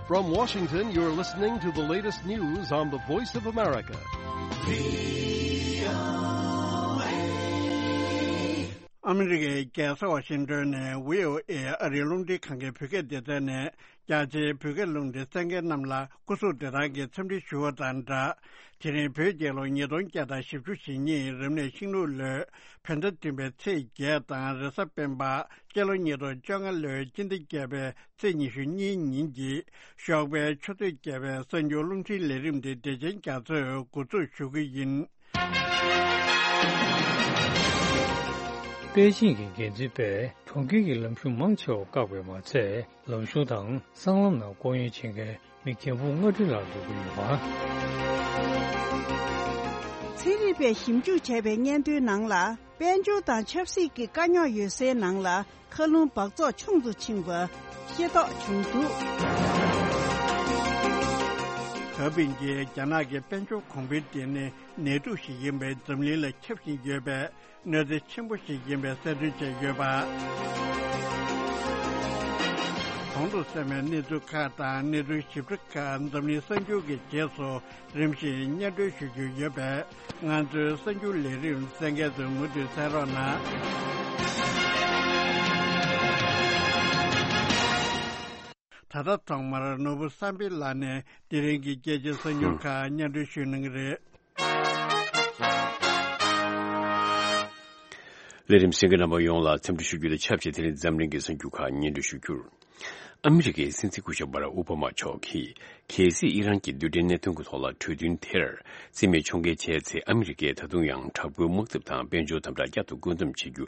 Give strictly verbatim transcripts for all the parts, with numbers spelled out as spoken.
From Washington, you're listening to the latest news on the Voice of America. ཨ་མི་རི་ཀའི་རྒྱལ་ས་ཝ་ཤིང་ཏོན་ནས་བྷི་ཨོ་ཨེ་ཨ་རིའི་རླུང་འཕྲིན་ཁང་གི་བོད་སྐད་སྡེ་ཚན་ནས་རྒྱ་ཆེའི་བོད་སྐད་རླུང་འཕྲིན་གསན་མཁན་རྣམས་ལ་སྐུ་གཟུགས་བདེ་ཐང་གི་འཚམས་འདྲི་ཞུ་བ་དང་སྦྲགས། དེ་རིང་བོད་རྒྱལ་ལོ་ཉིས་སྟོང་བརྒྱ་དང་བཞི་བཅུ་ཞེ་གཉིས་རབ་གནས་ཤིང་ལུག་ལོའི་བོད་ཟླ་བདུན་པའི་ཚེས་བརྒྱད་དང་རེས་གཟའ་སྤེན་པ་སྤྱི་ལོ་ཉིས་སྟོང་བཅོ་ལྔ་ལོའི་སྤྱི་ཟླ་བརྒྱད་པའི་ཚེས་ཉི་ཤུ་གཉིས་ཉིན་གྱི་ཞོགས་པའི་ཆུ་ཚོད་བརྒྱད་པའི་གསར་འགྱུར་རླུང་འཕྲིན་ལས་རིམ་འདི་བདེ་ཆེན་རྒྱ་མཚོས་འགོ་འཛུགས་ཞུ་གི་ཡིན། པེ་ཅིང་གི་འགན་འཛིན་པས་གྲོང་ཁྱེར་གྱི་ལམ་གཞུང་མང་ཆེ་བ་བཀག་པས་མ་ཚད། ལམ་གཞུང་དང་སྲང་ལམ་ནང་ལྐོག་གཡེང་བྱེད་མཁན་མི་རྒན་འབུམ་ལྔ་བཅུ་ལྷག་འདུ་གི་ཡོད་པ། ཚན་རིག་པས་ཞིབ་འཇུག་བྱས་པའི་སྙན་ཐོའི་ནང་ལ། དཔལ་འབྱོར་དང་ཆབ་སྲིད་ཀྱི་དཀའ་རྙོག་ཡོད་སའི་ནང་ལ། མཁའ་རླུང་འབག་བཙོག་ཆུང་དུ་ཕྱིན་པ་ཤེས་རྟོགས་བྱུང་འདུག། ཧ་པིན་གྱིས་རྒྱ་ནག་གི་དཔལ་འབྱོར་གོང་འཕེལ་དེ་ནི་ནད་དུག་ཞིག་ཡིན་པས་འཛམ་གླིང་ལ་ཁྱབ་བཞིན་ཡོད་པས། གནོད་འཚེ་ཆེན་པོ་ཞིག་ཡིན་པའི་གསལ་སྟོན་བྱས་ཡོད་པ། གོང་དུ་གསན་པའི་གནས་ཚུལ་ཁག་དང་གནས་ཚུལ་ཞིབ་ཕྲ་ཁག་འཛམ་གླིང་གསར་འགྱུར་གྱི་རྗེས་སུ་རིམ་བཞིན་སྙན་སྒྲོན་ཞུ་རྒྱུ་ཡོད་པས། ང་ཚོའི་གསར་འགྱུར་ལས་རིམ་གསན་མཁན་ཚོས་མུ་མཐུད་གསན་རོགས་གནང་། ད་ལྟ་ཐོག་མར་ནོར་བུ་བསམ་འཕེལ་ལགས་ནས་དེ་རིང་གི་སྐད་ཆའི་གསར་འགྱུར་ཁག་སྙན་སྒྲོན་ཞུ་གནང་གི་རེད། ལས་རིམ་གསན་མཁན་རྣམ་པ་ཡོངས་ལ་འཚམས་འདྲི་ཞུ་རྒྱུ་དང་ཆབས་ཅིག་དེ་རིང་འཛམ་གླིང་གི་གསར་འགྱུར་ཁག་སྙན་སྒྲོན་ཞུ་རྒྱུར། ཨ་མི་རི་ཀའི་སྲིད་འཛིན་སྐུ་ཞབས་བྷ་རག་ཨོ་བྷ་མ་མཆོག་གིས་གལ་སྲིད་ཨི་རན་གྱི་རྡུལ་ཕྲན་གནད་དོན་གྱི་ཐོག་ལ་གྲོས་མཐུན་དེར་རྩིས་མེད་ཕྱོགས་འགལ་བྱས་ཚེ། ཨ་མི་རི་ཀས་ད་དུང་ཡང་དྲག་པོའི་དམག་འཐབ་དང་དཔལ་འབྱོར་དམ་དྲག་བསྐྱར་དུ་བཀོད་འདོམས་བྱེད་རྒྱུ་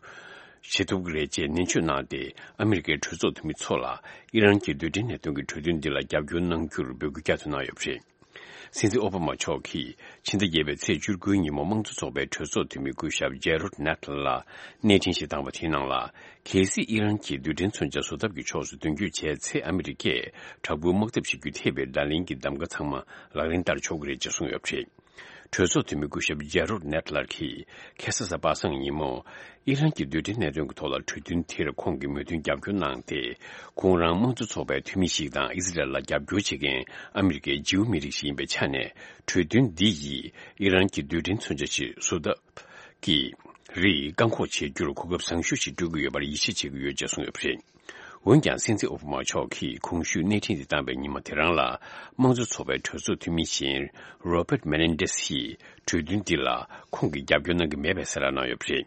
བྱེད་ཐུབ་ཀྱི་རེད་ཅེས་ནན་བརྗོད་གནང་སྟེ། ཨ་མི་རི་ཀའི་གྲོས་ཚོགས་འཐུས་མི་ཚོ་ལ་ཨི་རན་གྱི་རྡུལ་ཕྲན་གནད་དོན་གྱི་གྲོས་མཐུན་འདི་ལ་རྒྱབ་སྐྱོར་གནང་རྒྱུར་འབོད་སྐུལ་བསྐྱར་དུ་གནང་ཡོད་པ་རེད། སྲིད་འཛིན་ཨོ་བྷ་མ་མཆོག་གིས་ཕྱི་ཟླ་བརྒྱད་པའི་ཚེས་བཅུ་དགུའི་ཉིན་མོ་དམངས་གཙོ་ཚོགས་པའི་གྲོས་ཚོགས་འཐུས་མི་སྐུ་ཞབས་ཇེ་རོད་ནེ་ཐལ་ལ་གནས་འཕྲིན་ཞིག་བཏང་བ་དེའི་ནང་ལ། གལ་སྲིད་ཨི་རན་གྱིས་རྡུལ་ཕྲན་མཚོན་ཆ་བཟོ་ཐབས་ཀྱི་ཕྱོགས་སུ་མདུན་སྐྱོད་བྱས་ཚེ། ཨ་མི་རི་ཀས་དྲག་པོའི་དམག་འཐབ་བྱེད་རྒྱུ་ཐེ་བའི་བརྡ་ལན་གྱི་གདམ་ག་ཚང་མ་ལག་ལེན་བསྟར་ཆོག་གི་རེད་ཅེས་གསུངས་ཡོད་པ་རེད། གྲོས་ཚོགས་འཐུས་མི་སྐུ་ཞབས་ཇེ་རོད་ནེ་ཐལ་གྱིས་ཁ་སང་གཟའ་པ་སངས་ཉིན་མོ། ཨི་རན་གྱི་རྡུལ་ཕྲན་གནད་དོན་གྱི་ཐོག་ལ་གྲོས་མཐུན་དེར་ཁོང་གིས་མོས་མཐུན་རྒྱབ་སྐྱོར་གནང་སྟེ། ཁོང་རང་དམངས་གཙོ་ཚོགས་པའི་འཐུས་མི་ཞིག་དང་ཨི་ཟི་རལ་ལ་རྒྱབ་སྐྱོར་བྱེད་མཁན་ཨ་མི་རི་ཀའི་ཇིའུ་མི་རིགས་ཤིག་ཡིན་པའི་ཆ་ནས། གྲོས་མཐུན་འདི་ཡིས་ཨི་རན་གྱི་རྡུལ་ཕྲན་མཚོན་ཆ་ཞིག་བཟོ་ཐབས་ཀྱི་རིགས་བཀག་འགོག་བྱེད་རྒྱུར་གོ་སྐབས་བཟང་ཤོས་ཤིག་སྤྲོད་ཀྱི་ཡོད་པར་ཡིད་ཆེས་བྱེད་ཀྱི་ཡོད་ཅེས་གསུངས་ཡོད་པ་རེད། འོན་ཀྱང་། སྲིད་འཛིན་ཨོ་བྷ་མ་མཆོག་གིས་གོང་ཞུས་གནས་འཕྲིན་འདི་བཏང་བའི་ཉི་མ་དེ་རང་ལ། དམངས་གཙོ་ཚོགས་པའི་གྲོས་ཚོགས་འཐུས་མི་གཞན་རོ་པར་མེ་ནེན་ཌེ་སི་ཡིས་གྲོས་མཐུན་འདི་ལ་ཁོང་གིས་རྒྱབ་སྐྱོར་གནང་གི་མེད་པའི་གསལ་བསྒྲགས་གནང་ཡོད་པ་རེད།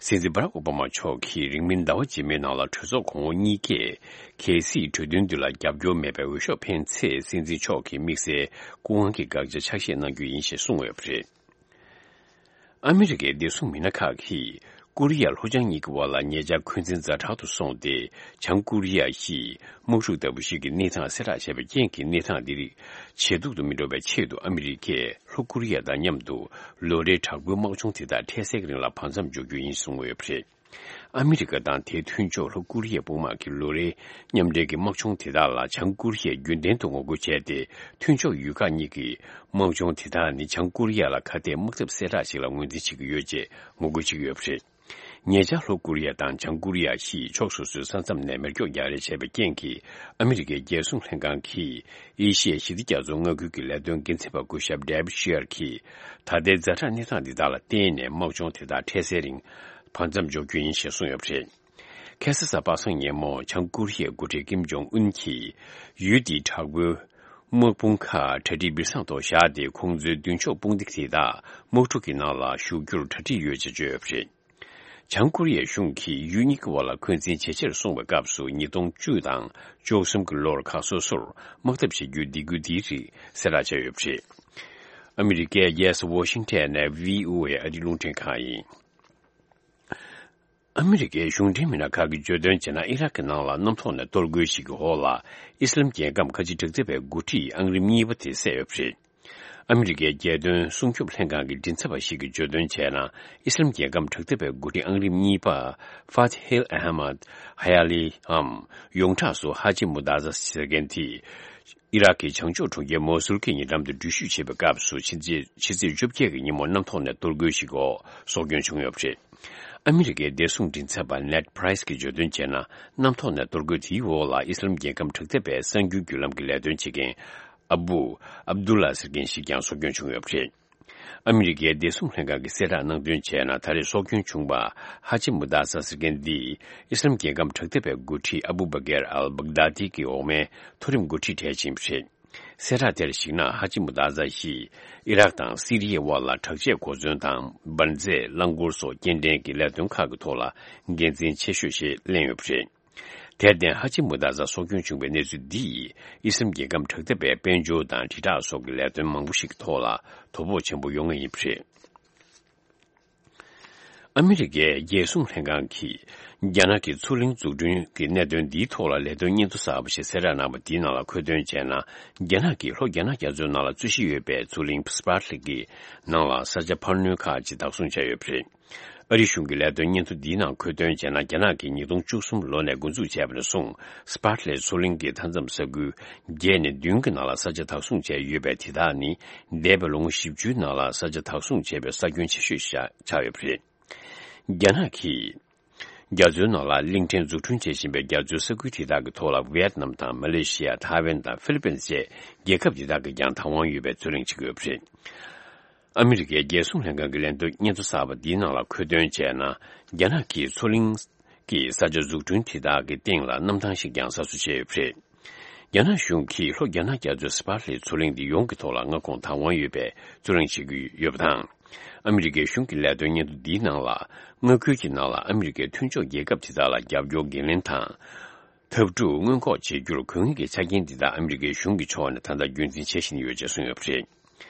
སྲིད་འཛིན་བྷ་རག་ཨོ་བྷ་མ་མཆོག་གིས་རིང་མིན་ཟླ་བ་རྗེས་མའི་ནང་ལ་གྲོས་ཚོགས་གོང་འོག་གཉིས་ཀས་གལ་སྲིད་གྲོས་མཐུན་འདི་ལ་རྒྱབ་སྐྱོར་མེད་པའི་འོས་ཤོག་འཕེན་ཚེ། སྲིད་འཛིན་མཆོག་གིས་དམིགས་བསལ་སྐུ་དབང་གི་དགག་བྱ་ཆ་བཞག་གནང་རྒྱུ་ཡིན་ཞེས་གསུངས་ཡོད་པ་རེད། ཨ་མི་རི་ཀའི་བདེ་སྲུང་མི་སྣ་ཁག་གིས་ཀོ་རི་ཡ་ལྷོ་བྱང་གཉིས་ཀྱི་དབར་ལ་ཉེ་ཆར་འཁོན་འཛིན་ཛ་དྲག་ཏུ་སོང་སྟེ། བྱང་ཀོ་རི་ཡ་ཞིག་དམག་འཁྲུག་ལྟ་བུ་ཞིག་གི་གནས་སྟངས་གསལ་བསྒྲགས་བྱས་པའི་རྐྱེན་གྱིས། གནས་སྟངས་འདི་རིགས་ཇེ་སྡུག་ཏུ་མི་འགྲོ་བའི་ཆེད་དུ། ཨ་མི་རི་ཀས་ལྷོ་ཀོ་རི་ཡ་དང་མཉམ་དུ་ལོ་རེའི་དྲག་པོའི་དམག་སྦྱོང་དེ་དག་འཕྲལ་སེལ་གྱི་རིང་ལ་བར་མཚམས་འཇོག་རྒྱུ་ཡིན་གསུངས་ཡོད་པ་རེད། ཨ་མི་རི་ཀ་དང་དེའི་མཐུན་ཕྱོགས་ལྷོ་ཀོ་རི་ཡའི་དཔུང་དམག་གིས་ལོ་རེའི་མཉམ་འབྲེལ་གྱི་དམག་སྦྱོང་དེ་དག་ལ། བྱང་ཀོ་རི་ཡས་རྒྱུན་ལྡན་དུ་ངོ་རྒོལ་བྱས་ཏེ། མཐུན་ཕྱོགས་ཡུལ་ཁག་གཉིས་ཀྱི་དམག་སྦྱོང་དེ་དག་ནི། བྱང་ཀོ་རི་ཡ་ལ་ཁ་གཏད་དམག་འཐབ་གསལ་བསྒྲགས་ཤིག་ལ་ངོས་འཛིན་བྱེད་ཀྱི་ཡོད་ཅེས་ངོ་རྒོལ་བྱེད་ཀྱི་ཡོད་པ་རེད། ཉེ་ཆར་ལྷོ་ཀོ་རི་ཡ་དང་བྱང་ཀོ་རི་ཡ་བཞིས་ཕྱོགས་སོ་སོའི་ས་མཚམས་ནས་མེ་སྒྱོགས་རྒྱག་རེས་བྱས་པའི་རྐྱེན་གྱིས། ཨ་མི་རི་ཀའི་རྒྱལ་སྲུང་ལྷན་ཁང་གིས་ཨེ་ཤི་ཡའི་ཞི་བདེ་རྒྱ་མཚོ་མངའ་ཁུལ་གྱི་ལས་དོན་འགན་འཛིན་པ་སྐུ་ཞབས་ཌེ་བིད་ཤི་ཡར་གྱིས། ད་ལྟའི་ཛ་དྲག་གནས་སྟངས་འདི་དག་ལ་བརྟེན་ནས། དམག་སྦྱོང་དེ་དག་འཕྲལ་སེལ་རིང་བར་མཚམས་འཇོག་རྒྱུ་ཡིན་ཞེས་གསུངས་ཡོད་པ་རེད། ཁ་སང་གཟའ་པ་སངས་ཉིན་མོ། བྱང་ཀོ་རི་ཡའི་འགོ་ཁྲིད་ཀིམ་ཇོང་ཨུན་གྱིས་ཡུལ་དེའི་དྲག་པོའི་དམག་དཔུང་ཁག་གྲ་སྒྲིག་འབུར་ཚང་ཐོག་བཞག་སྟེ། ཁོང་ཚོའི་མདུན་ཕྱོགས་དཔུང་སྡེ་དེ་དག་དམག་འཁྲུག་གི་ནང་ལ་ཞུགས་རྒྱུར་གྲ་སྒྲིག་ཡོད་ཅེས་བརྗོད་ཡོད་པ་རེད། བྱང་ཀོ་རི་ཡའི་གཞུང་གིས་ཡུལ་གཉིས་ཀྱི་དབར་ལ་འཁོན་འཛིན་ཇེ་ཆེར་སོང་བའི་སྐབས་སུ། ཉིས་སྟོང་བཅུ་དང་བཅུ་གསུམ་གྱི་ལོར་ཁག་སོ་སོར་དམག་འཐབ་བྱེད་རྒྱུའི་སྡིགས་སྐུལ་འདིའི་རིགས་གསལ་བསྒྲགས་བྱས་ཡོད་པ་རེད། ཨ་མི་རི་ཀའི་རྒྱལ་ས་ཝོ་ཤིང་ཊོན་ནས་བྷི་ཨོ་ཨེ་ཨ་རིའི་རླུང་འཕྲིན་ཁང་ཡིན། ཨ་མི་རི་ཀའི་གཞུང་འབྲེལ་མི་སྣ་ཁག་གིས་བརྗོད་དོན་བྱས་ན། ཨི་རག་གི་ནང་ལ་གནམ་ཐོག་ནས་གཏོར་རྒོལ་ཞིག་གི་འོག་ལ་ཨི་སི་ལམ་རྒྱལ་ཁམས་ཁ་ཆེ་དྲག་འཐབ་པའི་འགོ་ཁྲིད་ཨང་རིམ་གཉིས་པ་དེ་བསད་ཡོད་པ་རེད། ཨ་མི་རི་ཀའི་རྒྱལ་དོན་སྲུང་སྐྱོབ་ལྷན་ཁང་གི་མགྲིན་ཚབ་པ་ཞིག་གིས་བརྗོད་དོན་བྱས་ན། ཨི་སི་ལམ་རྒྱལ་ཁམས་དྲག་འཐབ་པའི་འགོ་ཁྲིད་ཨང་རིམ་གཉིས་པ་ཧྥ་ཐི་ཧིལ་ཨ་ཧ་མད་ཧ་ཡ་ལི་འམ། ཡོངས་གྲགས་སུ་ཧ་ཇི་མུ་ཏཱ་ཛ་ཟེར་མཁན་དེ། ཨི་རག་གི་བྱང་ཕྱོགས་གྲོང་ཁྱེར་མོ་སུལ་གྱི་ཉེ་འགྲམ་དུ་འགྲུལ་བཞུད་བྱེད་པའི་སྐབས་སུ། ཕྱི་ཚེས་ཕྱི་ཚེས་བཅོ་བརྒྱད་ཀྱི་ཉིན་མོ་གནམ་ཐོག་ནས་གཏོར་རྒོལ་ཞིག་འོག་སྲོག་སྐྱོན་བྱུང་ཡོད་པ་རེད། ཨ་མི་རི་ཀའི་བདེ་སྲུང་མགྲིན་ཚབ་པ་ནེད་པ་རའི་སི་གིས་བརྗོད་དོན་བྱས་ན། གནམ་ཐོག་ནས་གཏོར་རྒོལ་དེའི་འོག་ལ་ཨི་སི་ལམ་རྒྱལ་ཁབ་དྲག་འཐབ་པའི་གསར་འགྱུར་བརྒྱུད་ལམ་གྱི་ལས་དོན་བྱེད་མཁན་ཨ་བུ་ཨབ་དུ་ལ་ཟེར་མཁན་ཞིག་ཀྱང་སྲོག་སྐྱོན་བྱུང་ཡོད་པ་རེད། ཨ་མི་རི་ཀའི་བདེ་སྲུང་ལྷན་ཁང་གིས་གསལ་བསྒྲགས་གནང་དོན་བྱས་ན། ད་རེས་སྲོག་སྐྱོན་བྱུང་བ་ཧ་ཅི་མུ་ཏཱ་ཟ་ཟེར་མཁན་འདིས་ཨི་སི་ལམ་རྒྱལ་ཁབ་དྲག་འཐབ་པའི་འགོ་ཁྲིད་ཨ་བུ་བ་གེར་ཨལ་བག་དཱ་ཏི་གི་འོག་མའི་མཐོ་རིམ་འགོ་ཁྲིད་གྲས་ཤིག་ཡིན་པ་རེད། གསལ་བསྒྲགས་དེར་གཞིགས་ན། ཧ་ཅི་མུ་ཏཱ་ཟ་ཡིས་ཨི་རག་དང་སི་རི་ཡའི་དབར་ལ་དྲག་ཆས་གོ་མཚོན་དང་འབར་རྫས་རླངས་འཁོར་སོགས་སྐྱེལ་འདྲེན་གྱི་ལས་དོན་ཁག་གི་ཐོག་ལ་འགན་འཛིན་ཆེ་ཤོས་ཤིག་ལེན་ཡོད་པ་རེད། དེར་བརྟེན། ཧ་ཅི་མུ་ཏཱ་ཟ་སྲོག་སྐྱོན་བྱུང་བའི་གནས་ཚུལ་འདི་ཡིས་ཨི་སི་རམ་རྒྱལ་ཁམས་དྲག་འཐབ་པའི་དཔལ་འབྱོར་དང་དྲིལ་བསྒྲགས་སོགས་ཀྱི་ལས་དོན་མང་པོ་ཞིག་གི་ཐོག་ལ་དོ་ཕོག་ཆེན་པོ་ཡོང་ངེས་ཡིན་པ་རེད། ཨ་མི་རི་ཀའི་རྒྱལ་སྲུང་ལྷན་ཁང་གིས་རྒྱ་ནག་གི་མཚོ་གླིང་འཛུགས་སྐྲུན་གྱི་གནད་དོན་འདིའི་ཐོག་ལ་ལས་དོན་སྙན་ཐོ་གསར་པ་ཞིག་གསལ་བསྒྲགས་གནང་བ་འདིའི་ནང་ལ་འཁོད་དོན་བྱས་ན། རྒྱ་ནག་གིས་ལྷོ་རྒྱ་ནག་རྒྱ་མཚོའི་ནང་ལ་རྩོད་གཞི་ཡོད་པའི་མཚོ་གླིང་སི་པར་ལི་གི་ནང་ལ་ས་ཆ་འཕར་སྣོན་ཁག་ཅིག་བདག་བཟུང་བྱས་ཡོད་པ་རེད། ཨ་རིའི་གཞུང་གི་ལས་དོན་སྙན་ཐོ་འདིའི་ནང་འཁོད་དོན་བྱས་ན། རྒྱ་ནག་གིས་ཉིས་སྟོང་བཅུ་གསུམ་ལོ་ནས་འགོ་འཛུགས་བྱས་པ་ནས་བཟུང་། སི་པར་ལི་མཚོ་གླིང་གི་མཐའ་མཚམས་ས་ཁུལ་བརྒྱད་ནས་བདུན་གྱི་ནང་ལ་ས་ཆ་བདག་བཟུང་བྱས་ཡོད་པའི་དེ་དག་ནི། འདས་པའི་ལོ་ངོ་བཞི་བཅུའི་ནང་ལ་ས་ཆ་བདག་བཟུང་བྱས་པའི་ས་ཁྱོན་ཆེ་ཤོས་ཤིག་ཆགས་ཡོད་པ་རེད། རྒྱ་ནག་གིས་རྒྱ་མཚོའི་ནང་ལ་གླིང་ཕྲན་འཛུགས་སྐྲུན་བྱེད་བཞིན་པའི་རྒྱ་མཚོའི་ས་ཁུལ་དེ་དག་གི་ཐོག་ལ་ཝི་ཡེད་ནམ་དང་མ་ལེ་ཤི་ཡ། ཐའེ་ཝན་དང་ཧྥི་ལི་པིན་བཅས་རྒྱལ་ཁབ་དེ་དག་གིས་ཀྱང་བདག་དབང་ཡོད་པའི་རྩོད་གླེང་བྱེད་ཀྱི་ཡོད་པ་རེད། ཨ་མི་རི་ཀའི་རྒྱལ་སྲུང་ལྷན་ཁང་གི་ལན་དུ་སྙན་ཐོ་གསར་པ་འདིའི་ནང་ལ་འཁོད་དོན་བྱས་ན། རྒྱ་ནག་གིས་མཚོ་གླིང་གི་ས་ཆ་འཛུགས་སྐྲུན་དེ་དག་གི་སྟེང་ལ་གནམ་ཐང་ཞིག་ཀྱང་གསར་བཟོ་བྱས་ཡོད་པ་རེད། རྒྱ་ནག་གཞུང་གིས་ལྷོ་རྒྱ་ནག་རྒྱ་མཚོའི་སི་པར་ལི་མཚོ་གླིང་འདི་ཡོངས་ཀྱི་ཐོག་ལ་མངའ་ཁོངས་བདག་དབང་ཡོད་པའི་རྩོད་གླེང་བྱེད་ཀྱི་ཡོད་པ་དང་། ཨ་མི་རི་ཀའི་གཞུང་གི་ལས་དོན་སྙན་ཐོ་འདིའི་ནང་ལ། མངའ་ཁུལ་གྱི་ནང་ལ་ཨ་མི་རི་ཀའི་མཐུན་ཕྱོགས་རྒྱལ་ཁབ་དེ་དག་ལ་རྒྱབ་སྐྱོར་འགན་ལེན་དང་། འཐབ་འཁྲུག་སྔོན་འགོག་བྱེད་རྒྱུར་དགོས་ངེས་ཀྱི་ཆ་རྐྱེན་འདི་དག་ཨ་མི་རི་ཀའི་གཞུང་གི་ཕྱོགས་ནས་ད་ལྟ་རྒྱུན་འཛིན་བྱེད་བཞིན་ཡོད་ཅེས་གསུངས་ཡོད་པ་རེད།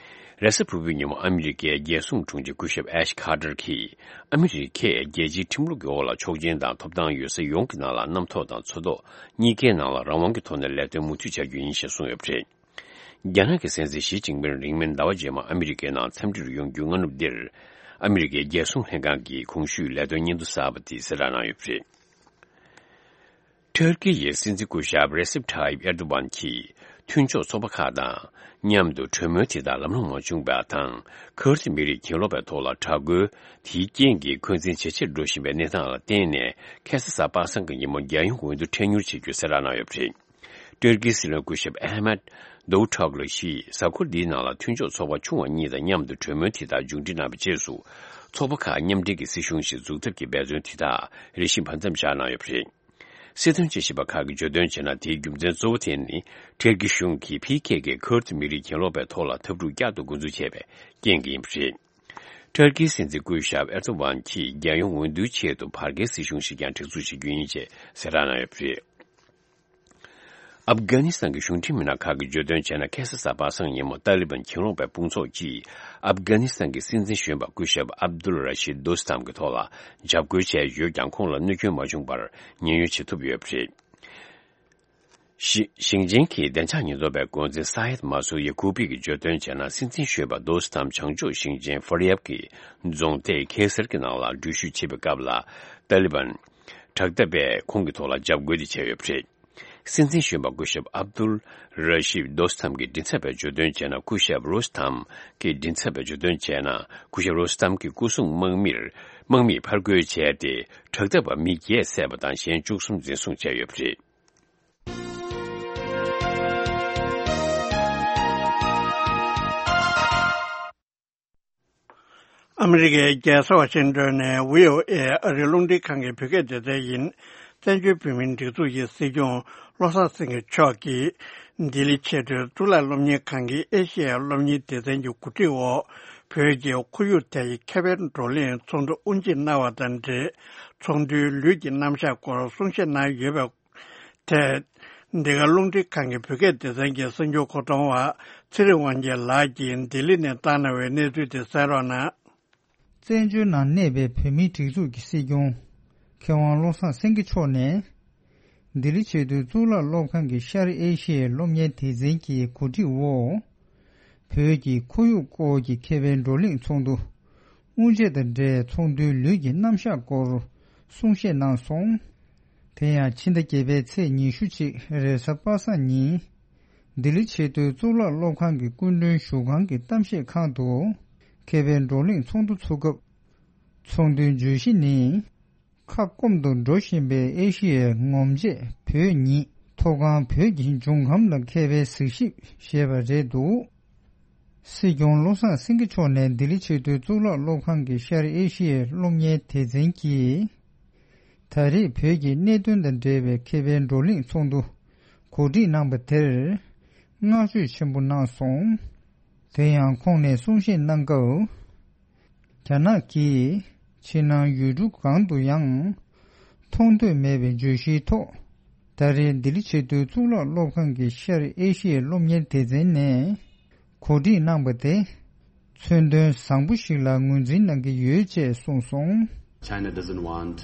རེས་གཟའ་ཕུར་བུའི་ཉིན་མོ་ཨ་མི་རི་ཀའི་རྒྱལ་སྲུང་དྲུང་ཆེ་སྐུ་ཞབས་ཨེཤ་ཁ་ཏར་གྱིས། ཨ་མི་རི་ཀས་རྒྱལ་སྤྱིའི་ཁྲིམས་ལུགས་ཀྱི་འོག་ལ་ཆོག་མཆན་དང་ཐོབ་ཐང་ཡོད་ས་ཡོངས་ཀྱི་ནང་ལ་གནམ་ཐོག་དང་མཚོ་ཐོག་གཉིས་ཀའི་ནང་ལ་རང་དབང་གི་ཐོག་ནས་ལས་དོན་མུ་མཐུད་བྱ་རྒྱུ་ཡིན་ཞེས་གསུངས་ཡོད་པ་རེད། རྒྱ་ནག་གི་སྲིད་འཛིན་ཞི་ཅིན་ཕིང་རིང་མིན་ཟླ་བ་རྗེས་མ་ཨ་མི་རི་ཀའི་ནང་འཚམས་འདྲིར་ཡོང་རྒྱུའི་སྔ་ནུབ་འདིར། ཨ་མི་རི་ཀའི་རྒྱལ་སྲུང་ལྷན་ཁང་གིས་གོང་ཞུས་ལས་དོན་སྙན་ཐོ་གསར་པ་དེ་གསལ་བསྒྲགས་གནང་ཡོད་པ་རེད། ཊར་ཀི་ཡི་སྲིད་འཛིན་སྐུ་ཞབས་རེ་སེབ་ཐཱ་ཡིབ་ཨེར་དོ་ཝན་གྱིས། མཐུན་ཕྱོགས་ཚོགས་པ་ཁག་དང་མཉམ་དུ་གྲོས་མོལ་དེ་དག་ལམ་ལྷོང་མ་བྱུང་བ་དང་། ཁུར་ཏི་མི་རིགས་གྱེན་ལོག་པའི་ཐོག་ལ་དྲག་རྒོལ་དེའི་རྐྱེན་གྱིས་འཁོན་འཛིན་ཇེ་ཆེར་འགྲོ་བཞིན་པའི་གནས་སྟངས་ལ་བརྟེན་ནས། ཁ་སང་གཟའ་པ་སངས་ཀྱི་ཉིན་མོ་རྒྱལ་ཡོངས་འོས་བསྡུ་འཕྲལ་མྱུར་བྱེད་རྒྱུ་གསལ་བསྒྲགས་གནང་ཡོད་པ་རེད། ཏུར་ཀིའི་སྲིད་བློན་སྐུ་ཞབས་ཨ་མད་དོའུ་ཊོག་ལུ་ཞིས་གཟའ་འཁོར་འདིའི་ནང་ལ་མཐུན་ཕྱོགས་ཚོགས་པ་ཆུང་བ་གཉིས་དང་མཉམ་དུ་གྲོས་མོལ་དེ་དག་མཇུག་སྒྲིལ་གནང་བའི་རྗེས་སུ། ཚོགས་པ་ཁག་མཉམ་འབྲེལ་གྱི་སྲིད་གཞུང་ཞིག་འཛུགས་ཐབས་ཀྱི་འབད་བརྩོན་དེ་དག་རེ་ཞིག་བར་མཚམས་བཞག་གནང་ཡོད་པ་རེད། སྲིད་དོན་དཔྱད་ཞིབ་པ་ཁག་གིས་བརྗོད་དོན་བྱས་ན། དེའི་རྒྱུ་མཚན་གཙོ་བོ་དེ་ནི། ཏུར་ཀི་གཞུང་གིས་ཕི་ཁེ་ཁེ་ཁུར་ཏི་མི་རིགས་གྱེན་ལོག་པའི་ཐོག་ལ་འཐབ་འཁྲུག་བསྐྱར་དུ་འགོ་འཛུགས་བྱས་པའི་རྐྱེན་གྱིས་ཡིན་པ་རེད། ཏུར་ཀིའི་སྲིད་འཛིན་སྐུ་ཞབས་ཨེར་དོ་ཝན་གྱིས་རྒྱལ་ཡོངས་འོས་བསྡུའི་ཆེད་དུ་བར་བརྒལ་སྲིད་གཞུང་ཞིག་ཀྱང་སྒྲིག་འཛུགས་བྱེད་རྒྱུ་ཡིན་ཞེས་གསལ་བསྒྲགས་གནང་ཡོད་པ་རེད། ཨབ་གྷ་ནི་སི་ཐན་གྱི་གཞུང་འབྲེལ་མི་སྣ་ཁག་གིས་བརྗོད་དོན་བྱས་ན། ཁ་སང་གཟའ་པ་སངས་ཉིན་མོ་ཏཱ་ལི་བན་གྱེན་ལོག་པའི་དཔུང་ཚོགས་ཀྱིས་ཨབ་གྷ་ནི་སི་ཐན་གྱི་སྲིད་འཛིན་གཞོན་པ་སྐུ་ཞབས་ཨབ་དུལ་ར་ཤིད་དོ་སི་ཐམ་གྱི་ཐོག་ལ་འཇབ་རྒོལ་བྱས་ཡོད་ཀྱང་། ཁོང་ལ་གནོད་སྐྱོན་མ་བྱུང་བར་ཉེན་གཡོལ་བྱེད་ཐུབ་ཡོད་པ་རེད། ཞི་ཞིང་ཆེན་གྱི་བདེ་འཇགས་ཉེན་རྟོག་པའི་འགོ་འཛིན་ས་ཡེད་མ་སུར་ཡ་ཀུ་པི་གིས་བརྗོད་དོན་བྱས་ན། སྲིད་འཛིན་གཞོན་པ་དོ་སི་ཐམ་བྱང་ཕྱོགས་ཞིང་ཆེན་ཧྥ་རི་ཡབ་ཀྱི་རྫོང་སྡེ་ཁེ་སར་གྱི་ནང་ལ་འགྲུལ་བཞུད་བྱེད་པའི་སྐབས་ལ། ཏཱ་ལི་བན་དྲག་འཐབ་པས་ཁོང་གི་ཐོག་ལ་འཇབ་རྒོལ་དེ་བྱས་ཡོད་པ་རེད། སྲིད་འཛིན་གཞོན་པ་སྐུ་ཞབས་ཨབ་དུལ་ར་ཤིབ་དོ་སི་ཐམ་གྱི་མགྲིན་ཚབ་པས་བརྗོད་དོན་བྱས་ན། སྐུ་ཞབས་རོ་སི་ཐམ་གྱི་མགྲིན་ཚབ་པས་བརྗོད་དོན་བྱས་ན། སྐུ་ཞབས་རོ་སི་ཐམ་གྱི་སྐུ་སྲུང་དམག་མིར་དམག་མིས་ཕར་རྒོལ་བྱས་ཏེ། དྲག་འཐབ་པ་མི་བརྒྱད་བསད་པ་དང་། གཞན་བཅུ་གསུམ་འཛིན་བཟུང་བྱས་ཡོད་པ་རེད། ཨ་མི་རི་ཀའི་རྒྱལ་ས་ཝ་ཤིང་ཏོན་ནས་བྷི་ཨོ་ཨེ་ཨ་རིའི་རླུང་འཕྲིན་ཁང་གི་བོད་སྐད་སྡེ་ཚན་ཡིན། བཙན་བྱོལ་བོད་མིའི་སྒྲིག་འཛུགས་ཀྱི་སྲིད་སྐྱོང་བློ་བཟང་སེང་གེ་མཆོག་གིས་ལྡི་ལི་ཆེས་མཐོའི་གཙུག་ལག་སློབ་གཉེར་ཁང་གི་ཨེ་ཤེ་ཡ་སློབ་གཉེར་སྡེ་ཚན་གྱི་གོ་སྒྲིག་འོག་བོད་ཀྱི་ཁོར་ཡུག་ཐད་ཀྱི་ཁེ་ཕན་བགྲོ་གླེང་ཚོགས་འདུ་དབུ་འབྱེད་གནང་བ་དང་འབྲེལ། ཚོགས་འདུའི་ལུས་ཀྱི་རྣམ་གཞག་སྐོར་གསུང་བཤད་གནང་ཡོད་པའི་ཐད། འདི་ག་རླུང་འཕྲིན་ཁང་གི་བོད་སྐད་སྡེ་ཚན་གྱི་གསར་འགྱུར་མཁོ་གཏོང་བ་ཚེ་རིང་དབང་རྒྱལ་ལགས་ཀྱིས་ལྡི་ལི་ནས་བཏང་གནང་བའི་གནས་ཚུལ་དེ་གསན་རོགས་གནང་། བཙན་བྱོལ་ནང་གནས་པའི་བོད་མིའི་སྒྲིག་འཛུགས་ཀྱི་སྲིད་སྐྱོང་མཁས་དབང་བློ་བཟང་སེང་གེ་མཆོག་ནས། ལྡི་ལི་ཆེས་མཐོའི་གཙུག་ལག་སློབ་ཁང་གི་ཤར་ཨེ་ཤི་ཡའི་སློབ་གཉེར་སྡེ་ཚན་གྱི་གོ་སྒྲིག་འོག་བོད་ཀྱི་ཁོར་ཡུག་སྐོར་གྱི་ཁེ་ཕན་བགྲོ་གླེང་ཚོགས་འདུ་དབུ་འབྱེད་དང་འབྲེལ། ཚོགས་འདུའི་ལུས་ཀྱི་རྣམ་གཞག་སྐོར་གསུང་བཤད་གནང་སོང་། དེ་ཡང་ཕྱི་ཟླ་བརྒྱད་པའི་ཚེས་ཉི་ཤུ་གཅིག་རེས་གཟའ་པ་སངས་ཉིན། ལྡི་ལི་ཆེས་མཐོའི་གཙུག་ལག་སློབ་ཁང་གི་སྐུ་མགྲོན་བཞུགས་ཁང་གི་གཏམ་བཤད་ཁང་དུ། ཁེ་ཕན་བགྲོ་གླེང་ཚོགས་འདུ་ཚུགས་སྐབས། ཚོགས་འདུའི་བརྗོད་གཞི་ནི། ཁ་སྐོམ་དུ་འགྲོ་བཞིན་པའི་ཨེ་ཤི་ཡའི་ངོམ་བྱེད་བོད་ཉིད། མཐོ་སྒང་བོད་ཀྱི་འབྱུང་ཁམས་ལ་མཁས་པའི་གཟིགས་ཞིབ་ཞེས་པ་རེད་འདུག་སྲིད་སྐྱོང་བློ་བཟང་སེང་གེ་མཆོག་ནས་ལྡི་ལི་ཆེས་མཐོའི་གཙུག་ལག་སློབ་ཁང་གི་ཤར་ཨེ་ཤི་ཡའི་སློབ་གཉེར་སྡེ་ཚན་གྱིས། ད་རེས་བོད་ཀྱི་གནད་དོན་དང་འབྲེལ་བའི་མཁས་པའི་བགྲོ་གླེང་ཚོགས་འདུ་གོ་སྒྲིག་གནང་པ་དེར་བསྔགས་བརྗོད་ཆེན་པོ་གནང་སོང་། དེ་ཡང་ཁོང་ནས་གསུང་བཤད་གནང་སྐབས། རྒྱ་ནག་གིས་ཕྱི་ནང་ཡུལ་གྲུ་གང་དུ་ཡང་མཐོང་ཐོས་མེད་པའི་བརྗོད་གཞིའི་ཐོག་ད་རེས་ལྡི་ལི་ཆེས་མཐོའི་གཙུག་ལག་སློབ་ཁང་གི་ཤར་ཨེ་ཤི་ཡའི་སློབ་གཉེར་སྡེ་ཚན་ནས་གོ་སྒྲིག་གནང་པ་དེ་མཚོན་དོན་བཟང་པོ་ཞིག་ལ་ངོས་འཛིན་གནང་གི་ཡོད་ཅེས་གསུངས་སོང་། China doesn't want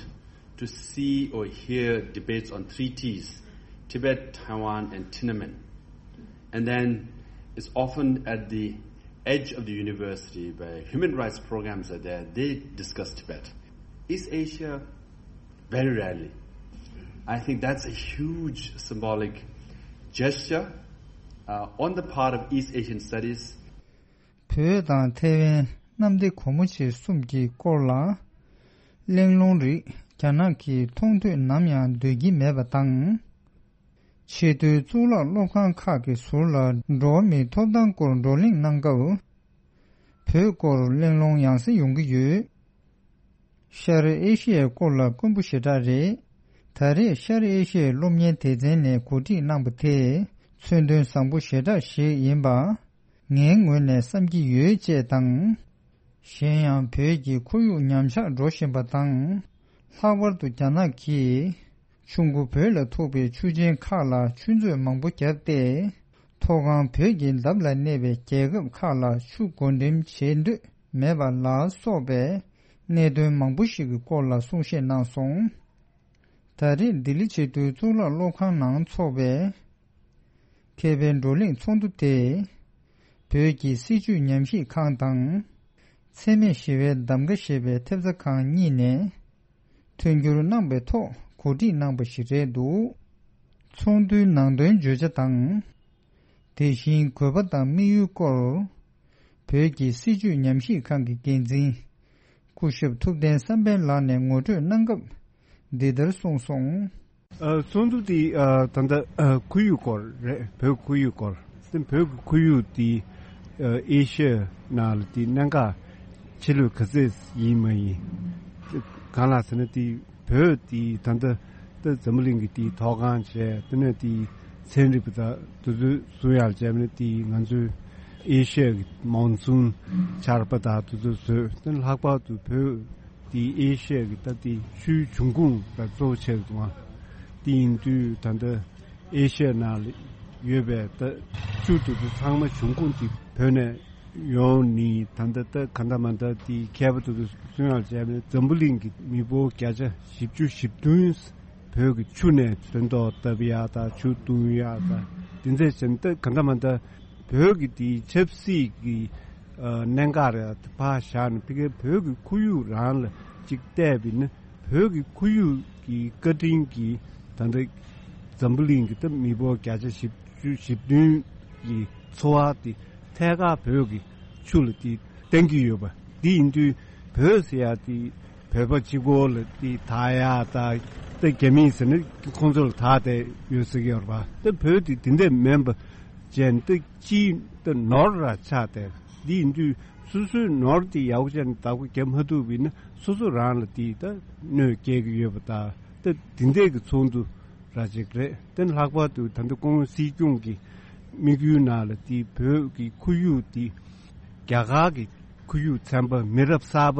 to see or hear debates on treaties, Tibet, Taiwan, and Tiananmen. And then it's often at the edge of the university where human rights programs are there, they discuss Tibet. East Asia, very rarely. I think that's a huge symbolic gesture uh, on the part of East Asian studies. བོད་དང་ཐའེ་ཝན་གནམ་བདེ་སྒོ་མོ་ཆེ་གསུམ་གྱི་སྐོར་ལ་གླེང་སློང་རིགས་རྒྱ་ནག་གིས་མཐོང་ཐོས་ནམ་ཡང་འདོད་ཀྱི་མེད་པ་དང་། ཆེས་མཐོའི་གཙུག་ལག་སློབ་ཁང་ཁག་གི་ཟུར་ལ་འགྲོ་བ་མིའི་ཐོབ་ཐང་སྐོར་བགྲོ་གླེང་གནང་སྐབས། བོད་སྐོར་གླེང་སློང་ཡང་སེ་ཡོང་གི་ཡོད། ཤར་ཨེ་ཤི་ཡའི་སྐོར་ལ་དཀོན་པོ་ཞེ་དྲག་རེད། ད་རེས་ཤར་ཨེ་ཤི་ཡའི་སློབ་གཉེར་སྡེ་ཚན་ནས་གོ་སྒྲིག་གནང་པ་དེ་མཚོན་དོན་བཟང་པོ་ཞེ་དྲག་ཞིག་ཡིན་པ། ངའི་ངོས་ནས་བསམ་གྱི་ཡོད་ཅེས་དང་། གཞན་ཡང་བོད་ཀྱི་ཁོར་ཡུག་ཉམས་ཆག་འགྲོ་བཞིན་པ་དང་། ལྷག་པར་དུ་རྒྱ་ནག་གིས་ཆུ་མགོ་བོད་ལ་ཐུག་པའི་ཆུ་ཆེན་ཁག་ལ་ཆུ་མཛོད་མང་པོ་བརྒྱབ་སྟེ། མཐོ་སྒང་བོད་ཀྱི་འདབས་ལ་གནས་པའི་རྒྱལ་ཁབ་ཁག་ལ་ཆུ་བགོ་འགྲེམས་བྱེད་འདོད་མེད་པ་ལ་སོགས་པའི་གནད་དོན་མང་པོ་ཞིག་གི་སྐོར་ལ་གསུང་བཤད་གནང་སོང་། ད་རེས་ལྡི་ལི་ཆེས་མཐོའི་གཙུག་ལག་སློབ་ཁང་ནང་འཚོགས་པའི་མཁས་པའི་བགྲོ་གླེང་ཚོགས་འདུ་དེ། བོད་ཀྱི་སྲིད་བྱུས་ཉམས་ཞིབ་ཁང་དང་། འཚེ་མེད་ཞི་བའི་གདམ་ག་ཞེས་པའི་ཐེབས་རྩ་ཁང་གཉིས་ནས། མཐུན་འགྱུར་གནང་པའི་ཐོག་གོ་སྒྲིག་གནང་པ་ཞིག་རེད་འདུག་ཚོགས་འདུའི་ནང་དོན་བརྗོད་བྱ་དང་། དེ་བཞིན་དགོས་པ་དང་དམིགས་ཡུལ་སྐོར། བོད་ཀྱི་སྲིད་བྱུས་ཉམས་ཞིབ་ཁང་གི་འགན་འཛིན། སྐུ་ཞབས་ཐུབ་བསྟན་བསམ་འཕེལ་ལགས་ནས་ངོ་སྤྲོད་གནང་སྐབས། འདི་ལྟར་གསུངས་སོང་། ཨ། ཚོགས་འདུ་འདི་ཨ། ད་ལྟ་ཨ། ཁོར་ཡུག་སྐོར་རེད། བོད་ཁོར་ཡུག་སྐོར། དེ་བོད་ཀྱི་ཁོར་ཡུག་འདི་ཨ། ཨེ་ཤི་ཡ་ནང་ལ་འདི་གནད་འགག་ཆེ་ལོས་ག་ཚད་ཡིན་མ་ཡིན། གང་ལགས་ཟེར་ན། འདི་བོད་འདི་ད་ལྟ་ད་འཛམ་བུ་གླིང་གི་འདི་མཐོ་སྒང་བྱས། དེ་ནས་འདི་ཚན་རིག་པ་དང་དེ་ཚོའི་བཟོ་ཡག་བྱས་ནས། འདི་ང་ཚོའི་ཨེ་ཤི་ཡ་གི་མོན་སུན་ཆར་པ་དང་དེ་ཚོ་བཟོས། དེ་ལྷག་པར་དུ་བོད་དེ་ཨེ་ཤི་ཡ་གི་ད་དེ་ཆུའི་འབྱུང་ཁུངས་ལ་གཙོ་བོ་བྱས་འདུག་ཨ། དེ་ཡིན་དུས་ད་ལྟ་ཨེ་ཤི་ཡ་ནང་ལ་ཡོད་པའི་ད་ཆུ་དེ་ཚོ་ཚང་མ་འབྱུང་ཁུངས་དེ་བོད་ནས་ཡོང་ནི། ད་ལྟ་ད་ག་འདྲ་མ་འདྲ་དེ་མཁས་པ་དེ་ཚོ་གསུང་ཡག་བྱས་ནས། འཛམ་བུ་གླིང་གི་མི་འབོར་བརྒྱ་ཆ་བཞི་བཅུ་ཞེ་བདུན་བོད་ཀྱི་ཆུ་ནས་ཚོན་མདོག་བཏབ་ཡག་དང་། ཆུ་བཏུང་ཡག་དང་། དེ་ཚོ་བྱས་ནས་ད་ག་འདྲ་མ་འདྲ་བོད་ཀྱི་དེའི་ཆབ་སྲིད་ཀྱི་ཨ། གནད་འགག་རེད། ཕར་བཞག་ནས་ཕ་གིའི་བོད་ཀྱི་ཁོར་ཡུག་རང་ལ་ཅིག་བལྟས་པ་ཡིན་ན། བོད་ཀྱི་ཁོར་ཡུག་གི་བཀའ་དྲིན་གྱིས་ད་ལྟ་འཛམ་བུ་གླིང་གི་ད་མི་འབོར་བརྒྱ་ཆ་བཞི་བཅུ་ཞེ་བདུན་གྱི་འཚོ་བ་དེ་ཐད་ཀར་བོད་ཀྱི་ཆུ་ལ་དེ་བརྟེན་གྱི་ཡོད་པ། འདི་ཡིན་དུས་བོད་ཟེར་ཡག་དེ་བོད་པ་གཅིག་པོ་ལ་དེ་བདག་ཡག་དང་། ད་རྒྱ་མི་ཟེར་ན་ཁོང་ཚོ་ལ་བདག་བསྡད་ཡོད་ཟེར་གྱི་ཡོད་རེད་པ། ད་བོད་དེ་དེ་འདྲ་མིན་པ་བྱས་ནས། ད་སྤྱིའི་ད་ནོར་ར་ཆགས་བསྡད། འདི་ཡིན་དུས་སོ་སོའི་ནོར་དེ་ཡག་པོ་བྱས་ནས་བདག་པོ་རྒྱབ་མ་ཐུབ་པ་ཡིན་ན། སོ་སོ་རང་ལ་དེ་ད་གནོད་སྐྱེལ་གྱི་ཡོད་པ། ད་ད་དེ་འདྲའི་གི་ཚོགས་འདུ་ར་ཅིག་རེད། དེ་ལྷག་པར་དུ་ད་ལྟ་སྐུ་ངོ་སྲིད་སྐྱོང་གི་དམིགས་ཡུལ་ནང་ལ་དེ་བོད་ཀྱི་ཁོར་ཡུག་དེ་རྒྱ་གར་གྱི་ཁོར་ཡུག་ཚན་པ་མི་རབས་གསར་པ་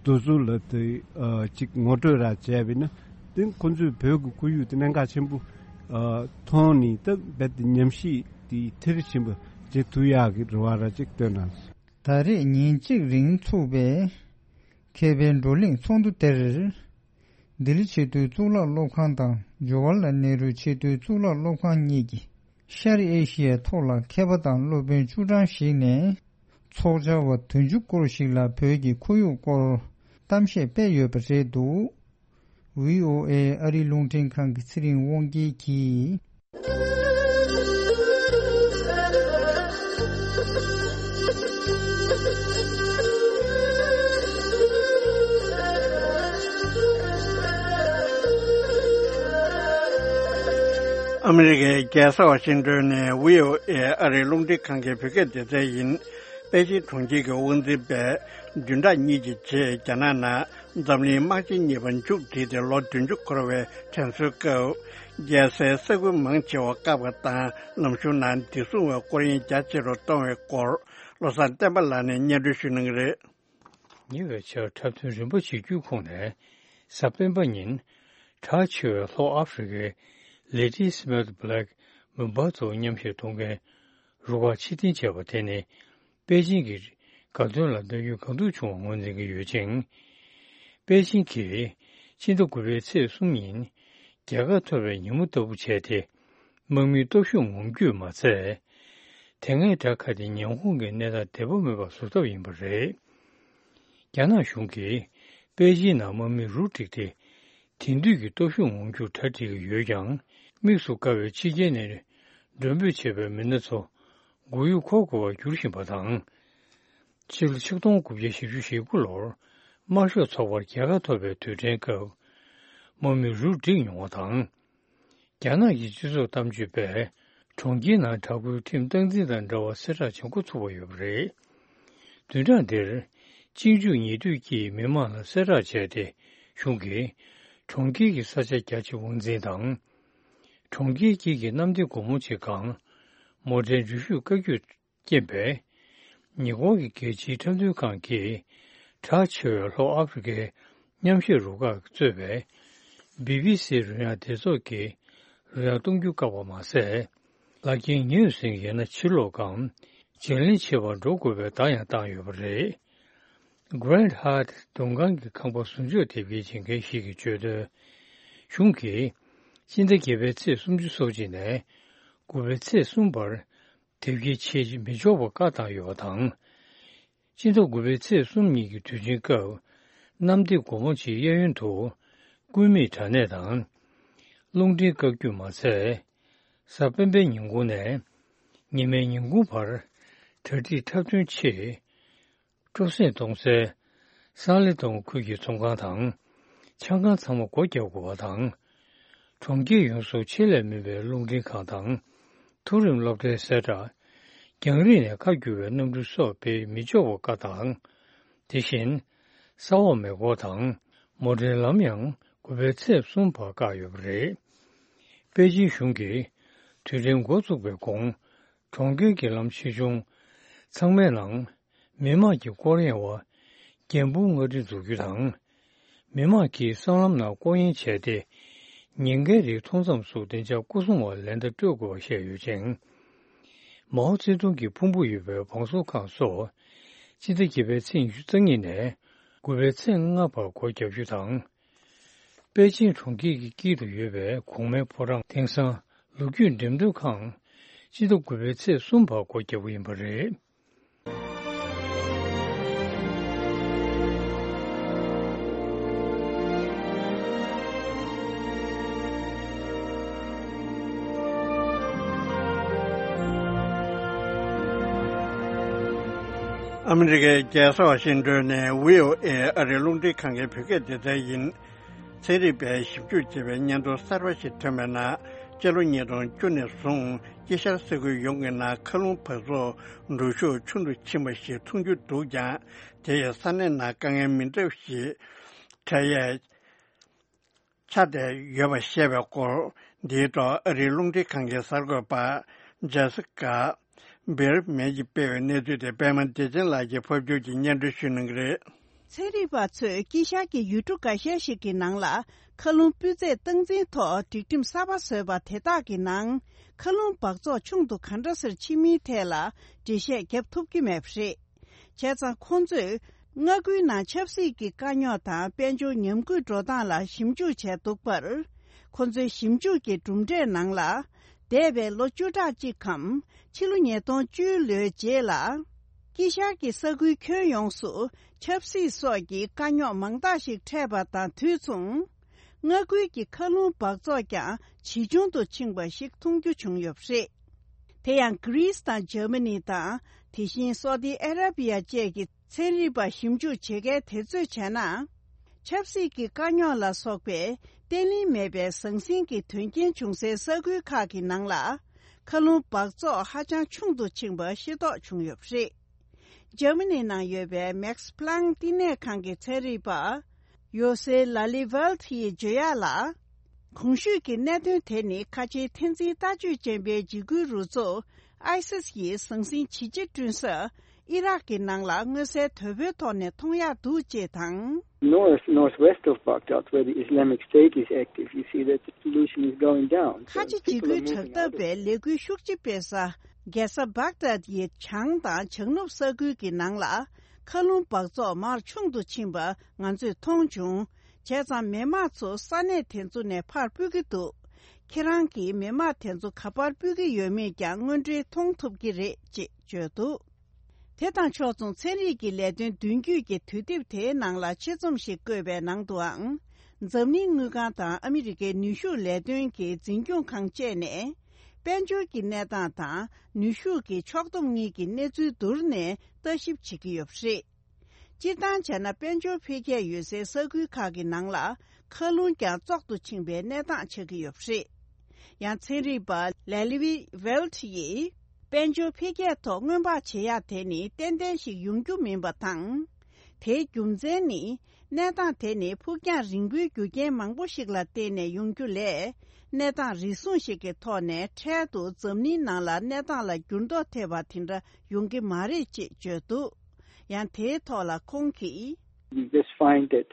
དེ་ཚོ་ལ་དེ་ཨ་ཅིག་ངོ་སྤྲོད་ར་བྱས་པ་ཡིན་ན། དེ་ཁོ་ཚོས་བོད་ཀྱི་ཁོར་ཡུག་དེ་གནད་འགག་ཆེན་པོ་ཨ་མཐོང་ནས། ད་རྦད་དེ་ཉམས་ཞིབ་དེ་མཐིལ་ཕྱིན་པ་བྱེད་ཐུབ་ཡག་གི་རེ་བ་ར་ཅིག་བཏོན་གནང་སོང་། ད་རེས་ཉིན་གཅིག་རིང་ཚུགས་པའི་མཁས་པའི་བགྲོ་གླེང་ཚོགས་འདུ་དེར། ལྡི་ལི་ཆེས་མཐོའི་གཙུག་ལག་སློབ་ཁང་དང་ཇོ་ཝར་ལལ་ནེ་རུ་ཆེས་མཐོའི་གཙུག་ལག་སློབ་ཁང་གཉིས་ཀྱི་ཤར་ཨེ་ཤི་ཡའི་ཐོག་ལ་མཁས་པ་དང་སློབ་དཔོན་བཅུ་གྲངས་ཤིག་ནས། ཚོགས་བཅར་བ་བདུན་ཅུ་སྐོར་ཞིག་ལ་བོད་ཀྱི་ཁོར་ཡུག་སྐོར་གཏམ་བཤད་སྤེལ་ཡོད་པ་རེད་འདུག་ཝི་ཨོ་ཨེ་ཨ་རིའི་རླུང་འཕྲིན་ཁང་གི་ཚེ་རིང་དབང་རྒྱལ་གྱིས། ཨ་མི་རི་ཀའི་རྒྱལ་ས་ཝ་ཤིང་ཏོན་ནས་བྷི་ཨོ་ཨེ་ཨ་རིའི་རླུང་འཕྲིན་ཁང་གི་བོད་སྐད་སྡེ་ཚན་ཡིན། པེ་ཅིང་གྲོང་ཁྱེར་གྱི་དབང་འཛིན་པས་བདུན་ཕྲག་གཉིས་ཀྱི་རྗེས་རྒྱ་ནག་ནང་འཛམ་གླིང་དམག་ཆེན་གཉིས་པ་མཇུག་བསྒྲིལ་ཏེ་ལོ་བདུན་ཅུ་འཁོར་བའི་དྲན་གསོའི་སྐབས། རྒྱལ་སའི་ས་ཁུལ་མང་ཆེ་བ་བཀག་པ་དང་ལམ་གཞུང་ནང་བདེ་སྲུང་བའི་སྐོར་གཡེང་རྒྱ་ཆེ་རུ་གཏོང་བའི་སྐོར། བློ་བཟང་བསྟན་པ་ལགས་ནས་སྙན་སྒྲོན་ཞུ་གནང་གི་རེད། ཉེ་བའི་ཆར་འཁྲབ་སྟོན་རིམ་པ་བྱེད་རྒྱུའི་ཁོངས་ནས། གཟའ་སྤེན་པ་ཉིན། གྲགས་ཆེ་བའི་ལྷོ་ཨ་ཧྥེ་རི་ཀའི་Lady Smith Black Mambazo མཉམ་གཞས་གཏོང་མཁན་རུ་ཁག་ཕྱིར་འཐེན་བྱས་པ་དེ་ནི། པེ་ཅིང་གི་དགའ་སྟོན་ལ་བལྟ་རྒྱུ་གང་ཐུབ་བྱུང་བ་ངོས་འཛིན་གྱི་ཡོད་ཅིང་། པེ་ཅིང་གིས་ཕྱི་ཟླ་དགུ་པའི་ཚེས་གསུམ་ཉིན་རྒྱལ་ཁ་ཐོབ་པའི་ཉིན་མོ་ལྟ་བུ་བྱས་ཏེ། དམག་མིའི་སྟོབས་ཤུགས་ངོམ་རྒྱུས་མ་ཚད། དེ་སྔའི་དགྲ་ཁ་དེ་ཉེ་འཁོར་གྱི་གནས་སྟངས་བདེ་པོ་མེད་པ་བཟོ་ཐབས་ཡིན་པ་རེད། རྒྱ་ནག་གཞུང་གིས་པེ་ཅིང་ནང་དམག་མི་རུ་བསྒྲིགས་ཏེ། དེང་དུས་ཀྱི་སྟོབས་ཤུགས་ངོམ་རྒྱུར་གྲ་སྒྲིག་གི་ཡོད་ཀྱང་། དམིགས་སུ་བཀར་བའི་ཕྱི་རྒྱལ་ནས་མགྲོན་འབོད་བྱས་པའི་མི་སྣ་ཚོ་མགོ་ཡུ་འཁོར་དགོས་པར་འགྱུར་བཞིན་པ་དང་། ཕྱི་ལོ་ཆིག་སྟོང་དགུ་བརྒྱ་བཞི་བཅུ་ཞེ་དགུ་ལོར་དམར་ཤོག་ཚོགས་པར་རྒྱལ་ཁ་ཐོབ་པའི་དུས་དྲན་སྐབས། དམག་མི་རུ་བསྒྲིགས་མྱོང་བ་དང་། རྒྱ་ནག་གི་སྤྱི་ཚོགས་གཏམ་བརྗོད་པས། གྲོང་ཁྱེར་ནང་དྲག་པོའི་ཁྲིམས་སྟངས་འཛིན་དང་འབྲེལ་བ་གསལ་བསྒྲགས་བྱེད་འགོ་ཚུགས་པ་ཡོད་པ་རེད། བདུན་ཕྲག་འདིར། གཅིག་མཇུག་ཉེ་དུས་ཀྱིས་མི་མང་ལ་གསལ་བསྒྲགས་བྱས་ཏེ། གཞུང་གིས། གྲོང་ཁྱེར་གྱི་ས་ཆ་རྒྱ་ཆེ་དབང་འཛིན་དང་། གྲོང་ཁྱེར་དཀྱིལ་གྱི་གནམ་བདེ་སྒོ་མོ་ཆེ་སྒང་། མོ་ཊའི་འགྲུལ་བཞུད་བཀའ་བཀྱོན། རྐྱེན་པས། ཉེ་འཁོར་གྱི་རྒྱལ་སྤྱིའི་འཁྲབ་སྟོན་ཁང་གིས། གྲགས་ཆེ་བའི་ལྷོ་ཨ་ཧྥེ་རི་ཀའི་མཉམ་གཞས་རུ་ཁག་གིས་གཙོས་པའི། བྷི་བྷི་སི་རོལ་དབྱངས་སྡེ་ཚོགས་ཀྱིས། རོལ་དབྱངས་གཏོང་རྒྱུ་བཀག་པ་མ་ཟད། ལག་འཁྱེར་ཉོས་ཟིན་ཡོད་ན་ཕྱིར་སློག་གམ། བརྗེ་ལེན་བྱེད་པར་འགྲོ་དགོས་པའི་བརྡ་ཡང་བཏང་ཡོད་པ་རེད། Grand Hyatt མགྲོན་ཁང་གི་ཁང་པ་བཟོ་བཅོས་དེབ་སྐྱེལ་བྱེད་མཁན་ཞིག་གིས་བརྗོད་དོན། གཞུང་གིས། སྤྱི་ཟླ་བརྒྱད་པའི་ཚེས་སུམ་ཅུ་སོ་གཅིག་ནས། དགུ་པའི་ཚེས་གསུམ་བར། དེབ་སྐྱེལ་བྱེད་མི་ཆོག་པ་བཀག་བཏང་ཡོད་པ་དང་། སྤྱི་ཟླ་དགུ་པའི་ཚེས་གསུམ་ཉིན་གྱི་དུས་ཆེན་སྐབས། གནམ་བདེ་སྒོ་མོ་ཆེའི་གཡས་གཡོན་དུ། སྐུད་མེད་དྲ་གནས་དང་། རླུང་འཕྲིན་བཀག་སྐྱིལ་མ་ཚད། གཟའ་སྤེན་པའི་ཉིན་གུང་ནས། ཉི་མའི་ཉིན་གུང་བར། གྲ་སྒྲིག་འཁྲབ་སྟོན་ཆེད། སྤྲོ་གསེང་གཏོང་སའི། སང་ལེ་ཏོང་ཁུལ་གྱི་ཚོང་ཁང་དང་། ཆང་ཁང་ཚང་མ་སྒོ་རྒྱག་དགོས་པ་དང་། གྲོང་ཁྱེར་ཡོངས་སུ་ཆེད་ལས་མིན་པའི་རླུང་འཕྲིན་ཁང་དང་། མཐོ་རིམ་སློབ་གྲྭའི་གསལ་བསྒྲགས། རྒྱང་རིང་ནས་ཁ་བསྒྱུར་བའི་གནམ་གྲུ་སོགས་སྤེལ་མི་ཆོག་པ་བཀག་དང་། དེ་བཞིན། ས་འོག་མེ་འཁོར་དང་། མོ་ཊའི་ལམ་ཡང་དགུ་པའི་ཚེས་གསུམ་བར་བཀག་ཡོད་པ་རེད། པེ་ཅིང་གཞུང་གིས། དུས་དྲན་འགོ་བཙུགས་པའི་གོང་། གྲོང་ཁྱེར་གྱི་ལམ་ཆེ་ཆུང་ཚང་མའི་ནང་། མི་དམངས་ཀྱི་སྐོར་གཡེང་བ། རྒྱན་སྤུངས་མངའ་སྡེ་འཛུགས་རྒྱུ་དང་། མི་དམངས་ཀྱིས་སྲང་ལམ་ནང་སྐོར་གཡེང་བྱས་ཏེ། ཉེན་ཁའི་རིགས་མཐོང་མཚམས་སུ་བདེ་འཇགས་སྐོར་སྲུང་བ་ལན་བརྡ་སྤྲོད་དགོས་པ་བཤད་ཡོད་ཅིང་། མའོ་ཙེ་ཏུང་གི་ཕུང་པོ་ཡོད་པའི་བང་སོ་ཁང་སོགས། སྤྱི་ཟླ་བརྒྱད་པའི་ཚེས་ཉི་ཤུ་རྩ་གཉིས་ནས། དགུ་པའི་ཚེས་ལྔ་བར་སྒོ་བརྒྱབ་རྒྱུ་དང་། པེ་ཅིང་གྲོང་ཁྱེར་གྱི་དཀྱིལ་དུ་ཡོད་པའི་གོང་མའི་ཕོ་བྲང་། དེང་སང་ལོ་རྒྱུས་འགྲེམས་སྟོན་ཁང་། སྤྱི་ཟླ་དགུ་པའི་ཚེས་གསུམ་བར་སྒོ་བརྒྱབ་པ་ཡིན་པ་རེད། ཨ་མི་རི་ཀའི་རྒྱལ་ས་ཝ་ཤིང་ཏོན་ནས་བྷི་ཨོ་ཨེ་ཨ་རིའི་རླུང་འཕྲིན་ཁང་གི་བོད་སྐད་སྡེ་ཚན་ཡིན། ཚན་རིག་པས་ཞིབ་འཇུག་བྱས་པའི་སྙན་ཐོ་གསར་པ་ཞིག་ཐོན་པའི་ནང་། སྤྱི་ལོ་ཉིས་སྟོང་བཅུ་ནས་བཟུང་དཀྱིལ་ཤར་ས་ཁུལ་ཡོངས་ཀྱི་ནང་མཁའ་རླུང་འབག་བཙོག་འགྲོ་ཤུགས་ཆུང་དུ་ཕྱིན་པ་ཞིག་མཐོང་རྒྱུ་འདུག་ཀྱང་། དེ་ཡིས་ས་གནས་ནང་དཀའ་ངལ་མི་འདྲ་བ་ཞིག་འཕྲད་ཡས་ཆགས་བསྡད་ཡོད་པ་བཤད་པའི་སྐོར། འདིའི་ཐོག་ཨ་རིའི་རླུང་འཕྲིན་ཁང་གི་གསར་འགོད་པ་ཇེ་སི་ཀ་བེར་མེན་གྱིས་སྤེལ་བའི་གནས་ཚུལ་དེ་པད་མ་བདེ་ཆེན་ལགས་ཀྱིས་ཕབ་སྒྱུར་གྱིས་སྙན་སྒྲོན་ཞུ་གནང་གི་རེད། ཚན་རིག་པ་ཚོས་དཀྱིལ་ཤར་གྱི་ཡུལ་གྲུ་འགའ་ཤས་ཤིག་གི་ནང་ལ། མཁའ་རླུང་སྤུས་ཚད་སྟངས་འཛིན་ཐོག་སྒྲིག་ཁྲིམས་གསར་པ་བཟོས་པ་དེ་དག་གི་ནང་། མཁའ་རླུང་འབག་བཙོག་ཆུང་དུ་ག་འདྲ་སེ་ཕྱིན་མིན་ཐད་ལ་འགྲེལ་བཤད་བརྒྱབ་ཐུབ་ཀྱི་མེད་པ་རེད། བྱས་ཙང་ཁོང་ཚོས་མངའ་ཁུལ་ནང་ཆབ་སྲིད་ཀྱི་དཀའ་རྙོག་དང་དཔལ་འབྱོར་ཉམས་རྒུད་འགྲོ་སྟངས་ལ་ཞིབ་འཇུག་བྱས་འདུག་པར། ཁོང་ཚོའི་ཞིབ་འཇུག་གི་གྲུབ་འབྲས་ནང་ལ། འདས་པའི་ལོ་བཅུ་ཕྲག་གཅིག་གམ། ཕྱི་ལོ་ཉིས་སྟོང་བཅུའི་ལོའི་རྗེས་ལ། དཀྱིལ་ཤར་གྱི་ས་ཁུལ་ཁྱོན་ཡོངས་སུ་ཆབ་སྲིད་སོགས་ཀྱི་དཀའ་རྙོག་མང་དག་ཞིག་འཕྲད་པ་དང་དུས་མཚུངས། མངའ་ཁུལ་གྱི་མཁའ་རླུང་འབག་བཙོག་ཀྱང་ཇེ་ཆུང་དུ་ཕྱིན་པ་ཞིག་མཐོང་རྒྱུ་བྱུང་ཡོད་པ་རེད། དེ་ཡང་གྷི་རིས་དང་འཇར་མ་ནི་དང་། དེ་བཞིན་སོ་ཏི་ཨ་ར་བི་ཡ་བཅས་ཀྱི་ཚན་རིག་པ་ཞིབ་འཇུག་བྱེད་མཁན་དེ་ཚོས་བྱས་ན། ཆབ་སྲིད་ཀྱི་དཀའ་རྙོག་ལ་སོགས་པའི་བརྟན་ལྷིང་མེད་པའི་ཟང་ཟིང་གི་དོན་རྐྱེན་བྱུང་སའི་ས་ཁུལ་ཁག་གི་ནང་ལ། མཁའ་རླུང་འབག་བཙོག་ཧ་ཅང་ཆུང་དུ་ཕྱིན་པ་ཤེས་རྟོགས་བྱུང་ཡོད་པ་རེད། འཇར་མ་ནི་ནང་ཡོད་པའི་Max Planck་བསྟི་གནས་ཁང་གི་ཚན་རིག་པ་ཡོ་སེ་ལ་ལི་ཝལ་ཡིས་བརྗོད་ཡག་ལ། གོང་ཞུས་ཀྱི་གནད་དོན་དེ་ནི་ཁ་ཆེའི་འཐབ་འཛིང་ལྟ་སྤྱོད་ཅན་པའི་འཇིགས་སྐུལ་རུ་ཚོགས་ཨའི་སིས་ཡིས་ཟང་ཟིང་ཇི་ཆེ་བསྐྲུན་ས་ཨི་རག་གི་ནང་ལ་མངོན་གསལ་དོད་པོའི་ཐོག་ནས་མཐོང་ཡག་འདུག་ཅེས་དང་། North, northwest of Baghdad, where the Islamic State is active, you see that the pollution is going down. ཁ་ཆེ་འཇིགས་སྐུལ་དྲག་འཐབ་པའི་ལས་འགུལ་ཤུགས་ཆེ་སྤེལ་ས་རྒྱལ་ས་བྷག་དཱད་ཡི་བྱང་དང་བྱང་ནུབ་ས་ཁུལ་གྱི་ནང་ལ་མཁའ་རླུང་འབག་བཙོག་མར་ཆུང་དུ་ཕྱིན་པ་ང་ཚོས་མཐོང་བྱུང་། བྱས་ཙང་མི་མང་ཚོ་ས་གནས་དེ་ཚོ་ནས་ཕར་སྤོས་ཀྱི་འདུག་ཁྱེད་རང་གིས་མི་མང་དེ་ཚོ་ག་པར་སྤོས་ཀྱི་ཡོད་མེད་ཀྱང་དངོས་འབྲེལ་མཐོང་ཐུབ་ཀྱི་རེད་ཅེས་བརྗོད་འདུག་དེ་དང་ཕྱོགས་མཚུངས་ཚན་རིག་གི་ལས་དོན་མདུན་སྐྱོད་ཀྱི་དུས་དེབ་དེའི་ནང་ལ་ཆེད་རྩོམ་ཞིག་བཀོད་པའི་ནང་དུའང་། འཛམ་གླིང་དངུལ་ཁང་དང་ཨ་མི་རི་ཀའི་ནུས་ཤུགས་ལས་དོན་གྱི་འཛིན་སྐྱོང་ཁང་བཅས་ནས། དཔལ་འབྱོར་གྱི་གནས་སྟངས་དང་ནུས་ཤུགས་ཀྱི་ཕྱོགས་བསྡོམས་གཉིས་ཀྱི་གནས་ཚུལ་བསྡུར་ནས་ལྟ་ཞིབ་བྱེད་ཀྱི་ཡོད་པ་རེད། སྤྱིར་བཏང་བྱས་ན་དཔལ་འབྱོར་འཕེལ་རྒྱས་ཡོད་སའི་ས་ཁུལ་ཁག་གི་ནང་ལ་མཁའ་རླུང་ཀྱང་བཙོག་ཏུ་ཕྱིན་པའི་གནས་སྟངས་ཆགས་ཀྱི་ཡོད་པ་རེད། ཡང་ཚན་རིག་པ་ལེ་ལི་ཝི་ཝེལ་ཡིས་དཔལ་འབྱོར་འཕེལ་རྒྱས་ཐོག་སྔོན་དཔག་བྱེད་ཡག་དེ་ནི་ཏན་ཏན་ཞིག་ཡོང་རྒྱུ་མིན་པ་དང་། དེའི་རྒྱུ་མཚན་ནི། གནས་སྟངས་དེ་ནི་ཕུགས་རྒྱང་རིང་པོའི་རྒྱུ་རྐྱེན་མང་པོ་ཞིག་ལ་བརྟེན་ནས་ཡོང་རྒྱུ་ལས། གནས་སྟངས་རེ་ཟུང་ཞིག་གི་ཐོག་ནས་འཕྲལ་དུ་འཛམ་གླིང་ནང་ལ་གནས་སྟངས་ལ་འགྱུར་ལྡོག་ཐེབས་པ་དེ་འདྲ་ཡོང་གི་མ་རེད་ཅེས་བརྗོད་འདུག་ཡང་དེའི་ཐོག་ལ་ཁོང་གིས། We just find that,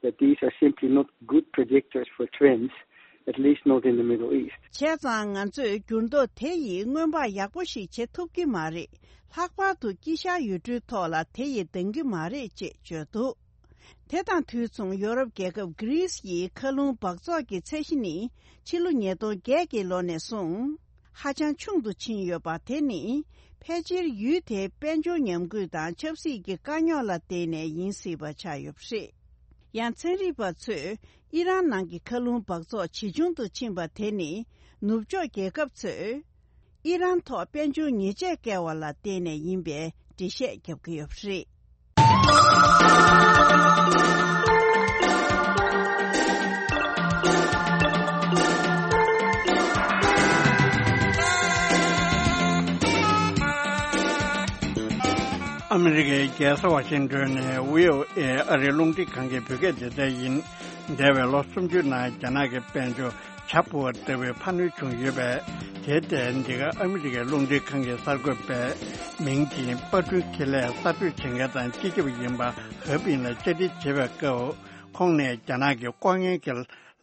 that these are simply not good predictors for trends, at least not in the Middle East. བྱས་ཙང་ང་ཚོས་འགྱུར་ལྡོག་དེ་ཡིས་སྔོན་དཔག་ཡག་པོ་ཞིག་བྱེད་ཐུབ་ཀྱི་མ་རེད། ལྷག་པར་དུ་དཀྱིལ་ཤར་ཡུལ་གྲུའི་ཐོག་ལ་དེ་ཡིས་ལྡང་གི་མ་རེད་ཅེས་བརྗོད་འདུག་དེ་དང་དུས་མཚུངས་ཡོ་རོབ་རྒྱལ་ཁབ་གྷི་རིས་ཡི་མཁའ་རླུང་འབག་བཙོག་གི་ཚད་གཞི་ནི་ཕྱི་ལོ་ཉིས་སྟོང་བརྒྱད་ཀྱི་ལོ་ནས་བཟུང་ཧ་ཅང་ཆུང་དུ་ཕྱིན་ཡོད་པ་དེ་ནི་ཕལ་ཆེར་ཡུལ་དེའི་དཔལ་འབྱོར་ཉམས་རྒུད་དང་ཆབ་སྲིད་ཀྱི་དཀའ་རྙོག་ལ་བརྟེན་ནས་ཡིན་སྲིད་པ་ཆགས་ཡོད་པ་རེད། ཡང་ཚན་རིག་པ་ཚོས་ཨི་རན་ནང་གི་མཁའ་རླུང་འབག་བཙོག་ཇེ་ཆུང་དུ་ཕྱིན་པ་དེ་ནི་ནུབ་ཕྱོགས་རྒྱལ་ཁབ་ཚོས། ཨི་རན་ཐོག་དཔལ་འབྱོར་ཉེས་ཆད་བཀལ་བ་ལ་བརྟེན་ནས་ཡིན་པའི་འགྲེལ་བཤད་བརྒྱབ་ཀྱི་ཡོད་པ་རེད། ཨ་མི་རི་ཀའི་རྒྱལ་ས་ཝ་ཤིང་ཏོན་ནས་བྷི་ཨོ་ཨེ་ཨ་རིའི་རླུང་འཕྲིན་ཁང་གི་བོད་སྐད་སྡེ་ཚན་ཡིན། འདས་པའི་ལོ་སུམ་ཅུའི་ནང་རྒྱ་ནག་གི་དཔལ་འབྱོར། བྱ་འཕུར་བ་ལྟ་བུའི་འཕར་སྣོན་བྱུང་ཡོད་པས། དེར་བརྟེན་འདི་ག་ཨ་མི་རི་ཀའི་རླུང་འཕྲིན་ཁང་གི་གསར་འགོད་པས་མིང་ཅིན་པར་སྐྲུན་ཁེ་ལས་གསར་གཏོད་བྱེད་མཁན་དང་སྤྱི་ཁྱབ་ཡིན་པ་ཧེ་པིན་ལ་བཅར་འདྲི་བྱེད་པའི་སྐབས། ཁོང་ནས་རྒྱ་ནག་གི་ལྐོག་རྔན་གྱི་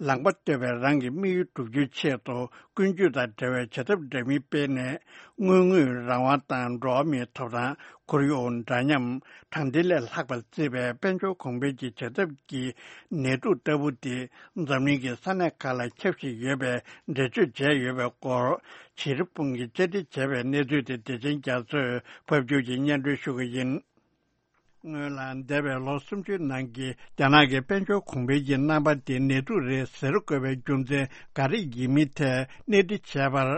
ལངས་པ་གཏོད་པའི་རང་གི་དམིགས་ཡུལ་བསྒྲུབ་རྒྱུའི་ཆེད་དུ་ཀུན་སྤྱོད་དང་འབྲེལ་བའི་བྱ་ཐབས་འདྲ་མིན་སྤེལ་ནས། དངུལ་དངོས་རང་དབང་དང་འགྲོ་བ་མིའི་ཐོབ་ཐང་། ཁོར་ཡུག་འདྲ་མཉམ། དྲང་བདེན་ལས་ལྷག་པར་བརྩིས་པའི་དཔལ་འབྱོར་གོང་འཕེལ་གྱི་བྱ་ཐབས་ཀྱི་ནད་དུག་ལྟ་བུ་དེ་འཛམ་གླིང་གི་ས་གནས་ཁག་ལ་ཁྱབ་བཞིན་ཡོད་པའི་འགྲེལ་བརྗོད་བྱས་ཡོད་པའི་སྐོར། ཕྱིར་ཕུང་གིས་བཅར་འདྲི་བྱས་པའི་གནས་ཚུལ་དེ་བདེ་ཆེན་རྒྱ་མཚོས་ཕབ་སྒྱུར་གྱིས་སྙན་སྒྲོན་ཞུ་གི་ཡིན། སྔོན་ལ་འདས་པའི་ལོ་སུམ་ཅུའི་ནང་གི་རྒྱ་ནག་གི་དཔལ་འབྱོར་གོང་འཕེལ་གྱི་རྣམ་པ་དེ་ནད་དུག་རེད་ཟེར་དགོས་པའི་རྒྱུ་མཚན་ག་རེ་ཡིན་མིན་ཐད་གནས་འདྲི་བྱས་པར།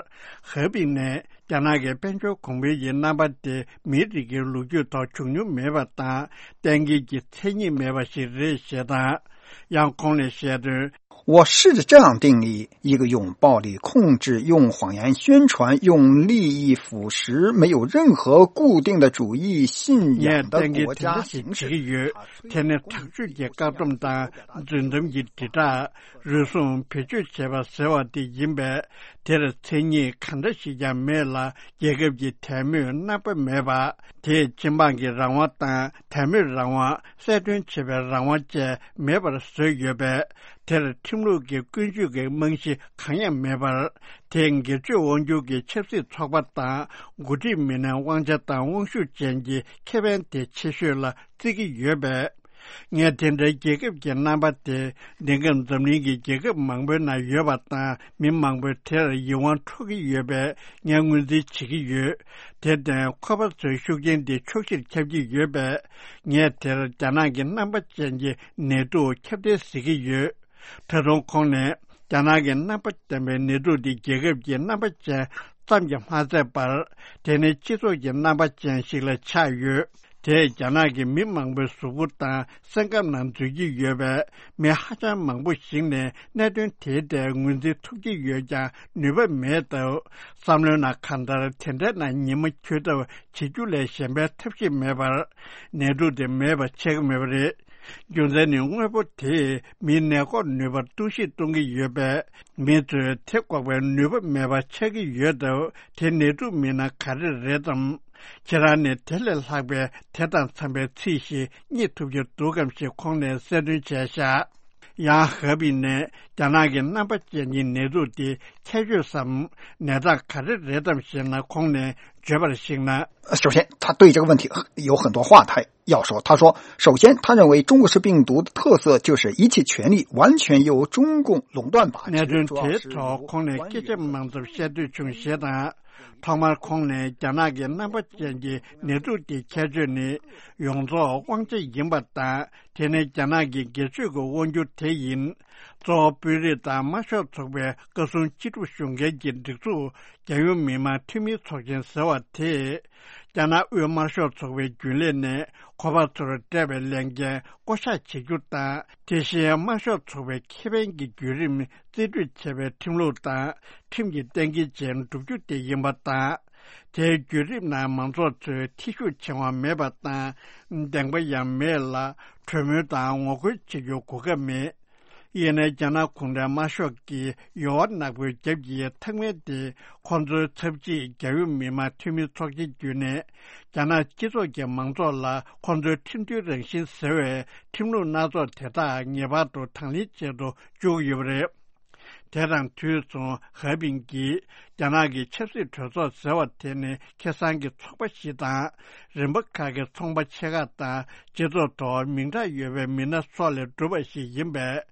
ཧེ་པིན་ནས། རྒྱ་ནག་གི་དཔལ་འབྱོར་གོང་འཕེལ་གྱི་རྣམ་པ་དེ་མིའི་རིགས་ཀྱི་ལོ་རྒྱུས་ཐོག་བྱུང་མྱོང་མེད་པ་དང་། གཏན་འཁེལ་གྱི་མཚན་ཉིད་མེད་པ་ཞིག་རེད་ཞེས་དང་། ཡང་ཁོང་ནས་བཤད་དོན། 我试着这样定义：一个拥抱力控制、用谎言宣传、用利益腐蚀、没有任何固定的主义信仰的国家形式。 ངས་གཏན་འཁེལ་དེ་འདྲ་ཞིག་བྱེད་ཀྱི་ཡོད། དེ་ནི་དྲག་སྤྱོད་ཀྱི་བཀག་སྡོམ་དང་རྫུན་གཏམ་གྱི་དྲིལ་བསྒྲགས། རུལ་སུངས་བེད་སྤྱོད་བྱེད་པ་ཟེར་བ་དེ་ཡིན་པས། དེར་མཚན་ཉིད་གང་འདྲ་ཞིག་ཀྱང་མེད་ལ། རྒྱལ་ཁབ་ཀྱི་དད་མོས་རྣམ་པ་མེད་པ། དེས་སྤྱི་འབངས་ཀྱི་རང་དབང་དང་། དད་མོས་རང་དབང་། གསལ་སྟོན་བྱེད་པའི་རང་དབང་བཅས་མེད་པར་བཟོས་ཡོད་པས། དེར་ཁྲིམས་ལུགས་ཀྱི་ཀུན་སྤྱོད་ཀྱི་རྨང་གཞི་གང་ཡང་མེད་པར། དེས་སྒེར་གཅོད་དབང་སྒྱུར་གྱི་ཆབ་སྲིད་ཚོགས་པ་དང་། འགོ་ཁྲིད་མི་སྣའི་དབང་ཆ་དང་དབང་ཤུགས་ཅན་གྱི་ཁེ་ཕན་དེ་ཆེ་ཤོས་ལ་བརྩི་གི་ཡོད་པས། ངས་དེ་འདྲའི་རྒྱལ་ཁབ་ཀྱི་རྣམ་པ་དེ་འདི་སྐབས་འཛམ་གླིང་གི་རྒྱལ་ཁབ་མང་པོའི་ནང་ཡོད་པ་དང་། མི་མང་པོས་དེར་ཡིད་དབང་འཕྲོག་གི་ཡོད་པས། ངས་ངོས་འཛིན་བྱེད་ཀྱི་ཡོད། དེར་བརྟེན་ཁོ་པ་ཚོའི་ཤུགས་རྐྱེན་དེ་ཕྱོགས་བཞིར་ཁྱབ་ཀྱི་ཡོད་པས། ངས་དེར་རྒྱ་ནག་གི་རྣམ་པ་ཅན་གྱི་ནད་དུག་ཁྱབ་གདལ་ཟེར་གྱི་ཡོད། ད་དུང་ཁོང་ནས། རྒྱ་ནག་གི་རྣམ་པ་ལྡན་པའི་ནད་དུག་འདི་རྒྱལ་ཁབ་ཀྱི་རྣམ་པ་ཅན་ཙམ་གྱིས་མ་ཚད་པར། དེ་ནི་སྤྱི་ཚོགས་ཀྱི་རྣམ་པ་ཅན་ཞིག་ལ་ཆགས་ཡོད། དེས་རྒྱ་ནག་གི་མི་མང་པོའི་གཟུགས་པོ་དང་སེམས་ཁམས་ནང་འཛུལ་གྱི་ཡོད་པས། མི་ཧ་ཅང་མང་པོ་ཞིག་ནས་གནད་དོན་དེའི་ཐད་ངོས་འཛིན་ཐུབ་ཀྱི་ཡོད་ཀྱང་ནུས་པ་མེད་སྟབས། བསམ་བློའི་ནང་གང་ལྟར་དེ་འདྲའི་ནང་ཉི་མ་འཁྱོལ་ཐབས་བྱེད་རྒྱུ་ལས་གཞན་པའི་ཐབས་ཤེས་མེད་པར། ནད་དུག་དེ་མེད་པ་ཆགས་ཀྱི་མེད་པ་རེད། རྒྱུ་མཚན་ནི། དངོས་པོ་དེས་མིའི་ནད་འགོག་ནུས་པར་གཏོར་བཤིག་གཏོང་གི་ཡོད་པས། མི་ཚོས་དེ་འགོག་པའི་ནུས་པ་མེད་པ་ཆགས་ཀྱི་ཡོད་སྟབས། དེ་ནད་དུག་མིན་ན་ག་རེ་རེད་དམ། ཁྱེད་རང་ནས་དེ་ལས་ལྷག་པའི་དེ་དང་འཚམ་པའི་ཚིག་ཞིག་རྙེད་ཐུབ་ཀྱི་འདུག་གམ་ཞེས་ཁོང་ནས་གསལ་སྟོན་བྱས་ཤག། ཡང་ཧ་པིན་ནས། རྒྱ་ནག་གི་རྣམ་པ་ཅན་གྱི་ནད་དུག་དེ་ཁྱད་ཆོས་སམ། ནད་རྟགས་ག་རེ་རེད་དམ་ཞེ་ན། ཁོང་ནས་བརྗོད་པར་གཞིགས་ན། 首先，他对这个问题有很多话，他要说，他说，首先，他认为中国式病毒的特色就是一切权力完全由中共垄断吧。 གནད་དོན་དེའི་ཐོག་ཁོང་ནས་སྐད་ཆ་མང་ཙམ་བཤད་འདོད་བྱུང་ཞེས་དང་། ཐོག་མར་ཁོང་ནས་རྒྱ་ནག་གི་རྣམ་པ་ཅན་གྱི་ནད་དུག་དེའི་ཁྱད་ཆོས་ནི། ཡོངས་རྫོགས་དབང་ཆ་ཡིན་པ་དང་། དེ་ནི་རྒྱ་ནག་གི་སྒེར་གཅོད་ཀྱི་དབང་སྒྱུར་དེ་ཡིན། གཙོ་བོ་དཔོན་རིགས་དང་དམར་ཤོག་ཚོགས་པའི་བཀའ་ཟུར་སྤྱི་སྒྲུབ་ཞུ་མཁན་གྱི་སྒྲིག་འཛུགས་རྒྱལ་ཡོངས་མི་དམངས་འཐུས་མིའི་ཚོགས་ཆེན་ཟེར་བ་དེས། རྒྱ་ནག་དབུས་དམར་ཤོག་ཚོགས་པའི་རྒྱུན་ལས་ནས་ཁོ་པ་ཚོར་སྤྲད་པའི་ལས་འགན་བསྐོ་གཞག་བྱེད་རྒྱུ་དང་། དེ་བཞིན་དམར་ཤོག་ཚོགས་པའི་ཁེ་ཕན་གྱི་བརྒྱུད་རིམ་རྩིས་སྤྲོད་བྱས་པའི་ཁྲིམས་ལུགས་དང་། ཁྲིམས་ཀྱི་གཏན་འཁེལ་ཅན་བསྒྲུབ་རྒྱུ་དེ་ཡིན་པ་དང་། དེའི་བརྒྱུད་རིམ་ནང་མང་ཚོགས་ཚོས་ཐེ་ཞུགས་བྱེད་དབང་མེད་པ་དང་། བདེན་པ་ཡང་མེད་ལ། གྲོས་མོལ་དང་ངོ་རྒོལ་བྱེད་རྒྱུའི་གོ་སྐབས་མེད། ཡིན་ནའི་རྒྱ་ནག་གུང་ཁྲན་དམར་ཤོག་གིས་ཡོལ་བ་ནག་པོའི་རྒྱབ་ཀྱི་ཐང་མལ་དེ་ཁོང་ཚོའི་ཚབ་སྤྱིས་རྒྱལ་ཡོངས་མི་དམངས་འཐུས་མིའི་ཚོགས་ཆེན་བརྒྱུད་ནས། རྒྱ་ནག་སྤྱི་ཚོགས་ཀྱི་མང་ཚོགས་ལ་ཁོང་ཚོའི་ཁྲིམས་མཐུན་རང་བཞིན་ཟེར་བའི་ཁྲིམས་ལུགས་སྣ་ཚོགས་དེ་དག་ངེས་པར་དུ་དང་ལེན་བྱེད་དུ་བཅུག་ཡོད་པ་རེད། དེ་དང་དུས་མཚུངས་ཧ་པིན་གྱིས། རྒྱ་ནག་གི་ཆབ་སྲིད་གྲོས་ཚོགས་ཟེར་བ་དེ་ནི་ཁེ་བཟང་གི་ཚོགས་པ་ཞིག་དང་། རིམ་པ་ཁག་གི་ཚོང་པ་ཆེ་ཁག་དང་། སྤྱི་ཚོགས་ཐོག་མིང་གྲགས་ཡོད་པའི་མི་སྣ་སོགས་ལས་གྲུབ་པ་ཞིག་ཡིན་པས།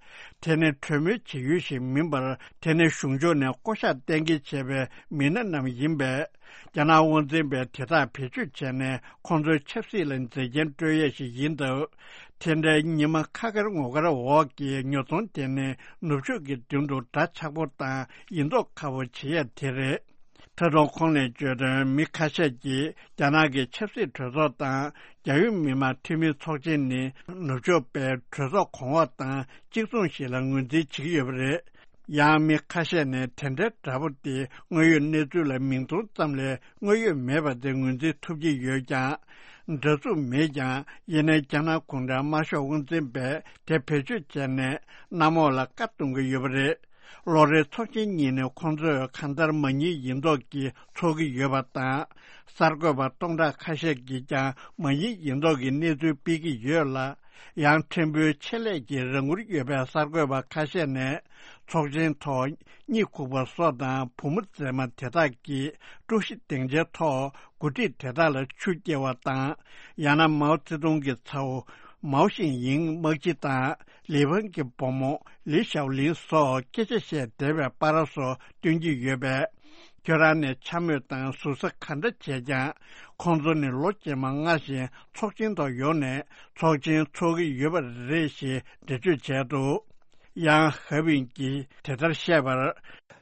དེ་ནི་གྲོས་མོལ་བྱེད་ཡུལ་ཞིག་མིན་པར། དེ་ནི་གཞུང་ཕྱོགས་ནས་བསྐོ་གཞག་གཏན་འཁེལ་བྱས་པའི་མི་སྣ་རྣམས་ཡིན་པས། རྒྱ་ནག་དབང་འཛིན་པས་དེ་དག་བེད་སྤྱོད་བྱས་ནས། ཁོང་ཚོའི་ཆབ་སྲིད་ལ་མཛེས་རྒྱན་སྤྲོད་ཡས་ཤིག་ཡིན་སྟབས། དེ་འདྲའི་ཉི་མ་ཁ་དཀར་ངོ་དཀར་འོག་གི་ཉོ་ཚོང་དེ་ནི་ནུབ་ཕྱོགས་ཀྱི་མདུན་དུ་འདྲ་ཆགས་པོ་དང་ཡིན་མདོག་ཁ་པོ་བྱེད་ཡ་དེ་རེད། ད་དུང་ཁོང་ནས་བརྗོད་དོན། མི་ཁ་ཤས་ཀྱིས་རྒྱ་ནག་གི་ཆབ་སྲིད་གྲོས་ཚོགས་དང་རྒྱལ་ཡོངས་མི་དམངས་འཐུས་མིའི་ཚོགས་ཆེན་ནི་ནུབ་ཕྱོགས་པའི་གྲོས་ཚོགས་གོང་འོག་དང་གཅིག་མཚུངས་ཤིག་ལ་ངོས་འཛིན་བྱེད་ཀྱི་ཡོད་པ་རེད། ཡང་མི་ཁ་ཤས་ནས་དེ་འདྲའི་འདྲ་པོ་དེ་དངོས་ཡོད་གནས་ཚུལ་ལ་མིང་མཐོང་ཙམ་ལས་དངོས་ཡོད་མེད་པ་དེ་ངོས་འཛིན་ཐུབ་ཀྱི་ཡོད་ཀྱང་། འདྲ་མཚུངས་མེད་ཀྱང་། ཡིན་ནའི་རྒྱ་ནག་གུང་ཁྲན་དམར་ཤོག་དབང་འཛིན་པས་དེ་བེད་སྤྱོད་བྱས་ནས་གནམ་འོག་ལ་བཀའ་གཏོང་གི་ཡོད་པ་རེད། ལོ་རེའི་ཚོགས་ཆེན་གཉིས་ནི་ཁོང་ཚོས་གང་ལྟར་མ་ཉེས་ཡིན་མདོག་གིས་ཚོགས་ཀྱི་ཡོད་པ་དང་། གསར་འགོད་པ་སྟོང་ཕྲག་ཁ་ཤས་ཀྱིས་ཀྱང་མ་ཉེས་ཡིན་མདོག་གི་གནས་ཚུལ་སྤེལ་གྱི་ཡོད་ལ། ཡང་ཕྲན་བུའི་ཆེད་ལས་ཀྱི་རང་འཁུར་ཡོད་པའི་གསར་འགོད་པ་ཁ་ཤས་ནས། ཚོགས་ཆེན་ཐོག་གཉིད་ཁུག་པ་སོགས་དང་བུ་མོ་མཛེས་མ་དེ་དག་གིས་དཀྲུག་ཤིང་སྡིངས་ཆའི་ཐོག་འགོ་ཁྲིད་དེ་དག་ལ་ཆུ་སྐྱེལ་བ་དང་། ཡང་ན་མའོ་ཙེ་ཏུང་གི་ཚ་བོ་མའོ་ཤིང་ཡིང་དམག་སྤྱི་དང་། ལི་ཕང་གི་བུ་མོ་ལི་ཞའོ་ལིན་སོགས་སྐད་ཆ་བཤད་བསྡད་པའི་པར་སོགས་སྟོན་གྱི་ཡོད་པས། ཁྱོད་རང་ནས་འཕྱ་སྨོད་དང་ཟུར་ཟ་ག་འདྲ་བྱས་ཀྱང་། ཁོང་ཚོ་ནི་ལོ་རྗེས་མ་སྔ་བཞིན་ཚོགས་ཆེན་ཐོག་ཡོང་ནས་ཚོགས་ཆེན་འཚོགས་ཀྱི་ཡོད་པ་རེད་ཞེས་འགྲེལ་བརྗོད་བྱས་འདུག། ཡང་ཧ་པིན་གྱིས་དེ་ལྟར་བཤད་པར།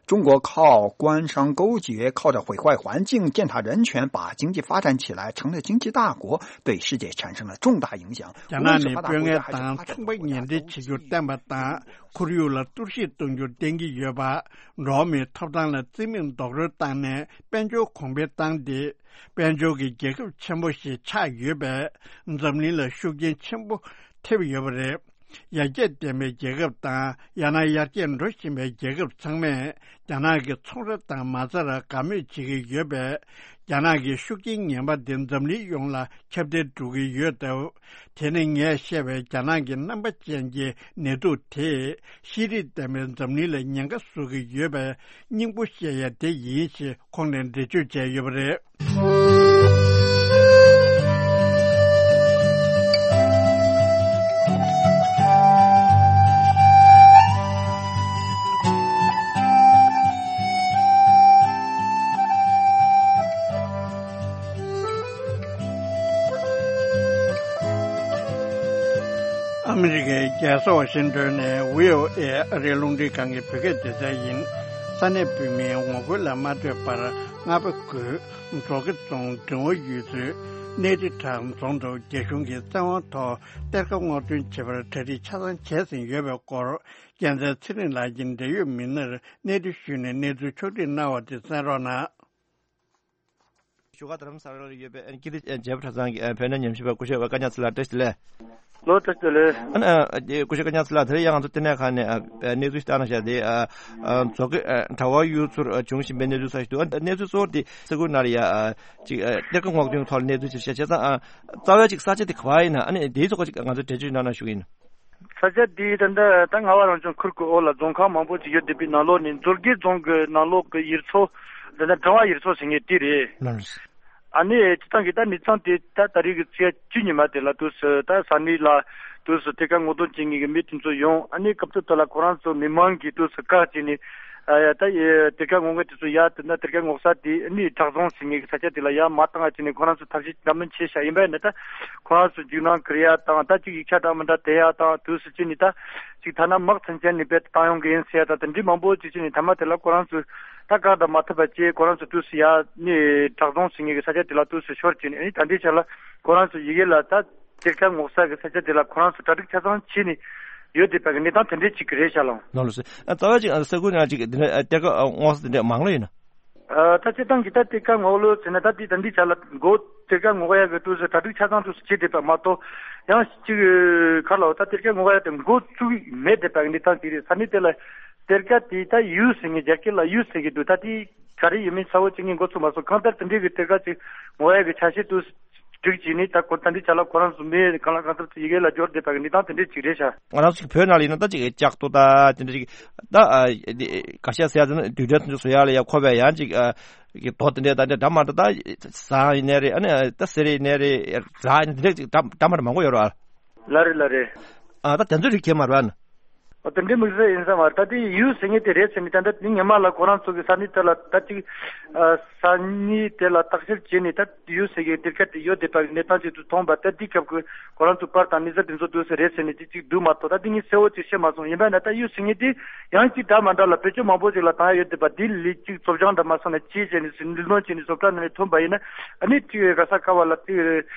中国靠关税、靠着毁坏环境践踏人权，把经济发展起来，成了经济大国，对世界产生了重大影响。རྒྱ་ནག་ནི་དཔོན་ངན་དང་ཚོང་པ་ངན་འབྲེལ་བྱེད་རྒྱུ་བསྟན་པ་དང་། ཁོར་ཡུག་ལ་གཏོར་བཤིག་གཏོང་རྒྱུ་བསྟན་གྱི་ཡོད་པ། འགྲོ་བ་མིའི་ཐོབ་ཐང་ལ་བརྩི་མེད་རྡོག་རོལ་བཏང་ནས་དཔལ་འབྱོར་གོང་འཕེལ་བཏང་སྟེ། དཔལ་འབྱོར་གྱི་རྒྱལ་ཁབ་ཆེན་པོ་ཞིག་ཆགས་ཡོད་པས། འཛམ་གླིང་ལ་ཤུགས་རྐྱེན་ཆེན་པོ་ཐེབས་ཡོད་པ་རེད། ཡར་རྒྱས་ལྡན་པའི་རྒྱལ་ཁབ་དང་། ཡང་ན་ཡར་རྒྱས་འགྲོ་བཞིན་པའི་རྒྱལ་ཁབ་ཚང་མས་རྒྱ་ནག་གི་ཚོང་ར་དང་མ་རྩ་ར་དགའ་མོས་བྱེད་ཀྱི་ཡོད་པས། རྒྱ་ནག་གི་ཤུགས་རྐྱེན་ངན་པ་དེ་འཛམ་གླིང་ཡོངས་ལ་ཁྱབ་གདལ་འགྲོ་གི་ཡོད་སྟབས། དེ་ནི་ངས་བཤད་པའི་རྒྱ་ནག་གི་རྣམ་པ་ཅན་གྱི་ནད་དུག་དེས་ཤེས་རིག་ལྡན་པའི་འཛམ་གླིང་ལ་ཉེན་ཁ་བཟོ་གི་ཡོད་པའི་སྙིང་པོ་བཤད་ཡ་དེ་ཡིན་ཞེས་ཁོང་ནས་འགྲེལ་བརྗོད་བྱས་ཡོད་པ་རེད། ཨ་མི་རི་ཀའི་རྒྱལ་ས་ཝ་ཤིང་ཏོན་ནས་བྷི་ཨོ་ཨེ་ཨ་རིའི་རླུང་འཕྲིན་ཁང་གི་བོད་སྐད་སྡེ་ཚན་ཡིན། ས་གནས་བོད་མིའི་ངོ་རྒོལ་ལ་མ་ལྟོས་པར་རྔ་པ་དགོན། འབྲོག་དགེ་རྫོང་འབྲིང་བ་ཡུལ་ཚོའི་ གནས་རི་བྲག་རྫོང་དུ་རྒྱ་གཞུང་གིས་བཙན་དབང་ཐོག་གཏེར་ཁ་སྔོག་འདོན་བྱེད་པར་གྲ་སྒྲིག་ཆ་ཚང་བྱས་ཟིན་ཡོད་པའི་སྐོར། རྒྱལ་མཚན་ཚེ་རིང་ལགས་ཀྱིས་འབྲེལ་ཡོད་མི་སྣར་གནས་འདྲི་ཞུས་ནས་གནས་ཚུལ་ཕྱོགས་སྒྲིག་གནང་བ་དེ་གསན་རོགས་གནང་། བཞུགས་སྒར་རྡ་རམ་ས་ལར་ཡོད་པའི་ཀིརྟི་རྒྱལ་ཕྲ་ཚང་གི་བོད་གནས་ཉམས་ཞིབ་པ་སྐུ་ཞབས་བཀའ་རྙིང་ཚེ་ལགས་བཀྲ་ཤིས་བདེ་ལེགས། ལོ་བཀྲ་ཤིས་བདེ་ལེགས། ཨ་ནི་སྐུ་ཞབས་བཀའ་རྙིང་ཚེ་ལགས། དེ་རིང་ཡང་ང་ཚོ་བསྟི་གནས་ཁང་ནས་གནས་ཚུལ་ཞིག་བཏང་གནང་བཞག་དེ། མཛོ་དགེ་གྲྭ་པ་གཡུ་མཚོར་བྱུང་བཞིན་པའི་གནས་ཚུལ་གསལ་ཞིག་འདུག་གནས་ཚུལ་གཙོ་བོ་དེ་ས་ཁུལ་ནང་ལ་ཡ་ཅིག་གཏེར་ཁ་སྔོག་འདོན་ཐོག་ལ་གནས་ཚུལ་ཅིག་བཤད་བྱས་ཙང་། རྩ་བའི་ཅིག་ས་ཆ་དེ་ག་པར་ཡིན་ན། ཨ་ནི་དེའི་ཐོག་ཅིག་ང་ཚོ་འགྲེལ་བརྗོད་གནང་ན་ཞུ་གི་ཡིན། ས་ཆ་དེ་ད་ལྟ་ད་རྔ་བ་རང་སྐྱོང་ཁུལ་གྱི་འོག་ལ་རྫོང་ཁག་མང་པོ་ཅིག་ཡོད་བསྡད་པའི་ནང་ལོགས་ནས་མཛོ་དགེ་རྫོང་གི་ནང་ལོགས་ཀྱི་ཡུལ་ཚོ། ད་ལྟ་འབྲིང་བ་ཡུལ་ཚོ་ཟེར་མཁན་དེ་རེད། ལགས་རེད། ཨ་ནི་སྤྱིར་བཏང་གི་ད་གནས་སྟངས་དེ་ད་ད་རེས་ཀྱི་ཚེས་བཅུ་ཉི་མ་དེ་ལ་དུས་སུ་ད་ས་གནས་ལ་དུས་སུ་གཏེར་ཁ་སྔོག་འདོན་བྱེད་མཁན་གྱི་མི་དེ་ཚོ་ཡོང་། ཨ་ནི་སྐབས་དེ་དག་ལ་ཁོ་རང་ཚོ་མི་མང་གིས་དུས་སུ་བཀག་བྱས་ནས། ཨ་ཡ་ད་ཡ་གཏེར་ཁ་སྔོག་མཁན་དེ་ཚོ་ཡ་དེ་ན་གཏེར་ཁ་སྔོག་ས་དེ་ཨ་ནི་བྲག་རྫོང་ཟེར་མཁན་གྱི་ས་ཆ་དེ་ལ་ཡ་མ་བཏང་བ་བྱས་ནས་ཁོ་རང་ཚོ་ཐབས་ཤེས་འདྲ་མིན་བྱས་ཤག་ཡིན་པ་ཡིན་ན་ད་ཁོ་རང་ཚོ་འཇིགས་སྣང་སྐུལ་ཡ་དང་། ད་ཅིག་ཡིག་ཆ་འདྲ་མི་འདྲ་སྟེར་ཡ་དང་། དུས་སུ་བྱས་ནས་ད་ཅིག་ཐ་ན་དམག་མཚོན་ཆ་ནས་རྦད་དེ་བཏང་ཡོང་གི་ཡིན་ཟེར་ཡ་དང་། དེ་འདྲའི་མང་པོ་ཅིག་བྱས་ནས་མཐའ་མ་དེ་ལ་ཁོ་རང་ཚོས་ད་བཀག་ད་མ་ཐུབ་པ་བྱས། ཁོ་རང་ཚོ་དུས་སུ་ཡ་ནི་བྲག་རྫོང་ཟེར་མཁན་གྱི་ས་ཆ་དེ་ལ་དུས་སུ་ཤོར་བྱས་ནས། ཨ་ནི་ད་ལྟའི་ཆ་ལ་ཁོ་རང་ཚོ་ཡི་གེ་ལ་ད་གཏེར་ཁ་སྔོག་ས་གི་ས་ཆ་དེ་ལ་ཁོ་རང་ཚོ་གྲ་སྒྲིག་ཆ་ཚང་བྱས་ནས་ཡོད་བསྡད་པ་གི་གནས་སྟངས་དེ་འདྲའི་ཅིག་རེད་ཤག་ལགས། ལགས་སོ། ཨ་རྩ་བ་ཅིག་ཨ་ས་ཁུལ་ནང་ཅིག་འདི་འདྲ་ཨ་གཏེར་ཁ་ཨ་སྔོག་ས་དེ་འདྲ་མང་ལོས་ཡིན་ན། ཨ་ད་སྤྱིར་བཏང་གི་ད་གཏེར་ཁ་སྔོག་ལོས་ཟེར་ན་ད་དེ་ད་འདི་ཆ་ལ་མགོ་གཏེར་ཁ་སྔོག་ཡ་གི་དུས་སུ་གྲ་སྒྲིག་ཆ་ཚང་དུས་སུ་བྱས་བསྡད་པ་མ་གཏོགས། ཡང་ཅིག་ག་ལ་ད་གཏེར་ཁ་སྔོག་ཡ་དེ་འགོ་བཙུགས་མེད་བསྡད་པ་གི་གནས་སྟངས་ཅིག་རེད། ས་གནས་དེ་ལ་གཏེར་ཁ་དེ་ད་ཡུལ་ཟེར་མཁན་རྒྱ་སྐད་ལ་ཡུལ་ཟེར་གི་འདུག་ད་དེ་ག་རེ་ཡིན་མིན་གསལ་བོ་བྱེད་མཁན་འགོ་ཚུགས་མ་སོང་། གང་ལྟར་དེ་འདྲའི་གི་གཏེར་ཁ་ཅིག་སྔོག་ཡ་གི་ཆ་ཤས་དུས་སྒྲིག་བྱས་ནས། ད་ཁོ་ད་འདི་ཆ་ལ་ཁོ་རང་ཚོ་མི་གང་ལ་གང་འཚམ་ཚོ་ཡི་གེ་ལ་འབྱོར་བསྡད་པ་གི་གནས་སྟངས་དེ་འདྲའི་ཅིག་རེད་ཤག་ང་རང་ཚོ་བོད་ནང་ལ་ཡིན་ན་ད་ཅིག་ལྕགས་རྡོ་ད་དེ་འདྲ་ཅིག་ད་ཨ་འདི་ག་ཤ་ཟེར་ཡ་དེ་ནི་རྡུལ་ཕྲན་དེ་ཚོ་བཟོ་ཡ་ལ་ཡ་མཁོ་བའི་ཡང་ཅིག་ཨ་གི་རྡོ་དེ་འདྲ་ད་འདྲ་འདྲ་མ་འདྲ་ད་ཟངས་ཡིན་ནའི་རེད། ཨ་ནི་ད་གསེར་ཡིན་ནའི་རེད། རྫ་ཡིན་དེ་འདྲ་ཅིག་འདྲ་འདྲ་མ་འདྲ་མང་པོ་ཡོད་རེད་བ། ལགས་རེད། ལགས་རེད། ཨ་ད་དེ་ཚོ་རིགས་ཁྱད་མ་རེད་བ། ཨོ་དེ་འདྲའི་དམིགས་བསལ་ཡིན་ས་མ་རེད། ད་དེ་ཡུལ་ཟེར་མཁན་དེ་རེད་ཟེར་ནས། ད་ལྟ་དེ་སྔོན་མ་ལ་ཁོ་རང་ཚོ་གི་ས་གནས་དེ་ལ་ད་ཅིག་ཨ་ས་གནས་དེ་ལ་བརྟག་དཔྱད་བྱས་ནས་ད་ཡུལ་ཟེར་མཁན་གཏེར་ཁ་དེ་ཡོད་བསྡད་པ་གི་གནས་སྟངས་ཅིག་ཏུ་མཐོང་བ། ད་དེ་སྐབས་ཀྱི་ཁོ་རང་ཚོ་པར་དང་གནས་ཚུལ་དེ་ཚོ་དུས་སུ་རེད་ཟེར་ནས་དེ་ཅིག་འདུག་མ་གཏོགས། ད་དེ་ངས་གསལ་བོ་ཅིག་ཤེས་མ་སོང་། ཡིན་པ་ན་ད་ཡུལ་ཟེར་མཁན་དེ་ཡང་ཅིག་འདྲ་མ་འདྲ་ལ་བེད་སྤྱོད་མང་པོ་ཅིག་ལ་བཏང་ཡ་ཡོད་བསྡད་པ། དེ་ལས་ཅིག་བཙོ་སྦྱང་འདྲ་མ་སོང་ན་བྱས་བྱས་ནས་སུ་ལུས་སྦྱོང་བྱས་ནས་བཟོ་གྲྭ་ནང་ནས་ཐོན་པ་ཡིན་ན། ཨ་ནི་ཅིག་ག་ས་ག་བ་ལ་ཅིག་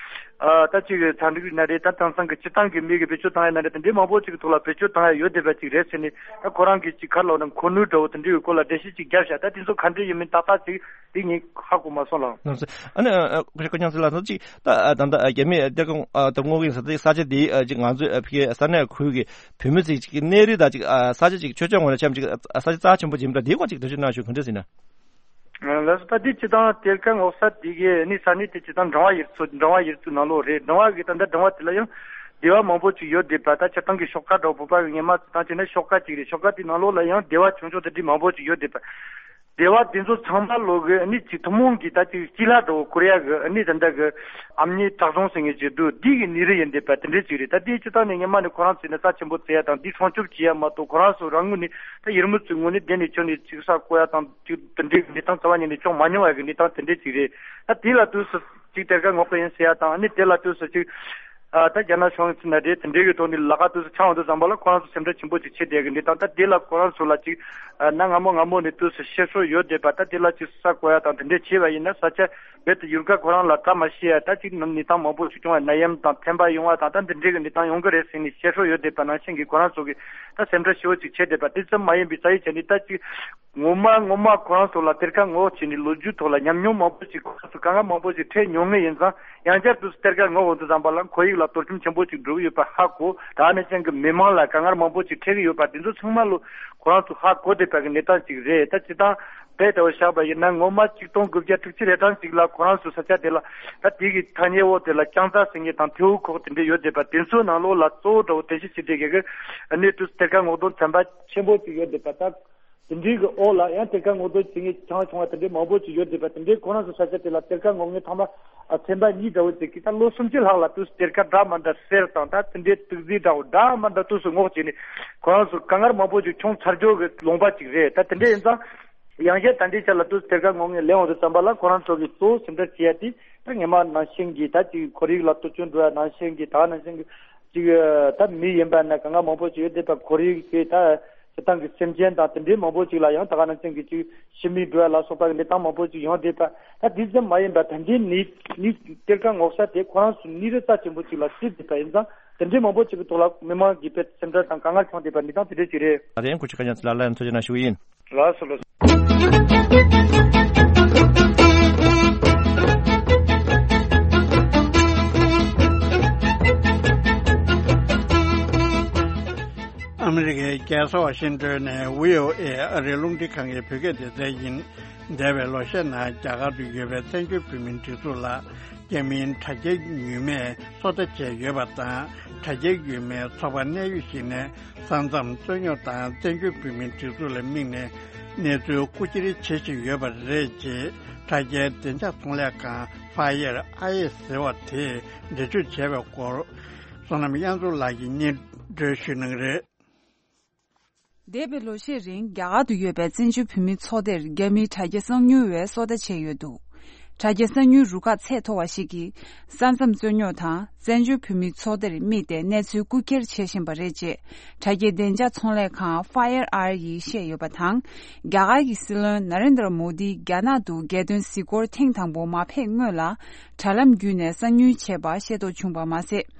ཨ་ད་ཅིག་ཚན་རིག་ན་རེད། ད་དེང་སང་གི་སྤྱིར་བཏང་གི་མི་གི་བེད་སྤྱོད་བཏང་ཡ་ན་རེད། དེ་འདྲའི་མང་པོ་ཅིག་གི་ཐོག་ལ་བེད་སྤྱོད་བཏང་ཡ་ཡོད་བསྡད་པ་ཅིག་རེད་ཟེར་ནས། ད་ཁོ་རང་གིས་ཅིག་ག་ལ་འོ་ན་མཁོ་ནུས་འདྲ་བོ་དེ་འདྲའི་སྐོར་ལ་འགྲེལ་བཤད་ཅིག་བརྒྱབ་ཤག་ད་དེ་ཚོ་ག་འདྲ་ཡིན་མིན་ཏག་ཏག་ཅིག་དེ་ངས་ཧ་གོ་མ་སོང་ལགས། ལགས་སོ། ཨ་ནི་ཨ་ཨ་སྐུ་ཞབས་སྐུ་ཉང་ཚེ་ལགས་ཚོ་ཅིག་ད་ཨ་ད་ལྟ་ཨ་རྒྱ་མིས་གཏེར་ཁ་ཨ་གཏེར་སྔོག་གི་ས་དེ་ས་ཆ་དེ་ཨ་ཅིག་ང་ཚོའི་ཨ་ཕ་གིའི་ས་གནས་ཁུལ་གྱི་བོད་མི་ཚོས་ཅིག་གནས་རི་དང་ཅིག་ཨ་ས་ཆ་ཅིག་ཆོས་ཕྱོགས་ངོས་ནས་འཆམ་ཅིག་ཨ་ས་ཆ་རྩ་ཆེན་པོ་ཅིག་ཡིན་པ་འདྲ། དེའི་སྐོར་ཅིག་འགྲེལ་བརྗོད་གནང་ཞུ། ག་འདྲ་ཟེར་ན། ལགས་སོ། ད་དེ་སྤྱིར་བཏང་གཏེར་ཁ་སྔོག་ས་དེ་གའི་ནི་ས་གནས་དེ་སྤྱིར་བཏང་འབྲིང་བ་ཡུལ་ཚོ་འབྲིང་བ་ཡུལ་ཚོའི་ནང་ལོགས་རེད། འབྲིང་བ་གི་ད་ལྟ་འབྲིང་བ་དེ་ལ་ཡང་སྡེ་བ་མང་པོ་ཅིག་ཡོད་བསྡད་པ། ད་སྤྱིར་བཏང་གི་ཤོག་ཁ་འདྲ་བོ་བོད་པ་གི་སྔོན་མ་ཚོ་བཏང་བྱས་ན་ཤོག་ཁ་ཅིག་རེད། ཤོག་ཁ་དེའི་ནང་ལོགས་ལ་ཡང་སྡེ་བ་ཆུང་ཆུང་དེ་འདྲའི་མང་པོ་ཅིག་ཡོད་བསྡད་པ། སྡེ་བ་དེ་ཚོ་ཚང་མ་ལོག་གི་ནི་ཅིག་ཐུན་མོང་གི་ད་ཅིག་སྤྱི་བླ་འདྲ་བོ་བསྐོར་ཡ་གི་ནི་ད་ལྟ་གི་ཨ་མྱེས་བྲག་རྫོང་ཟེར་མཁན་ཅིག་འདུག་འདི་གི་ནི་རི་ཡིན་བསྡད་པ་དེ་འདྲའི་ཅིག་རེད། ད་དེའི་སྤྱིར་བཏང་ནས་སྔོན་མ་ནས་ཁོ་རང་ཚོས་ནི་རྩ་ཆེན་པོ་བརྩི་ཡ་དང་འདི་སྲུང་སྐྱོབ་བྱེད་ཡ་མ་གཏོགས། ཁོ་རང་ཚོ་རང་ངོས་ནས་ད་ཡུལ་མི་ཚོའི་ངོས་ནས་བསྡད་ནས་ཁྱོན་ནས་ཅིག་ས་བརྐོ་ཡ་དང་ཅིག་དེ་འདྲའི་གི་གནས་སྟངས་རྩ་བ་ཉིད་ནས་བྱུང་མ་མྱོང་བ་གི་གནས་སྟངས་དེ་འདྲའི་ཅིག་རེད། ད་དེ་ལ་དུས་སུ་ཅིག་གཏེར་ཁ་སྔོག་གི་ཡིན་ཟེར་ཡ་དང་། ཨ་ནི་དེ་ལ་དུས་སུ་ཅིག་ཨ་ད་རྒྱ་ནག་གཞུང་ཚོ་ན་རེད། དེ་འདྲའི་གི་ཐོག་ནས་ལག་ཁ་དུས་སུ་འཆང་འོང་དུས་ཙམ་པ་ལ་ཁོ་རང་ཚོ་སེམས་ཁྲལ་ཆེན་པོ་ཅིག་བྱེད་བསྡད་གི་གནས་སྟངས། ད་དེ་ལ་ཁོ་རང་ཚོ་ལ་ཅིག་ཨ་གནའ་སྔ་མོ་སྔ་མོ་ནས་དུས་སུ་བཤད་སྲོལ་ཡོད་བསྡད་པ། ད་དེ་ལ་ཅིག་ས་བརྐོ་ཡ་དང་དེ་འདྲའི་བྱས་པ་ཡིན་ན་ས་ཆ་རྦད་དེ་ཡུལ་ཁ་ཁོ་རང་ལ་བཀྲ་མ་ཤིས་ཡ། ད་ཅིག་གནས་སྟངས་མང་པོ་ཞིག་བྱུང་བ། ནད་ཡམས་དང་ཐན་པ་ཡོང་བ་དང་ད་འདི་འདྲའི་གི་གནས་སྟངས་ཡོང་གི་རེད་ཟེར་ནས་བཤད་སྲོལ་ཡོད་བསྡད་པ་ནང་བཞིན་གྱི་ཁོ་རང་ཚོ་གི་ད་སེམས་ཁྲལ་ཞེ་པོ་ཅིག་བྱས་བསྡད་པ། དེ་ཙམ་མ་ཡིན་པའི་རྩ་ཡི་བྱས་ནས་ད་ཅིག་ངོ་མ་ངོ་མ་ཁོ་རང་ཚོ་ལ་གཏེར་ཁ་སྔོག་བྱས་ནས་ལོ་རྒྱུས་ཐོག་ལ་ཉམས་མྱོང་མང་པོ་ཞིག་ཁོ་རང་ཚོ་དཀའ་ངལ་མང་པོ་ཞིག་འཕྲད་མྱོང་ངེས་ཡིན་ཙང་། ཡང་བསྐྱར་དུ་གཏེར་ཁ་སྔོག་འོང་དུས་ཙམ་པ་ལ་ཁོར་ཡུག་ལ་གཏོར་སྐྱོན་ཆེན་པོ་ཞིག་འགྲོ་གི་ཡོད་པ་ཧ་གོ། ད་ནི་ཅན་གྱི་མི་མང་ལ་དཀའ་ངལ་མང་པོ་ཞིག་འཕྲད་ཀྱི་ཡོད་པ་དེ་ཚོ་ཚང་མ་ལོ་ཁོ་རང་ཚོ་ཧ་གོ་བསྡད་པ་གི་གནས་སྟངས་ཅིག་རེད། ད་སྤྱིར་བཏང་རྦད་དེ་བཞག་པ་ཡིན་ན་ངོ་མ་ཆིག་སྟོང་དགུ་བརྒྱ་དྲུག་ཅུ་རེ་གྲངས་ཅིག་ལ་ཁོ་རང་ཚོའི་ས་ཆ་དེ་ལ་ད་དེ་གི་ཐག་ཉེ་བོ་དེ་ལ་རྐྱང་རྩ་ཟེར་མཁན་དང་ཐེའུ་ཁོག་དེ་འདྲ་ཡོད་བསྡད་པ། དེ་ཚོའི་ནང་ལོགས་ལ་གཙོ་བོ་འདྲ་བོ་རྟེན་གཞི་བྱེད་བསྡད་མཁན་གྱི་གནས་དུས་གཏེར་ཁ་སྔོག་འདོན་ཚན་པ་ཆེན་པོ་ཅིག་ཡོད་བསྡད་པ། ད་དེ་འདྲའི་གི་འོག་ལ་ཡང་གཏེར་ཁ་སྔོག་འདོན་བྱེད་མཁན་ཆུང་ཆུང་བ་དེ་འདྲའི་མང་པོ་ཅིག་ཡོད་བསྡད་པ། དེ་འདྲའི་ཁོ་རང་ཚོའི་ས་ཆ་དེ་ལ་གཏེར་ཁ་སྔོག་མཁན་ཚང་མ་ཨ་ཚན་པ་གཉིས་འདྲ་བོ་ཅིག་གིས་ད་ལོ་སུམ་ཅུ་ལྷག་ལ་དུས་སུ་གཏེར་ཁ་འདྲ་མ་འདྲ་གསེར་དང་ད་དེ་འདྲའི་དུག་རྫས་འདྲ་བོ་འདྲ་མ་འདྲ་དུས་སུ་སྔོག་བྱས་ནས་ཁོ་རང་ཚོ་དཀའ་ངལ་མང་པོ་ཅིག་བྱུང་ཚར་རྒྱུ་གི་ལུང་པ་ཅིག་རེད། ད་དེ་འདྲ་ཡིན་ཙང་། ཡང་བསྐྱར་ད་ལྟའི་ཆ་ལ་དུས་གཏེར་ཁ་སྔོག་མཁན་སླེབས་འོང་དུས་ཙམ་པ་ལ་ཁོ་རང་ཚོ་གི་གཙོ་བོ་སེམས་ཁྲལ་བྱེད་ཡ་དེ་ད་སྔོན་མ་ནང་བཞིན་གྱི་ད་ཅིག་ཁོར་ཡུག་ལ་གཏོར་སྐྱོན་འགྲོ་ཡ་ནང་བཞིན་གྱི་ད་ནང་བཞིན་གྱི་ཅིག་ད་མི་ཡིན་པ་ན་དཀའ་ངལ་མང་པོ་ཅིག་ཡོད་བསྡད་པ། ཁོར་ཡུག་དེ་ད་ སྤྱིར་བཏང་གི་སེམས་ཅན་དང་དེ་འདྲའི་མང་པོ་ཅིག་ལ་ཡང་ད་ག་ནང་བཞིན་གྱི་ཅིག་ཤི་མིག་འབུ་བ་ལ་སོགས་པ་གི་གནས་སྟངས་མང་པོ་ཅིག་ཡོང་བསྡད་པ། ད་དེ་ཙམ་མ་ཡིན་པར་ད་ལྟའི་ནད་ནད་གཏེར་ཁ་ངོ་ཤེས་དེ་ཁོ་རང་ཚོ་ནད་རིགས་རྩ་ཆེན་པོ་ཅིག་ལ་བརྩི་བསྡད་པ་ཡིན་ཙང་། དེ་འདྲའི་མང་པོ་ཅིག་གི་ཐོག་ལ་མི་མང་གིས་དཔེ་སེམས་ཁྲལ་དང་དཀའ་ངལ་བྱུང་བསྡད་པ་འདི་དང་དེ་འདྲའི་ཅིག་རེད། ད་རེས་སྐུ་ཞབས་ཀ་ཉན་ཚེ་ལགས་ལ་ཡང་ཐུགས་རྗེ་གནང་ཞུ་གི་ཡིན། ལགས་སོ་ལགས་སོ། ཨ་མི་རི་ཀའི་རྒྱལ་ས་ཝ་ཤིང་ཏོན་ནས་བྷི་ཨོ་ཨེ་ཨ་རིའི་རླུང་འཕྲིན་ཁང་གི་བོད་སྐད་སྡེ་ཚན་ཡིན། འདས་པའི་ལོ་ཤས་ནང་རྒྱ་གར་དུ་ཡོད་པའི་བཙན་བྱོལ་བོད་མིའི་སྒྲིག་འཛུགས་ལ། རྒྱ་མིའི་དྲ་རྒྱའི་ཉུལ་མས་སོ་ལྟ་བྱས་ཡོད་པ་དང་། དྲ་རྒྱའི་ཉུལ་མའི་ཚོགས་པ་གནད་ཡོད་ཞིག་ནས་ས་མཚམས་རྩོད་རྙོག་དང་བཙན་བྱོལ་བོད་མིའི་སྒྲིག་འཛུགས་ལ་དམིགས་ནས་གནས་ཚུལ་རྐུ་འཁྱེར་བྱེད་བཞིན་ཡོད་པ་རེད་ཅེས་དྲ་རྒྱའི་བདེ་འཇགས་ཚོང་ལས་ཁང་Fire Eye ཟེར་བ་དེས་འགྲེལ་བརྗོད་བྱས་པའི་སྐོར། བསོད་ནམས་དབྱངས་འཛོམས་ལགས་ཀྱིས་སྙན་སྒྲོན་ཞུ་གནང་གི་རེད། འདས་པའི་ལོ་ཤས་རིང་རྒྱ་གར་དུ་ཡོད་པའི་བཙན་བྱོལ་བོད་མིའི་ཚོགས་སྡེར་རྒྱ་མིའི་དྲ་རྒྱ་གསང་ཉུལ་བས་སོ་ལྟ་བྱས་ཡོད་འདུག་དྲ་རྒྱ་གསང་ཉུལ་རུ་ཁག་ཚད་མཐོ་བ་ཞིག་གིས་ས་མཚམས་རྩོད་རྙོག་དང་བཙན་བྱོལ་བོད་མིའི་ཚོགས་སྡེར་དམིགས་ཏེ་གནས་ཚུལ་རྐུ་འཁྱེར་བྱེད་བཞིན་པ་རེད་ཅེས་དྲ་རྒྱའི་བདེ་འཇགས་ཚོང་ལས་ཁང་Fire Eye ཡིས་བཤད་ཡོད་པ་དང་། རྒྱ་གར་གྱི་སྲིད་བློན་ན་རེན་དྲ་མོ་དིས་རྒྱ་ནག་ཏུ་རྒྱལ་དོན་གཟིགས་སྐོར་ཐེངས་དང་པོ་མ་ཕེབས་སྔོན་ལ་དྲ་ལམ་བརྒྱུད་ནས་གསང་ཉུལ་བྱས་པ་ཤེས་རྟོགས་བྱུང་པ་མ་ཟད།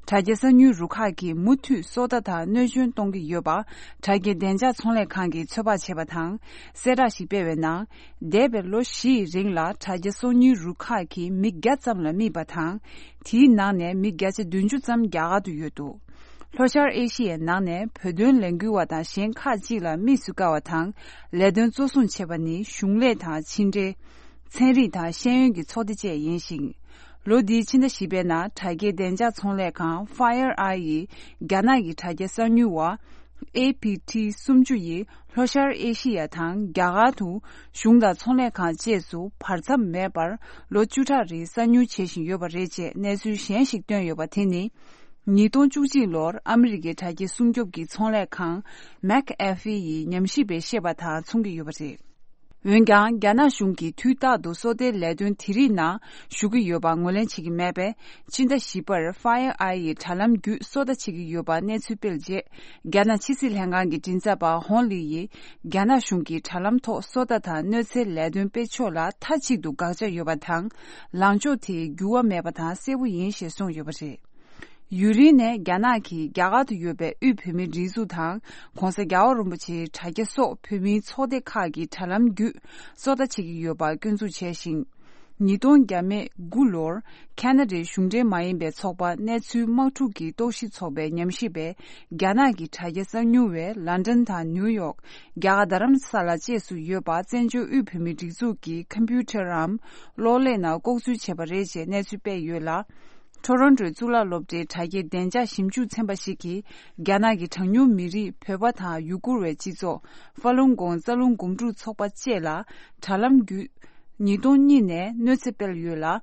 དྲ་རྒྱ་གསང་ཉུལ་རུ་ཁག་གིས་མུ་མཐུད་སོ་ལྟ་དང་གནོད་སྐྱོན་གཏོང་གི་ཡོད་པ་དྲ་རྒྱའི་བདེ་འཇགས་ཚོང་ལས་ཁང་གིས་ཚོད་དཔག་བྱས་པ་དང་། གསལ་བསྒྲགས་ཤིག་སྤེལ་བའི་ནང་། འདས་པའི་ལོ་བཞིའི་རིང་ལ་དྲ་རྒྱ་གསང་ཉུལ་རུ་ཁག་གིས་མི་བརྒྱ་ཙམ་ལ་རྨིས་པ་དང་། དེའི་ནང་ནས་མི་བརྒྱ་ཆ་བདུན་ཅུ་ཙམ་རྒྱ་གར་དུ་ཡོད་འདུག་ལྷོ་ཤར་ཨེ་ཤི་ཡའི་ནང་ནས་བོད་དོན་ལས་འགུལ་བ་དང་གཞན་ཁག་ཅིག་ལ་དམིགས་སུ་བཀར་བ་དང་། ལས་དོན་གཙོ་བཟུང་བྱས་པ་ནི་གཞུང་ལས་དང་ཕྱི་འབྲེལ། ཚན་རིག་དང་ཤེས་ཡོན་གྱི་ཚོགས་སྡེ་བཅས་ཡིན་ཞིང་། ལོ་འདིའི་ཕྱི་ཟླ་བཞི་པའི་ནང་དྲ་རྒྱའི་བདེ་འཇགས་ཚོང་ལས་ཁང་Fire Eye ཡིས་རྒྱ་ནག་གི་དྲ་རྒྱ་གསང་ཉུལ་བ་ཨེ་པི་ཊི་སུམ་ཅུ་ཡིས་ལྷོ་ཤར་ཨེ་ཤི་ཡ་དང་རྒྱ་གར་དུ་གཞུང་དང་ཚོང་ལས་ཁང་བཅས་སུ་བར་མཚམས་མེད་པར་ལོ་བཅུ་ཕྲག་རིང་གསང་ཉུལ་བྱེད་བཞིན་ཡོད་པ་རེད་ཅེས་གནས་ཚུལ་གཞན་ཞིག་བཏོན་ཡོད་པ་དེ་ནི། ཉིས་སྟོང་བཅུ་གཅིག་ལོར་ཨ་མི་རི་ཀའི་དྲ་རྒྱའི་སྲུང་སྐྱོབ་ཀྱི་ཚོང་ལས་ཁང་མེག་ཨེ་ཧྥེ་ཡི་ཉམས་ཞིབ་པས་བཤད་པ་དང་མཚུངས་ཀྱི་ཡོད་པ་རེད། འོན་ཀྱང་རྒྱ་ནག་གཞུང་གིས་དུས་རྟག་ཏུ་སོ་ལྟའི་ལས་དོན་དེ་རིགས་ནང་ཞུགས་ཀྱི་ཡོད་པ་ངོས་ལེན་བྱེད་ཀྱི་མེད་པས། ཕྱི་ཟླ་བཞི་པར་Fire Eye ཡིས་དྲ་ལམ་བརྒྱུད་སོ་ལྟ་བྱེད་ཀྱི་ཡོད་པ་གནས་ཚུལ་སྤེལ་རྗེས། རྒྱ་ནག་ཕྱི་སྲིད་ལྷན་ཁང་གི་མགྲིན་ཚབ་པ་ཧོང་ལི་ཡིས། རྒྱ་ནག་གཞུང་གིས་དྲ་ལམ་ཐོག་སོ་ལྟ་དང་གནོད་འཚེའི་ལས་དོན་སྤེལ་ཕྱོགས་ལ་མཐའ་གཅིག་ཏུ་དགག་བྱ་ཡོད་པ་དང་། ལངས་ཕྱོགས་དེ་འགྱུར་བ་མེད་པ་དང་གསལ་པོ་ཡིན་ཞེས་གསུངས་ཡོད་པ་རེད། ཡུན་རིང་ནས་རྒྱ་ནག་གིས་རྒྱ་གར་དུ་ཡོད་པའི་དབུས་བོད་མིའི་སྒྲིག་འཛུགས་དང་། ྋགོང་ས་རྒྱལ་བ་རིན་པོ་ཆེའི་དྲ་རྒྱ་སོགས་བོད་མིའི་ཚོགས་སྡེ་ཁག་གི་དྲ་ལམ་བརྒྱུད་སོ་ལྟ་བྱེད་ཀྱི་ཡོད་པ་སྐྱོན་འཛུགས་བྱས་ཤིང་། ཉིས་སྟོང་བརྒྱ་མེད་དགུ་ལོར་ཁ་ན་ཌའི་གཞུང་འབྲེལ་མ་ཡིན་པའི་ཚོགས་པ་གནས་ཚུལ་དམག་འཁྲུག་གི་རྟོག་ཞིབ་ཚོགས་པའི་ཉམས་ཞིབ་པས། རྒྱ་ནག་གི་དྲ་རྒྱ་གསང་ཉུལ་བས་ལན་ཀྲན་དང་ནིའུ་ཡོག་རྒྱ་གར་རྡ་རམ་ས་ལ་བཅས་སུ་ཡོད་པ་བཙན་བྱོལ་དབུས་བོད་མིའི་སྒྲིག་འཛུགས་ཀྱི་ཁམ་པུ་ཊར་རམ་གློག་ཀླད་ནང་ལྐོག་འཛུལ་བྱས་པ་རེད་ཅེས་གནས་ཚུལ་སྤེལ་ཡོད་ལ། ཊོ་རོན་ཊོའི་གཙུག་ལག་སློབ་གྲྭའི་དྲ་རྒྱའི་བདེ་འཇགས་ཞིབ་འཇུག་ཚན་པ་ཞིག་གིས། རྒྱ་ནག་གི་གྲངས་ཉུང་མི་རིགས་བོད་པ་དང་ཡུ་གུར་བའི་སྤྱི་ཚོགས། ཧྥ་ལུན་གོང་རྩ་རླུང་འགུམ་འགྲུལ་ཚོགས་པ་བཅས་ལ་དྲ་ལམ་བརྒྱུད། ཉིས་སྟོང་གཉིས་ནས་གནོད་འཚེ་སྤེལ་ཡོད་ལ།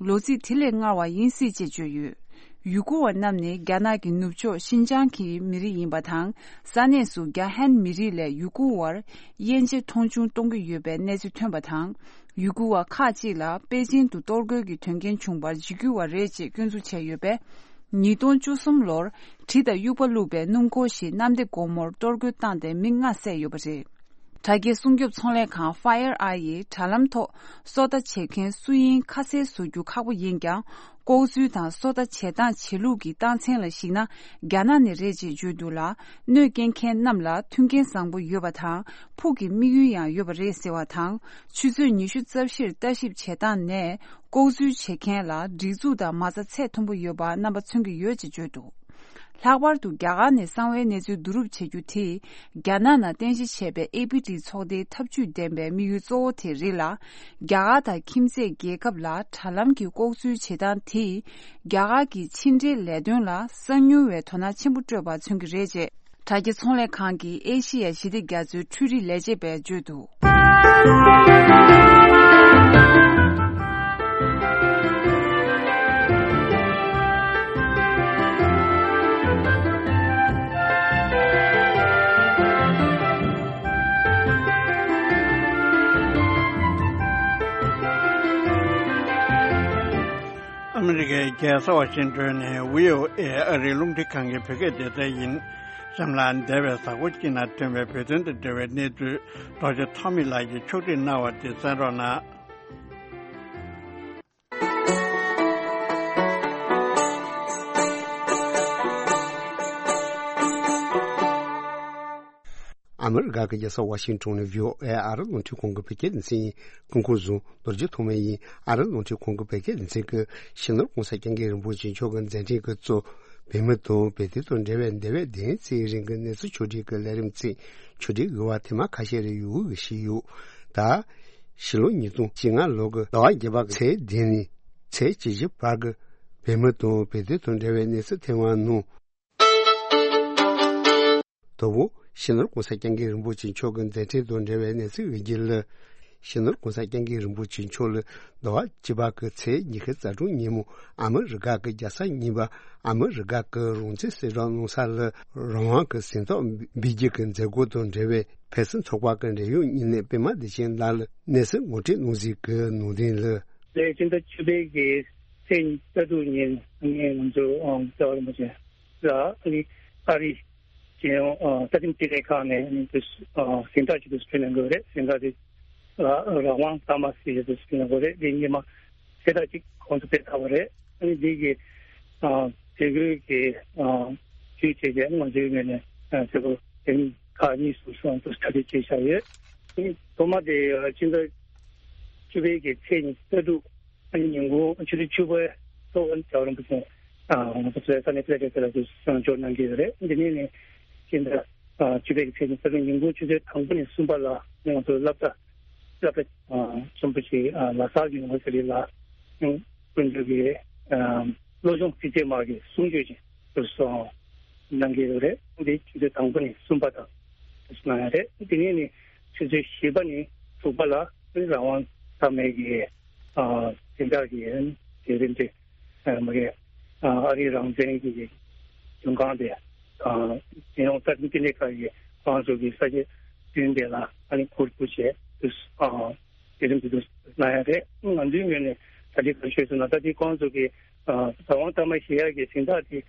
ལོ་ཚིགས་དེ་ལས་སྔར་བ་ཡིན་སྲིད་ཅེས་བརྗོད་ཡོད། ཡུ་གུར་བ་རྣམས་ནི་རྒྱ་ནག་གི་ནུབ་ཕྱོགས་ཤིན་ཅང་གི་མི་རིགས་ཡིན་པ་དང་། ས་གནས་སུ་རྒྱ་ཧན་མི་རིགས་ལས་ཡུ་གུར་བར་དབྱེ་འབྱེད་མཐོང་ཆུང་གཏོང་གི་ཡོད་པའི་གནས་ཚུལ་ཐོན་པ་དང་། ཡུ་གུར་བ་ཁག་ཅིག་ལ་པེ་ཅིང་དུ་གཏོར་རྒོལ་གྱི་དོན་རྐྱེན་བྱུང་བར་འཇིགས་སྐུལ་བ་རེད་ཅེས་སྐྱོན་འཛུགས་བྱས་ཡོད་པས། ཉིས་སྟོང་བཅུ་གསུམ་ལོར་གྲི་དང་དབྱུག་པ་བླུགས་པའི་སྣུམ་འཁོར་ཞིག་གནམ་བདེ་སྒོ་མོར་གཏོར་རྒོལ་བཏང་སྟེ་མི་ལྔ་བསད་ཡོད་པ་རེད། དྲ་རྒྱའི་སྲུང་སྐྱོབ་ཚོང་ལས་ཁང་Fire Eye ཡིས་དྲ་ལམ་ཐོག་སོ་ལྟ་བྱེད་མཁན་སུ་ཡིན་ཁ་གསལ་བཟོ་རྒྱུ་ཁག་པོ་ཡིན་ཀྱང་། ལྐོག་འཛུལ་དང་སོ་ལྟ་བྱེད་སྟངས་བྱེད་ལུགས་ཀྱི་རྟགས་མཚན་ལ་གཞིགས་ན་རྒྱ་ནག་ནས་རེད་ཅེས་བརྗོད་འདུག་ལ། གནོད་སྐྱེལ་མཁན་རྣམས་ལ་མཐུན་རྐྱེན་བཟང་པོ་ཡོད་པ་དང་ཕུགས་ཀྱི་དམིགས་ཡུལ་ཡང་ཡོད་པ་རེད་ཟེར་བ་དང་། ཆུ་ཚོད་ཉི་ཤུ་རྩ་བཞིར་ལྟ་ཞིབ་བྱེད་སྟངས་ནས་ལྐོག་འཛུལ་བྱེད་མཁན་ལ་སྒྲིག་འཛུགས་དང་མ་རྩ་ཚད་མཐོན་པོ་ཡོད་པ་རྣམ་པ་མཚོན་གྱི་ཡོད་ཅེས་བརྗོད་འདུག་ལྷག་པར་དུ་རྒྱ་གར་ནས་གསང་བའི་གནས་ཚུལ་བསྡུ་རུབ་བྱེད་རྒྱུ་དེས། རྒྱ་ནག་ནང་རྟེན་གཞི་བྱས་པའི་ཨེ་པི་ཊི་ཚོགས་སྡེའི་ཐབས་ཇུས་ལྡན་པའི་དམིགས་ཡུལ་གཙོ་བོ་དེ་རེད་ལ། རྒྱ་གར་དང་ཁྱིམ་མཚེས་རྒྱལ་ཁབ་ལ་དྲ་ལམ་གྱི་ལྐོག་འཛུལ་བྱེད་སྟངས་དེས། རྒྱ་གར་གྱི་ཕྱི་འབྲེལ་ལས་དོན་ལ་གསང་ཉུལ་བའི་དོ་སྣང་ཆེན་པོ་སྤྲོད་པར་མཚོན་གྱི་རེད་ཅེས། དྲ་རྒྱ་ཚོང་ལས་ཁང་གི་ཨེ་ཤི་ཡ་ཞི་བདེ་རྒྱ་མཚོའི་འཕྲུལ་རིག་ལས་བྱེད་པས་བརྗོད་འདུག་ཨ་མི་རི་ཀའི་རྒྱལ་ས་ཝ་ཤིང་ཏོན་ནས་བྷི་ཨོ་ཨེ་ཨ་རིའི་རླུང་འཕྲིན་ཁང་གི་བོད་སྐད་སྡེ་ཚན་ཡིན། གཤམ་ལ་འདས་པའི་གཟའ་འཁོར་གཅིག་ནང་ཐོན་པའི་བོད་དོན་དང་འབྲེལ་བའི་གནས་ཚུལ་རྡོ་རྗེ་ཐོགས་མེད་ལགས་ཀྱིས་ཕྱོགས་སྒྲིག་གནང་བ་དེ་གསན་རོགས་གནང་། ཨ་མི་རི་ཀ་གི་རྒྱལ་ས་ཝ་ཤིང་ཊོན་ནས་བྷི་ཨོ་ཨེ་ཨ་རི་རླུང་འཕྲིན་ཁང་གི་བོད་སྐད་སྡེ་ཚན་ཡིན། སྐུ་ཁམས་བཟང་། རྡོ་རྗེ་ཐོགས་མེད་ཡིན། ཨ་རི་རླུང་འཕྲིན་ཁང་གི་བོད་སྐད་སྡེ་ཚན་གྱིས་སྤྱི་ནོར་༸གོང་ས་༸སྐྱབས་མགོན་རིན་པོ་ཆེ་མཆོག་གི་མཛད་འཕྲིན་གྱིས་གཙོས་བོད་མི་དང་བོད་དོན་དང་འབྲེལ་བའི་འདས་པའི་བདུན་ཚེས་རིང་གི་གནས་ཚུལ་ཕྱོགས་སྒྲིག་གི་ལས་རིམ་ཚིག་ཕྱོགས་སྒྲིག་དབྱེ་བ་ཐེངས་མ་ཁ་ཤས་རེ་ཡོད་ཞུས་ཡོད། ད་ཕྱི་ལོ་ཉིས་སྟོང་བཅོ་ལྔ་ལོ་གི་ཟླ་བ་བརྒྱད་པ་གི་ཚེས་བདུན་ནས་ཚེས་བཅུ་བཞི་བར་གྱི་བོད་མི་དང་བོད་དོན་དང་འབྲེལ་བའི་གནས་ཚུལ་ཐེངས་མ་ནང་། དང་པོ། སྤྱི་ནོར་༸གོང་ས་༸སྐྱབས་མགོན་རིན་པོ་ཆེ་མཆོག་གི་མཛད་འཕྲིན་དང་འབྲེལ་བའི་གནས་ཚུལ་ཡོད་རྒྱུ་ལ། སྤྱི་ནོར་༸གོང་ས་༸སྐྱབས་མགོན་རིན་པོ་ཆེ་མཆོག་ལ་ཟླ་བ་བཅུ་པ་གི་ཚེས་ཉི་ཤུ་རྩ་དྲུག་ཉིན་མོ་ཨ་མི་རི་ཀ་གི་རྒྱལ་ས་གཉིས་པ་ཨ་མི་རི་ཀ་གི་རང་བཙན་གསལ་བསྒྲགས་གནང་ས་ལ་རང་དབང་གི་གཟེངས་རྟགས་འབུལ་རྒྱུ་གི་མཛད་སྒོ་དང་འབྲེལ་བའི་ཕེབས་བསུ་ཚོགས་པ་གི་འབྲེལ་ཡོད་མི་སྣས་པད་མ་བདེ་ཆེན་ལགས་ལ་གནས་ཚུལ་ངོ་སྤྲོད་གནང་གཟིགས་ཀྱི་ནང་དོན་ལ། ལས་སྤྱི་ཟླ་བཅུ་པའི་གི་ཚེས་ཉི་ཤུ་རྩ་དྲུག་ཉིན་ངས་ང་ཚོ་ཨང་རྩ་བ་རིན་པོ་ཆེ་ལ་ཨ་ནི་ཨ་རི་རྒྱལ་ཡོངས་ཨ་རྩ་ཁྲིམས་དྲིལ་བསྒྲགས་ཁང་ནས་ཨ་ནི་དུ་ཨ་གཟེངས་རྟགས་ཅིག་ཏུ་སྤྲོད་གནང་དགོས་རེད། གཟེངས་རྟགས་དེ་ལ་རང་དབང་གཏའ་མ་ཟེར་ཡས་དུ་སྤྲོད་གནང་དགོས་རེད། དེ་ཉི་མ་ཚེས་རྟགས་ཅིག་ཁོང་ཚོ་སྤྲད་ཚར་བ་རེད། ཨ་ནི་དེ་གི་ཨ་དེ་གོས་ཀྱི་ཨ་དུས་བྱས་རྗེས་ང་ཚོའི་ངོས་ནས་ཨ་དེ་གོ་དེ་ནི་ཁག་གཉིས་སུ་སོང་དུ་གྲ་སྒྲིག་བྱས་བཞག་ཡོད། ཨ་ནི་ཐོག་མ་དེ་ཨ་ཕྱི་ཟླ་བཅུ་པའི་གི་ཚེས་ཉི་ཤུ་རྩ་དྲུག་ཨ་ནི་ཉིན་གུང་ཆུ་ཚོད་བཅུ་པའི་ཐོག་ཨ་ནི་རྒྱལ་བ་རིན་པོ་ཆེ་ཨ་ང་ཚོ་ས་གནས་ཕེ་ལེ་ཏེ་ལ་དུ་གསོལ་འབྱོར་གནང་གི་ཡོད་རེད། འདི་ནས་ནི་ཕྱི་ཟླ་ཨ་བཅུ་པའི་ཚེས་ཉི་ཤུ་རྩ་དྲུག་ཉིན་གུང་ཆུ་ཚོད་དང་པོ་ནས་གསུམ་པ་ལ་ང་ཚོ་སློབ་གྲྭ་སློབ་གྲྭ་ཨ་ཆེན་པོ་ཞིག་ཨ་ལ་སར་ཡུ་ནི་ཝར་སི་ཊི་ལ་ཨ་དཀོན་མཆོག་གི་ཨ་བློ་སྦྱོང་ཚིགས་བཅད་མ་གི་གསུང་ཆོས་ཅིག་ཏུ་གསུང་གནང་གི་ཡོད་རེད། འདི་ཆུ་ཚོད་དང་པོ་ནས་གསུམ་པ་དང་དུ་གནང་ཡ་རེད། དེ་ནས་ནི་ཆུ་ཚོད་བཞི་པ་ནས་དྲུག་པ་ལ་རང་དབང་གཏའ་མའི་གི་ཨ་གཟེངས་རྟགས་ཀྱི་ལས་རིམ་དེ་ཨ་མ་གི་ཨ་ཨ་རིའི་རང་བཙན་གྱི་མགྲོན་ཁང་དེ་ཨ་རྒྱལ་ཡོངས་རྩ་ཁྲིམས་དྲིལ་བསྒྲགས་ཁང་གི་ཁོང་ཚོ་གི་ས་བཅད་བདུན་དེ་ལ་ཨ་ནི་གུས་བཀུར་བྱས་དུས་ཨ་དེ་རིང་དུས་སུ་གནང་ཡ་རེད། ང་ཚོའི་ངོས་ནས་ད་ལྟའི་ག་ཤོད་སོང་ན་ད་ལྟའི་ཁོང་ཚོ་གི་ཨ་རང་དབང་གཏའ་མ་བཞེས་ཡག་གི་གཟེངས་རྟགས་དེ་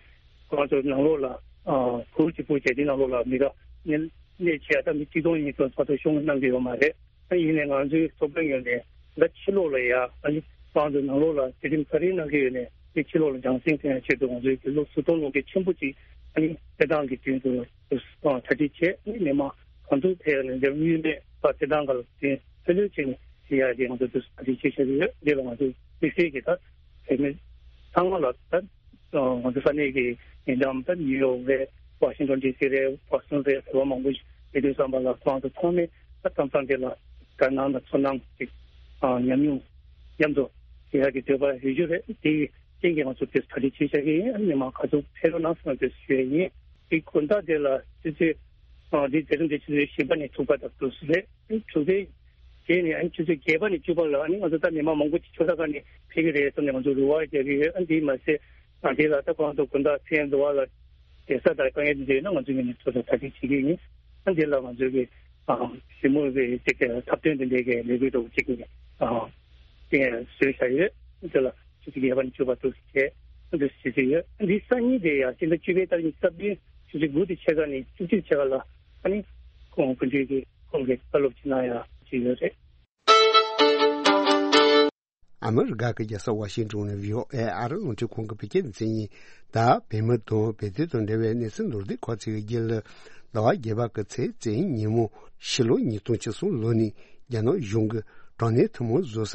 ཁོང་ཚོ་ནང་ལོགས་ལ་ཨ་གུར་གཅིག་པུ་བྱས་དེ་ནང་ལོགས་ལ་མི་ར་གནས་གནས་བྱས་ད་མི་ཆིག་སྟོང་ཉིས་སྟོང་ཚོ་ཚོ་ཤོང་གནང་གི་ཡོད་མ་རེད། ཨ་ཡིན་ནའི་ང་ཚོའི་ཚོགས་པའི་ངོས་ནས་ད་ཕྱི་ལོགས་ལ་ཡ་ཨ་ནི་ཁོང་ཚོ་ནང་ལོགས་ལ་དེ་རིང་ག་རེ་གནང་གི་ཡོད་ནའི་དེ་ཕྱི་ལོགས་ལ་སྦྱང་སེམས་ཐོན་ཡག་ཆེད་དུ་ང་ཚོའི་གི་ལོ་ཟུར་གཏོང་ལོ་གི་ཆེན་པོ་ཅིག་ཨ་ནི་སྤྲད་སྟངས་ཀྱི་དོན་དུ་གྲ་སྒྲིག་བྱས། ཨ་ནི་མི་མང་གང་ཐུབ་ཕེབས་ནས་འདིར་དངུལ་མེད་པ་སྤྲད་སྟངས་སྒང་ལ་དེ་ལྷོད་ལྷོད་བྱས་ནས་བྱེད་ཡག་གི་ང་ཚོ་དུ་གྲ་སྒྲིག་བྱེད་བཞིན་ཡོད། འདི་ལ་ང་ཚོ་དམིགས་བསལ་གྱི་ད་བོད་མི་ཚང་མ་ལ་ད་ང་ཚོ་ས་གནས་ཀྱི་ཉེ་འགྲམ་ད་ནིའུ་ཡོག་རེད། ཝ་ཤིང་ཊོན་ཌི་སི་རེད། བྷོ་སི་ཊོན་རེད། རེ་བ་མང་པོ་ཞིག་ཡོད་དུས་ཙམ་པ་ལ་ཁོང་ཚོ་ཚང་མས་ད་གཏམ་བཟང་དེ་ལ་དགའ་སྣང་དང་ཚོར་སྣང་ཅིག་ཨ་ཉམས་མྱོང་མཉམ་དུ་བྱེད་ཡག་གི་འདོད་པ་ཡོད་རྒྱུ་རེད། དེའི་རྐྱེན་གྱིས་ང་ཚོ་དེ་གྲ་སྒྲིག་བྱེད་བཞག་གི་ཡིན། མི་མང་ག་ཚོད་ཕེབས་རོགས་གནང་ཟེར་ནས་དེ་ཞུ་ཡས་ཡིན། དེ་དགོང་དག་དེ་ལ་ཆུ་ཚོད་ཨ་དེ་མཛད་རིམ་དེ་ཆུ་ཚོད་བཞི་པ་ནས་དྲུག་པ་དང་དུས་སུ་རེད། དྲུག་པའི་རྗེས་ནས་ཨ་ནི་ཆུ་ཚོད་བརྒྱད་པ་ནས་བཅུ་པ་ལ་ཨ་ནི་ང་ཚོ་ད་མི་མང་མང་པོ་ཅིག་ཆོས་ཚོགས་ཁག་ནས་ཕེབས་ཀྱི་རེད་བསམ་ནས་ང་ཚོ་རེ་བ་རྒྱག་གི་ཡོད། ཨ་དེས་མ་ཟད་ཨ་དེ་ལ་ད་ཁོང་ཚོ་དགོང་དག་མཚན་འདུ་བ་ལ་བསྡད་ས་དང་དཀའ་ངལ་དེ་འདྲ་ཡོད་ན་ང་ཚོ་ངོས་ནས་ཚོགས་གཙོ་གྲ་སྒྲིག་བྱེད་ཀྱི་ཡིན། ཨ་དེ་ལ་ང་ཚོ་གི་ཨ་ཞི་མོལ་བའི་ཅིག་གི་འཁྲབ་སྟོན་དེ་འདྲའི་གི་ལས་འགུལ་འདྲ་བོ་ཅིག་ཨ་དེ་བཟོས་བཞག་ཡོད། དེ་ལ་ཆུ་ཚོད་བརྒྱད་པ་ནས་བཅུ་པ་དུ་བྱས་ཨ་དེ་བྱེད་ཀྱི་ཡོད། ཨ་འདི་སང་ཉིན་དེ་ཡང་སྤྱི་ཟླ་བཅུ་པའི་ཏ་རིག་ཉི་ཤུ་རྩ་བདུན་ཆུ་ཚོད་དགུ་དེ་ཕྱེད་ཀ་ནས་བཅུ་གཅིག་ཕྱེད་ཀ་ལ་ཨ་ནི་ཁོང་སྐུ་མདུན་གྱི་ཁོང་གི་བཀའ་སློབ་ཅིག་གནང་ཡག་ཅིག་ཡོད་རེད། ཨ་མི་རི་ཀ་གི་རྒྱལ་ས་ཝ་ཤིང་ཊོན་ནས་བྷི་ཨོ་ཨེ་ཨ་རི་རླུང་འཕྲིན་ཁང་གི་བོད་སྐད་སྡེ་ཚན་ཡིན། ད་བོད་མི་དང་བོད་དོན་དང་འབྲེལ་བའི་གནས་ཚུལ་མདོར་བསྡུས་ཁག་ཅིག་གི་རྒྱུད་ལ། ཟླ་བ་བརྒྱད་པ་གི་ཚེས་བཅུ་ཉིན་མོ་ཕྱི་ལོ་ཉིས་སྟོང་བཅུ་གསུམ་ལོ་ནས་རྒྱ་ནག་གཞུང་གིས་དྲག་གནོན་ཐུན་མོང་བཟོ་ས་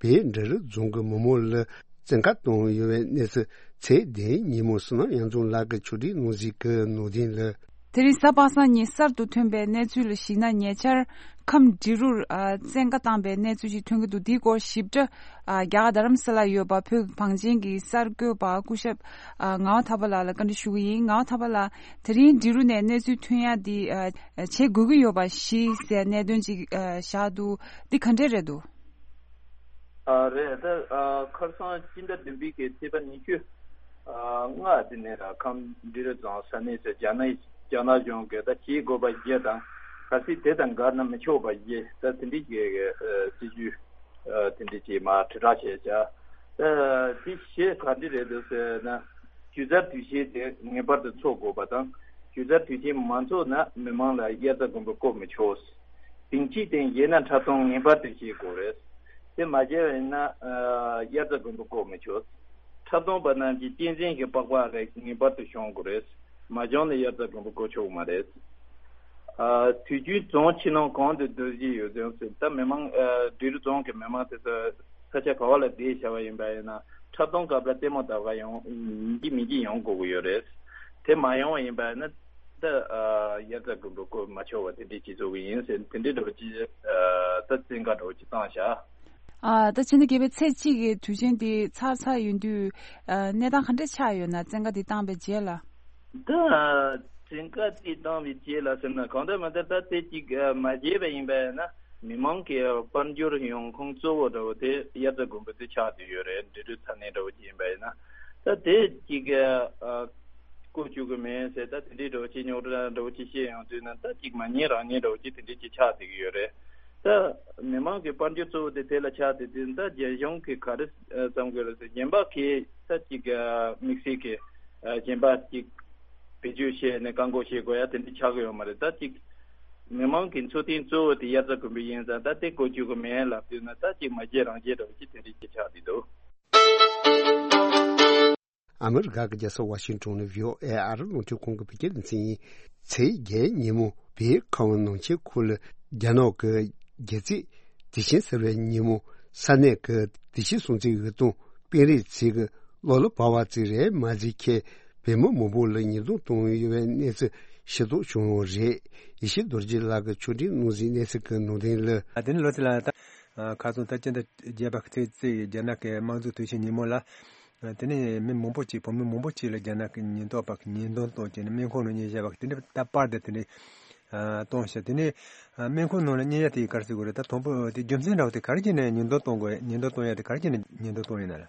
བོད་འབྲི་རུ་རྫོང་གི་མི་མང་ལ་བཙན་བཀའ་བཏང་ཡོད་པའི་གནས་ཚུལ་ཚེས་བདུན་ཉིན་མོ་བསོད་ནམས་དབྱངས་འཛོམས་ལགས་ཀྱིས་ཕྱོགས་སྒྲིག་གནང་གཟིགས་ཀྱི་ནང་དོན་ལ། དེ་རིང་གཟའ་པ་སངས་ཉིན་གསར་དུ་ཐོན་པའི་གནས་ཚུལ་ལ་གཞིགས་ན། ཉེ་ཆར་ཁམས་འབྲི་རུར་ཨ་བཙན་བཀའ་བཏང་པའི་གནས་ཚུལ་ཞིག་ཐོན་གྱི་འདུག་འདིའི་སྐོར་ཞིབ་ཕྲ་ཨ་རྒྱ་གར་རྡ་རམ་ས་ལར་ཡོད་པ་བོད་ཀྱི་བང་ཆེན་གྱི་གསར་འགོད་པ་སྐུ་ཞབས་ཨ་ངག་དབང་ཐར་པ་ལགས་ལ་བཀའ་འདྲི་ཞུ་གི་ཡིན། ངག་དབང་ཐར་པ་ལགས། དེ་རིང་འབྲི་རུ་ནས་གནས་ཚུལ་ཐོན་ཡ་འདི་ཨ་བྱེད་དགོས་ཀྱི་ཡོད་པ་ཞིག་ཟེར་གནད་དོན་ཅིག་ཨ་བཞག་འདུག་འདི་ག་འདྲས་རེད་འདུག་ཨ་རེད། ད་ཨ་ཁ་སང་སྤྱི་ཟླ་བདུན་པའི་གི་ཚེས་པ་ཉི་ཤུ་ཨ་ལྔ་དེ་ནས་ར་ཁམས་འབྲི་རུ་རྫོང་ས་གནས་སུ་རྒྱ་ནག་རྒྱ་ནག་གཞུང་གིས་ད་བྱེད་དགོས་པ་བརྒྱད་དང་གལ་སྲིད་དེ་དང་འགལ་ན་མི་ཆོག་པ་བརྒྱད་ད་དེ་འདྲའི་གི་ཨ་སྲིད་ཇུས་ཨ་དེ་འདྲའི་ཅིག་མར་དྲིལ་བསྒྲགས་བྱས་བྱ། ད་དེ་གཞས་ག་འདྲ་རེད་འདུག་ཟེར་ན་སྒྱུ་རྩལ་དུས་ཆེན་དེ་ངེས་པར་དུ་འཚོགས་དགོས་པ་དང་། གཞུང་རྩ་དུས་ཆེན་མ་འཚོགས་ན་མི་མང་ལ་དབྱར་རྩྭ་དགུན་འབུ་བཀོལ་མི་ཆོག། དེང་དུས་དེ་བཞེས་ན་འཁྲབ་སྟོན་ངེས་པར་དུ་བྱེད་དགོས་རེད། དེ་མ་བྱས་པ་ཡིན་ན་ཨ་དབྱར་རྩྭ་དགུན་འབུ་བཀོལ་མི་ཆོག། འཁྲབ་སྟོན་པ་རྣམས་ཀྱིས་གཅན་གཟན་གྱི་པགས་པ་རེ་ངེས་པར་དུ་གཞོམ་དགོས་རེད། མ་གཞོམ་ན་དབྱར་རྩྭ་དགུན་འབུ་བཀོལ་ཆོག་གི་མ་རེད། ཨ་དུས་རྒྱུན་རྫོང་ཕྱི་ནང་གང་དུ་རྡོ་རྗེ་ཡོད་ཚད་ཟེར་ད་མི་མང་ཨ་འབྲི་རུ་རྫོང་གི་མི་མང་དེ་ཚོ་ས་ཆ་ག་བ་ལ་བསྡད་བཞག་པ་ཡིན་པ་ཡིན་ན་འཁྲབ་སྟོན་སྐབས་ལ་ལྟད་མོ་ལྟ་ག་ཡོང་ཡིན་གཅིག་མིན་གཅིག་ཡོང་དགོས་ཀྱི་ཡོད་རེད། དེ་མ་ཡོང་བ་ཡིན་པ་ཡིན་ན་ད་ཨ་དབྱར་རྩྭ་དགུན་འབུ་བཀོལ་མ་ཆོག་པ་དེ་འདྲའི་སྤྱི་ཚོགས་ཀྱི་ཡིན་ཟེར་དེ་འདྲའི་འདྲ་བོ་ཅིག་ཨ་ད་བཙན་བཀའ་འདྲ་བོ་ཅིག་བཏང་བཞག་ཨ་ད་ཕྱི་ཟླ་བརྒྱད་པའི་ཚེས་གཅིག་གི་དུས་ཆེན་དེ་ཚར་ཚར་ཡོང་དུས་ཨ་གནས་སྟངས་ག་འདྲ་ཆགས་ཡོད་ན་བཙན་བཀའ་དེ་བཏང་པའི་རྗེས་ལ། ད་བཙན་བཀའ་དེ་བཏང་བའི་རྗེས་ལ་ཟེར་ན་གང་ལྟར་མ་ལྟར་ད་དེ་གཅིག་མ་བརྗེད་པ་ཡིན་པ་ཡིན་ན་མི་མང་གི་དཔལ་འབྱོར་ཡོང་ཁུངས་གཙོ་བོ་འདྲ་བོ་དེ་དབྱར་རྩྭ་དགུན་འབུ་དེ་ཆགས་བསྡད་ཡོད་རེད། འབྲི་རུའི་ས་གནས་འདྲ་བོ་ཅིག་ཡིན་པ་ཡིན་ན་ད་དེ་གཅིག་བཀོལ་བཅུག་གི་མེད་ཟེར་ད་དེ་འདྲའི་འདྲ་བོ་ཅིག་རྙོག་དྲ་འདྲ་བོ་ཅིག་བཤད་ཡོང་དུས་ན་ད་གཅིག་མ་ཉན་རང་ཉན་འདྲ་བོ་ཅིག་དེ་འདྲའི་ཅིག་ཆགས་བསྡད་ཀྱི་ཡོད་རེད། ད་མི་མང་གི་དཔལ་འབྱོར་གཙོ་བོ་དེ་དེ་ལ་ཆགས་བསྡད་དུས་ད་རྒྱལ་གཞུང་གིས་ག་རེ་བསམ་གྱི་རེད་ཟེར་གཞན་པ་གིས་ད་གཅིག་དམིགས་བསལ་གྱི་གཞན་པ་གཅིག་བེད་སྤྱོད་བྱས་ནས་བཀག་འགོག་བྱེད་དགོས་ཡ་དེ་འདྲ་ཆགས་ཀྱི་ཡོད་མ་རེད། ད་གཅིག་མི་མང་གི་འཚོ་རྟེན་གཙོ་བོ་དེ་དབྱར་རྩྭ་དགུན་འབུ་ཡིན་ཙང་ད་དེ་བཀོལ་བཅུག་གི་མེད་ལབ་དུས་ན་ད་གཅིག་མ་བརྗེད་རང་བརྗེད་འདྲ་བོ་ཅིག་དེ་འདྲ་ཅིག་ཆགས་བསྡད་འདུག་ཨ་མི་རི་ཀ་གི་རྒྱལ་ས་ཝ་ཤིང་ཏོན་ནས་བྷི་ཨོ་ཨེ་ཨ་རི་རླུང་འཕྲིན་ཁང་གི་བོད་སྐད་སྡེ་ཚན་ཡིན། ཚེས་བརྒྱད་ཉིན་མོ་བོད་ཁམས་ནང་ཆེན་ཁུལ་ལ་རྒྱ་ནག་གི་རྒྱལ་རྩེད་དུས་ཆེན་ཟེར་བའི་ཉིན་མོ་ས་གནས་ཀྱི་དུས་ཆེན་སྲུང་བརྩིའི་འོད་སྟོང་སྤེལ་རེས་བྱེད་ཀྱི་གློ་ལ་བབས་པ་ཙམ་རེད་མ་ཟད་ཁྱེད་བོད་མི་མང་པོ་ལ་ཉེན་རྟོག་བཏང་ཡོད་པའི་གནས་ཚུལ་ཤེས་རྟོགས་བྱུང་ཡོད་རེད། ཡེ་ཤེས་རྡོ་རྗེ་ལགས་ཀྱིས་ཆོས་སྒྲོན་གནང་གཟིགས་གནས་ཚུལ་གྱི་ནང་དོན་ལ། ཨ་དེ་ནི་ལོ་དེ་ལ་ད་ཁ་སང་ད་སྤྱི་ཟླ་བརྒྱད་པ་ཚེས་བརྩིས་རྒྱ་ནག་གི་དམངས་གཙོའི་དུས་ཆེན་ཉིན་མོ་ལ། དེ་ནས་མི་མང་པོ་ཅིག་བོད་མི་མང་པོ་ཅིག་ལ་རྒྱ་ནག་གི་ཉེན་རྟོག་པ་གིས་ཉེན་རྟོག་གཏོང་བྱས་ནས་སྨན་ཁང་ནང་གཉེར་བྱས་པ་དེ་འདྲ་ད་པར་དེ་དེ་འདྲ་གཏོང་བྱས། དེ་ནས་སྨན་ཁང་ནང་ལ་གཉེར་ཡ་དེ་ག་རེ་ཟེར་དགོས་རེད། ད་དང་པོ་དེ་རྒྱུ་མཚན་འདྲ་བོ་དེ་ག་རེ་བྱས་ནས་ཉེན་རྟོག་གཏོང་དགོས། ཉེན་རྟོག་གཏོང་ཡ་དེ་ག་རེ་བྱས་ནས་ཉེན་རྟོག་གཏོང་ཡིན་ན་ལ།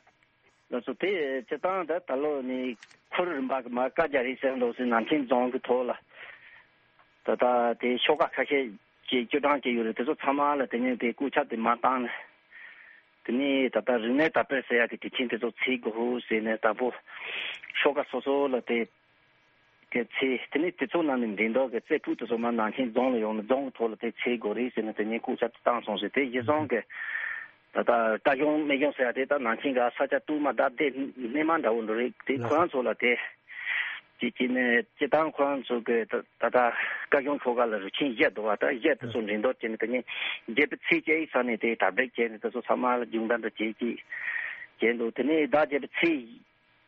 ལགས་སོ། དེ་སྤྱིར་བཏང་ད་ད་ལོ་ནས་ཁུལ་རིམ་པ་གི་མ་བཀའ་རྒྱ་རེད་ཟེར་འདུག་ཟེར་ནང་ཆེན་རྫོང་གི་ཐོག་ལ་ད་ལྟ་དེ་ཤོག་ཁག་ཁ་ཤས་ཀྱིས་སྐྱོད་སྟངས་བྱས་ཡོད་རེད། དེ་ཚོ་ཚང་མ་ལ་དེ་ནས་དེ་སྐུ་ཁྱབ་དེ་མ་བཏང་ནས། དེ་ནས་ད་ལྟ་རིག་གནས་དར་སྤེལ་ཟེར་ཡག་གི་དུས་ཆེན་དེ་ཚོ་ཚེས་དགུ་ཟེར་ནས་དང་པོ་ཤོག་ཁག་སོ་སོ་ལ་དེ་གི་ཚེས་དེ་ནས་དེ་ཚོ་ནང་ནས་འགྲེམས་སྟོན་གི་རྩེ་ཕུད་དེ་ཚོ་མར་ནང་ཆེན་རྫོང་ལ་ཡོང་ནས་རྫོང་གི་ཐོག་ལ་དེ་ཚེས་དགུ་རེད་ཟེར་ནས་དེ་ནས་སྐུ་ཁྱབ་དེ་བཏང་སོང་ཟེར། དེ་གཞི་བཟུང་གི་ད་ལྟ་རྟ་གཞོང་སྨན་གཞོང་ཟེར་ཡག་དེ་ད་ནང་ཆེན་གི་ས་ཆ་དུ་མ་ད་དེ་སྣེ་མ་འདྲ་བོ་འགྲོ་རེད། དེ་ལགས་ཁོ་རང་ཚོ་ལ་དེ། ཅིག་ཅིག་ནས་སྤྱིར་བཏང་ཁོ་རང་ཚོ་གི་ད་ད་ལྟ་བཀའ་གཞུང་ཁྲོ་ག་ལ་རུ་ཆེན་བཞི་འདུག་བ། ད་བཞི་དེ་ཚོ་འགྲེམས་སྟོན་བྱས་ནས་དེ་ནས་བརྒྱད་པའི་ཚེས་བཅུ་ཡི་ས་ནས་དེ་དར་སྤེལ་བྱས་ནས་དེ་ཚོ་ཚང་མ་ལ་སྦྱོང་བརྡར་འདྲ་བྱས་ཅིག་བྱས་འདུག་དེ་ནས་ཟླ་བརྒྱད་པའི་ཚེས་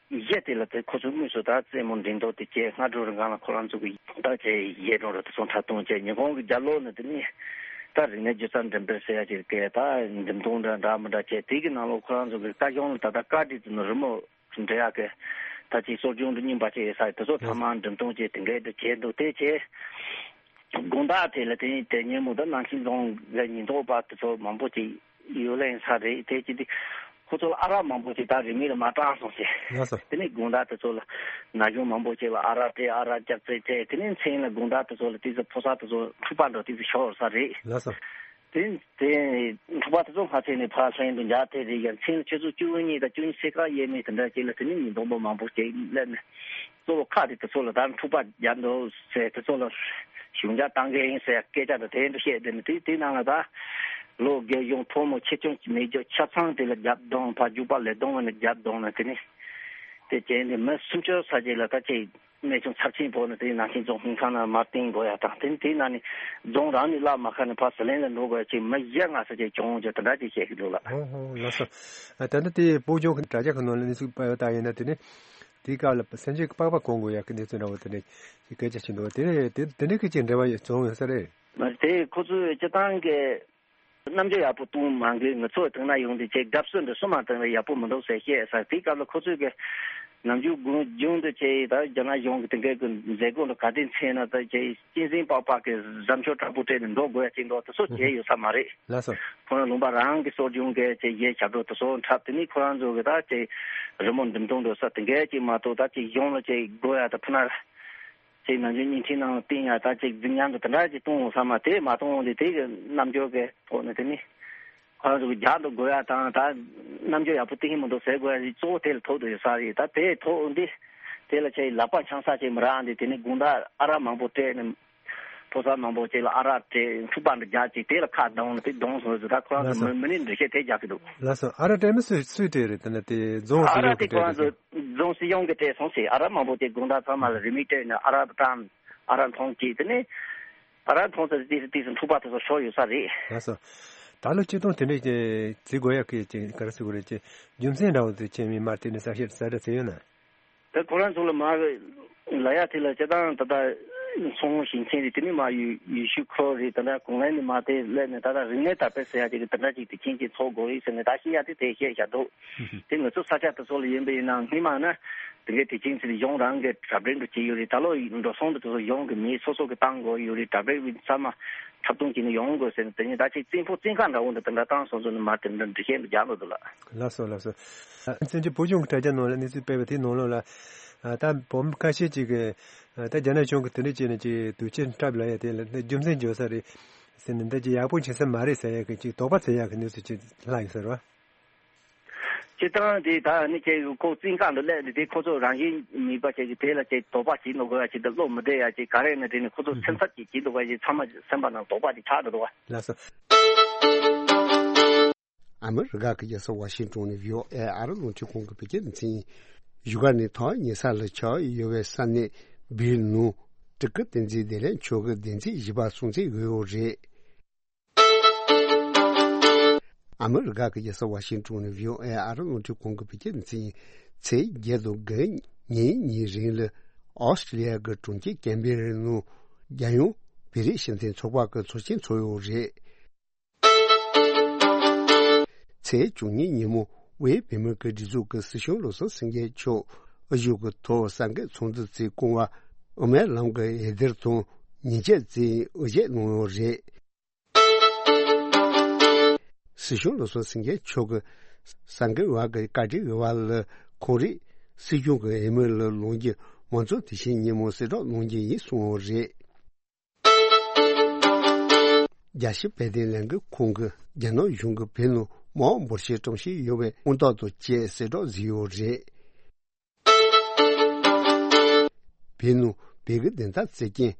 བཞི་དེ་ལ་དེ་ཁོ་ཚོ་དངོས་སུ་ད་རྩེད་མོ་འགྲེམས་སྟོན་དེ་བྱས། སྔ་དྲོ་རིང་གང་ལ་ཁོ་རང་ཚོ་གི་ད་བྱས་གཞས་སྒྲོང་ར་དེ་ཚོ་འཁྲབ་སྟོན་བྱས། ཉི་ཧོང་གི་རྒྱབ་ལོགས་ནས་དེ་ནས་ད་རིག་གནས་སྒྱུ་རྩལ་འགྲེམས་སྤེལ་ཟེར་ཡ་ཅིག་གི་ད་འགྲེམས་སྟོན་འདྲ་འདྲ་མི་འདྲ་བྱས། དེ་གི་ནང་ལོགས་ཁོ་རང་ཚོ་གི་བཀའ་གཞུང་ལ་ད་ལྟ་བཀའ་ཁྲིད་དེ་ནི་རི་མོ་འབྲི་ཡག་གི་ད་ཅིག་གསོ་སྦྱོང་འདི་རྙིང་པ་ཅིག་ཡོད་ས་དེ་ཚོ་ཚང་མ་འགྲེམས་སྟོན་བྱས་དེ་འགའ་འདྲ་བྱས་འདུག་དེ་བྱས་དགོང་དག་དེ་ལ་དེ་དེ་ཉིན་མོ་ད་ནང་ཆེན་རྫོང་གི་ཉེན་རྟོག་པ་དེ་ཚོ་མང་པོ་ཅིག་ཡོད་ལེ་ཡིན་ས་རེད། དེ་ཅི་སྟེ་ཁོ་ཚོ་ལ་ཨ་རག་མང་པོ་ཅིག་ད་རིན་མེད་ལ་མ་སྤྲད་སོང་ཟེར། ལགས་སོ། དེ་ནས་དགོང་དག་དེ་ཚོ་ལ་ན་གཞོན་མང་པོ་ཅིག་ལ་ཨ་རག་སྤྲད། ཨ་རག་རྒྱག་རྩེད་བྱས། དེ་ནས་མཚན་ལ་དགོང་དག་དེ་ཚོ་ལ་དེ་ཚོ་ཕོ་གསར་དེ་ཚོ་འཁྲུག་པ་འདྲ་དེ་ཚོ་ཤོར་ས་རེད། ལགས་སོ། དེ་དེ་འཁྲུག་པ་དེ་ཚོ་སྔ་ཚེ་ནས་ཕར་ལྷན་དུ་འཇགས་ཐེ་རེད། ཡ་མཚན་ཆུ་ཚོད་བཅུ་གཉིས་དང་བཅུ་གཉིས་ཚེས་ཁ་ཡས་མས་དེ་འདྲ་ཅིག་ལ་དེ་ནས་ཉིན་དོན་པོ་མང་པོ་ཅིག་སླེབས་ནས་གཙོ་བོ་ཁག་དེ་དེ་ཚོ་ལ་ད་འཁྲུག་པ་རྒྱག་འདུག་ཟེར། དེ་ཚོ་ལ་གཞུང་འཇགས་བཏང་གི་ཡིན་ཟེར་སྐད་ཆ་དང་དེ་འདྲ་བཤད་དེ་ནས་དེ་དེ་ནང་ལ་ད་ལོ་རྒས་གཞོན་ཕོ་མོ་ཆེ་ཆུང་མེད་རྒྱུ་ཆ་ཚང་དེ་ལ་རྒྱབ་རྡུང་ཕར་རྒྱུག་པ་ལས་རྡུང་བ་ནས་རྒྱབ་རྡུང་ནས་དེ་ནས་དེ་བྱས་ནས་མི་སུམ་ཅུ་ས་ཅིག་ལ་ད་ཅིག་རྨས་སྐྱོན་ཚབས་ཆེན་ཕོག་ནས་དེ་ནང་ཆེན་རྫོང་ཁྲིམས་ཁང་ནང་མར་བསྟན་དགོས་ཡ་དང་། དེ་དེའི་ནང་ནས་རྫོང་རང་ནས་བརླག་མ་ཁ་ནས་ཕར་ཟི་ལིང་ལ་འགྲོ་དགོས་ཡ་ཅིག་མི་བཞི་ལྔ་ཙམ་ཅིག་བྱུང་ཅིག་དེ་འདྲ་ཅིག་བཤད་ཀྱི་འདུག་ལགས། ཨོ་ཧོ་ལགས་སོ། ད་ལྟ་དེ་སྤོ་སྐྱོང་གི་དྲ་རྒྱ་ཁག་ནང་ལ་གནས་ཚུལ་སྤེལ་བ་ལྟར་ཡིན་ན་དེ་ནས་དེའི་སྐབས་ལ་སེམས་ཅན་གྱི་པགས་པ་གོན་དགོས་ཡ་གི་གནས་ཚུལ་འདྲ་བོ་དེ་འདྲ་ཞིག་སྐད་ཆ་བྱས་འདུག་དེ་ནས་དེ་དེ་འདྲ་གི་ཅིག་འབྲེལ་བ་ཡོད་བྱུང་ཡོད་ས་རེད། མ་རེད། དེ་ཁོ་ཚོས་སྤྱིར་བཏང་གི་རྣམ་འགྱུར་ཡག་པོ་གཏོང་མ་དགོས། ང་ཚོ་དེང་ན་ཡོང་དུས་ཅིག་དགའ་བསུ་འདྲ་གསུམ་མ་བཏང་ན་ཡག་པོ་མི་འདུག་ཟེར་བཤད་ས། དེའི་སྐབས་ལ་ཁོ་ཚོས་གི་ནམ་རྒྱུན་དགུང་རྒྱུན་དུ་ཅིག་ད་རྒྱ་ནག་གཞུང་གི་དེ་འདྲའི་གི་མཛད་སྒོ་འདྲ་ག་དུས་ཚེས་ན་ད་ཅིག་གཅན་གཟན་པགས་པ་གི་གཟབ་མཆོར་དྲག་པོ་སྤྲས་ནས་འགྲོ་དགོས་ཡ་ཅིག་འདུག་དེ་ཚོ་བྱས་ཡོད་ས་མ་རེད། ལགས་སོ། ཁོ་རང་ལུང་པ་རང་གི་གསོ་སྦྱོང་གི་ཅིག་གཞས་ཞབས་བྲོ་དེ་ཚོ་འཁྲབ། དེ་ནས་ཁོ་རང་ཚོ་གི་ད་ཅིག་རི་མོ་འགྲེམས་སྟོན་འགྲོ་ས་དེ་འདྲ་ཅིག་མ་གཏོགས་ད་ཅིག་གཞུང་ལ་ཅིག་དགོས་ཡ་ད་ཕུ་ན། ཅིག་ནམ་རྒྱུན་བརྙན་འཕྲིན་ནང་བསྟན་ཡ་ད་ཅིག་རྫིག་ཉམས་དང་དེ་འདྲ་ཅིག་གཏོང་འོང་ས་མ་དེ་མ་གཏོང་འོང་དེ་དེ་གི་རྣམ་འགྱུར་གི་ཐོག་ནས་དེ་ནི་ཁོ་རང་ཚོ་གི་རྒྱག་འདུག་དགོས་ཡ་དང་ད་རྣམ་འགྱུར་ཡག་པོ་བསྟན་གི་མི་འདུག་ཟེར་དགོས་ཡ་གཙོ་བོ་དེ་ལ་ཐུག་འདུག་ཡོད་ས་རེད། ད་དེ་ཐུག་འོང་དེ་ དེ་ལ་ཆེ་ལག་པ་འཆང་ས་ཆེ་མི་རག་འདི་དེ་ནི་དགོང་དག་ཨ་རག་མང་པོ་སྤྲད་ནས། ཕོ་གསར་མང་པོ་ཅིག་ལ་ཨ་རག་སྤྲད་འཁྲུག་པ་འདི་རྒྱག་ཅིག་དེ་ལ་ཁ་གདངས་ནས་དེ་གདོང་སོང་ཟེར། ད་ཁོ་རང་ཚོ་མི་མི་ནི་འདྲི་བཤད་དེ་རྒྱག་གི་འདུག། ལགས་སོ། ཨ་རག་སྤྲད་མི་སུས་སུས་སྤྲད་རེད། དེ་ནི་དེ་རྫོང་ཨ་སྲིད་གཞུང་རག་གིས་དེ་ཁོ་སྤྲད་རེད་རང་ཚོ་དེ། རྫོང་སྲིད་གཞུང་གིས་སྤྲད་སོང་ཟེར། ཨ་རག་མང་པོ་དེ་དགོང་དག་ཚང་མ་ལ་རི་མོ་སྤྲད་ནས་ཨ་རག་བཏང་། ཨ་རག་འཐུང་ཅིག་དེ་ནི་ཨ་རག་འཐུང་ཚར་དུས་དུས་སུ་འཁྲུག་པ་དེ་ཚོ་ཤོར་ཡོད་ས་རེད། ལགས་སོ། ད་ལོ་ཆིག་སྟོང་དེ་འདྲས་ཀྱི་བརྩི་དགོས་ཡག་གི་ཅིག་ག་རེ་ཟེར་དགོས་རེད། ཅིག་རྒྱུ་མཚན་འདྲ་བོ་དེ་ཁྱེད་མི་མར་དེ་ནས་གསལ་བཤད་གསལ་བསྒྲགས་བྱས་ཡོད་ན། ད་ཁོ་རང་ཚོ་ལ་མར་ལ་ཡ་དེ་ལ་སྤྱིར་བཏང་ད་ལྟ་ཚོང་ཞིང་ཆེན་རེད། དེ་ནི་མར་ཡུལ་ཡུལ་ཤུལ་ཁུལ་རེད། ད་ལྟ་གོང་ལན་ནས་མར་དེ་སླེབས་ནས་ད་ལྟ་རིག་གནས་དར་སྤེལ་ཟེར་ཡ་ཅིག་གི་དེ་འདྲ་ཅིག་དེ་ཁྱེད་ཀྱིས་ཚོགས་དགོས་རེད་ཟེར་ནས་ད་ཤི་ཡ་དེ་དེ་བཤད་བཞག་འདུག། དེ་ང་ཚོ་ས་ཆ་དེ་ཚོ་ལ་ཡིན་པ་ཡིན་ན་སྔོན་མ་ན་དེ་འདྲའི་དེ་ཅིང་ཚིག་གཞུང་རང་གི་གྲ་སྒྲིག་འགྲོ་བྱས་ཡོད་རེད། ད་ལོ་འགྲོ་སོང་དེ་ཚོ་གཞུང་གི་མི་སོ་སོ་གི་བཏང་དགོས་ཡོད་རེད། གྲ་སྒྲིག་ཚང་མ་འཁྲབ་སྟོན་བྱས་ནས་ཡོང་དགོས་ཟེར་ནས། དེ་ནས་ད་ཅིག་བཙན་པོ་བཙན་ཁང་འདྲ་བོ་འདི་དེ་འདྲ་བཏང་སོང་ཚོ་ནས་མར་དེ་འདྲ་འདྲི་བཤད་འདི་རྒྱག་འགྲོ་འདུག་ལགས། ལགས་སོ་ལགས་སོ། ཨ་བཙན་བྱོལ་བོད་གཞུང་གི་དྲ་རྒྱ་ནང་ལ་གནས་ཚུལ་སྤེལ་བ་དེའི་ནང་ལོགས་ལ། ཨ་ད་བོད་མི་ཁ་ཤས་ཅིག་གིས་ཨ་ད་རྒྱ་ནག་གཞུང་གིས་དེ་འདྲ་བྱས་ནས་ཅིག་དུས་ཆེན་འཁྲབ་ལབ་ཡ་དེ་ལ་རྒྱུ་མཚན་བརྗོད་ས་རེད་ཟེར་ནས། འདི་ཅིག་ཡག་པོ་བྱེད་ས་མ་རེད་ཟེར་ཡ་གི་ཅིག་དོགས་པ་ཟེར་ཡ་གི་གནས་ཚུལ་ཅིག་ལྷག་ཡོད་ས་རེད་བ། སྤྱིར་བཏང་དེ་ད་ནི་ཁྱེད་ཁོ་བཙོན་ཁང་དུ་སླེབས་ནས་དེ་ཁོ་ཚོ་རང་བཞིན་མེད་པ་བྱས་ཀྱི་དེ་ལ་ཅིག་དོགས་པ་བྱེད་འདུག་དགོས་ཡ་ཅིག་དང་བློ་མི་བདེ་ཡ་ཅིག་ག་རེ་ཡིན་ན་དེ་ནི་ཁོ་ཚོ་སེམས་འཚབ་ཅིག་བྱེད་འདུག་ག་ཅིག་ཚང་མ་སེམས་པ་ནང་དོགས་པ་ཅིག་ཆགས་འགྲོ་འདུག་བ། ལགས་སོ། ཨ་མི་རི་ཀ་གི་རྒྱལ་ས་ཝ་ཤིང་ཏོན་ནས་བྷི་ཨོ་ཨེ་ཨ་རི་རླུང་འཕྲིན་ཁང་གི་བོད་སྐད་སྡེ་ཚན། བཞུགས་སྒར་ནས་ཐོག་ཉེ་ས་ལ་ཆགས་ཡོད་པའི་ས་གནས་བིར་ནང་སྤྲུལ་སྐུ་བསྟན་འཛིན་བདེ་ལེགས་མཆོག་གི་བདེན་ཚིག་བཞི་པ་སྲུང་བརྩི་ཡོད་རེད། ཨ་མི་རི་ཀ་གི་རྒྱལ་ས་ཝ་ཤིང་ཏོན་ནས་བྷི་ཨོ་ཨེ་ཨ་རི་རླུང་འཕྲིན་ཁང་གི་བོད་སྐད་སྡེ་ཚན། ཚེས་བརྒྱད་དང་དགུ་ཉིན་གཉིས་རིང་ལ་ཨོ་སི་ཀྲི་ལི་ཡ་གི་གྲོང་ཁྱེར་ཀན་བེ་ར་ནང་རྒྱལ་ཡོངས་བོད་རིགས་སྤྱི་མཐུན་ཚོགས་པ་གི་ཚོགས་ཆེན་ཚོགས་ཡོད་རེད། ཚེས་བཅུ་གཉིས་ཉིན་མོ་དབུས་བོད་མིའི་སྒེར་སྡེ་ཚོགས་ཀྱི་སྲིད་སྐྱོང་བློ་བཟང་སེང་གེ་མཆོག་ཨ་ཞུགས་ཀྱི་ཐོག་གསར་འགོད་ཚོགས་འདུ་བརྩིས། སྐུ་ངོ་ཨོ་མའི་ལམ་གྱི་འོད་སྡེར་དང་ཉིན་བྱེད་བརྩིས་དབུ་འབྱེད་གནང་ཡོད་རེད། སྲིད་སྐྱོང་བློ་བཟང་སེང་གེ་མཆོག་གིས་གསར་འགོད་པ་གི་བཀའ་འདྲི་ཞུས་པ་ལ། ཁོང་རང་སྲིད་སྐྱོང་གི་འོས་མི་ལ་ལངས་རྒྱུ་མ་ཚོགས་དེ་བཞིན་ཉིན་མོ་གསལ་བསྒྲགས་གནང་རྒྱུ་ཡིན་གསུངས་ཡོད་རེད། རྒྱལ་སྤྱིའི་དཔལ་ལྡན་ལས་འགུལ་ཁང་གིས་རྒྱ་ནག་གཞུང་གིས་བོད་ནང་དམག་འབོར་ཆེན་བཀྲམ་བཞིན་ཡོད་པའི་དངོས་རྟགས་དང་བཅས་གསལ་བསྒྲགས་བཟོས་ཡོད་རེད། བོད་ནང་བོད་ཀྱི་བདེན་མཐའ་རྩོད་མཁན་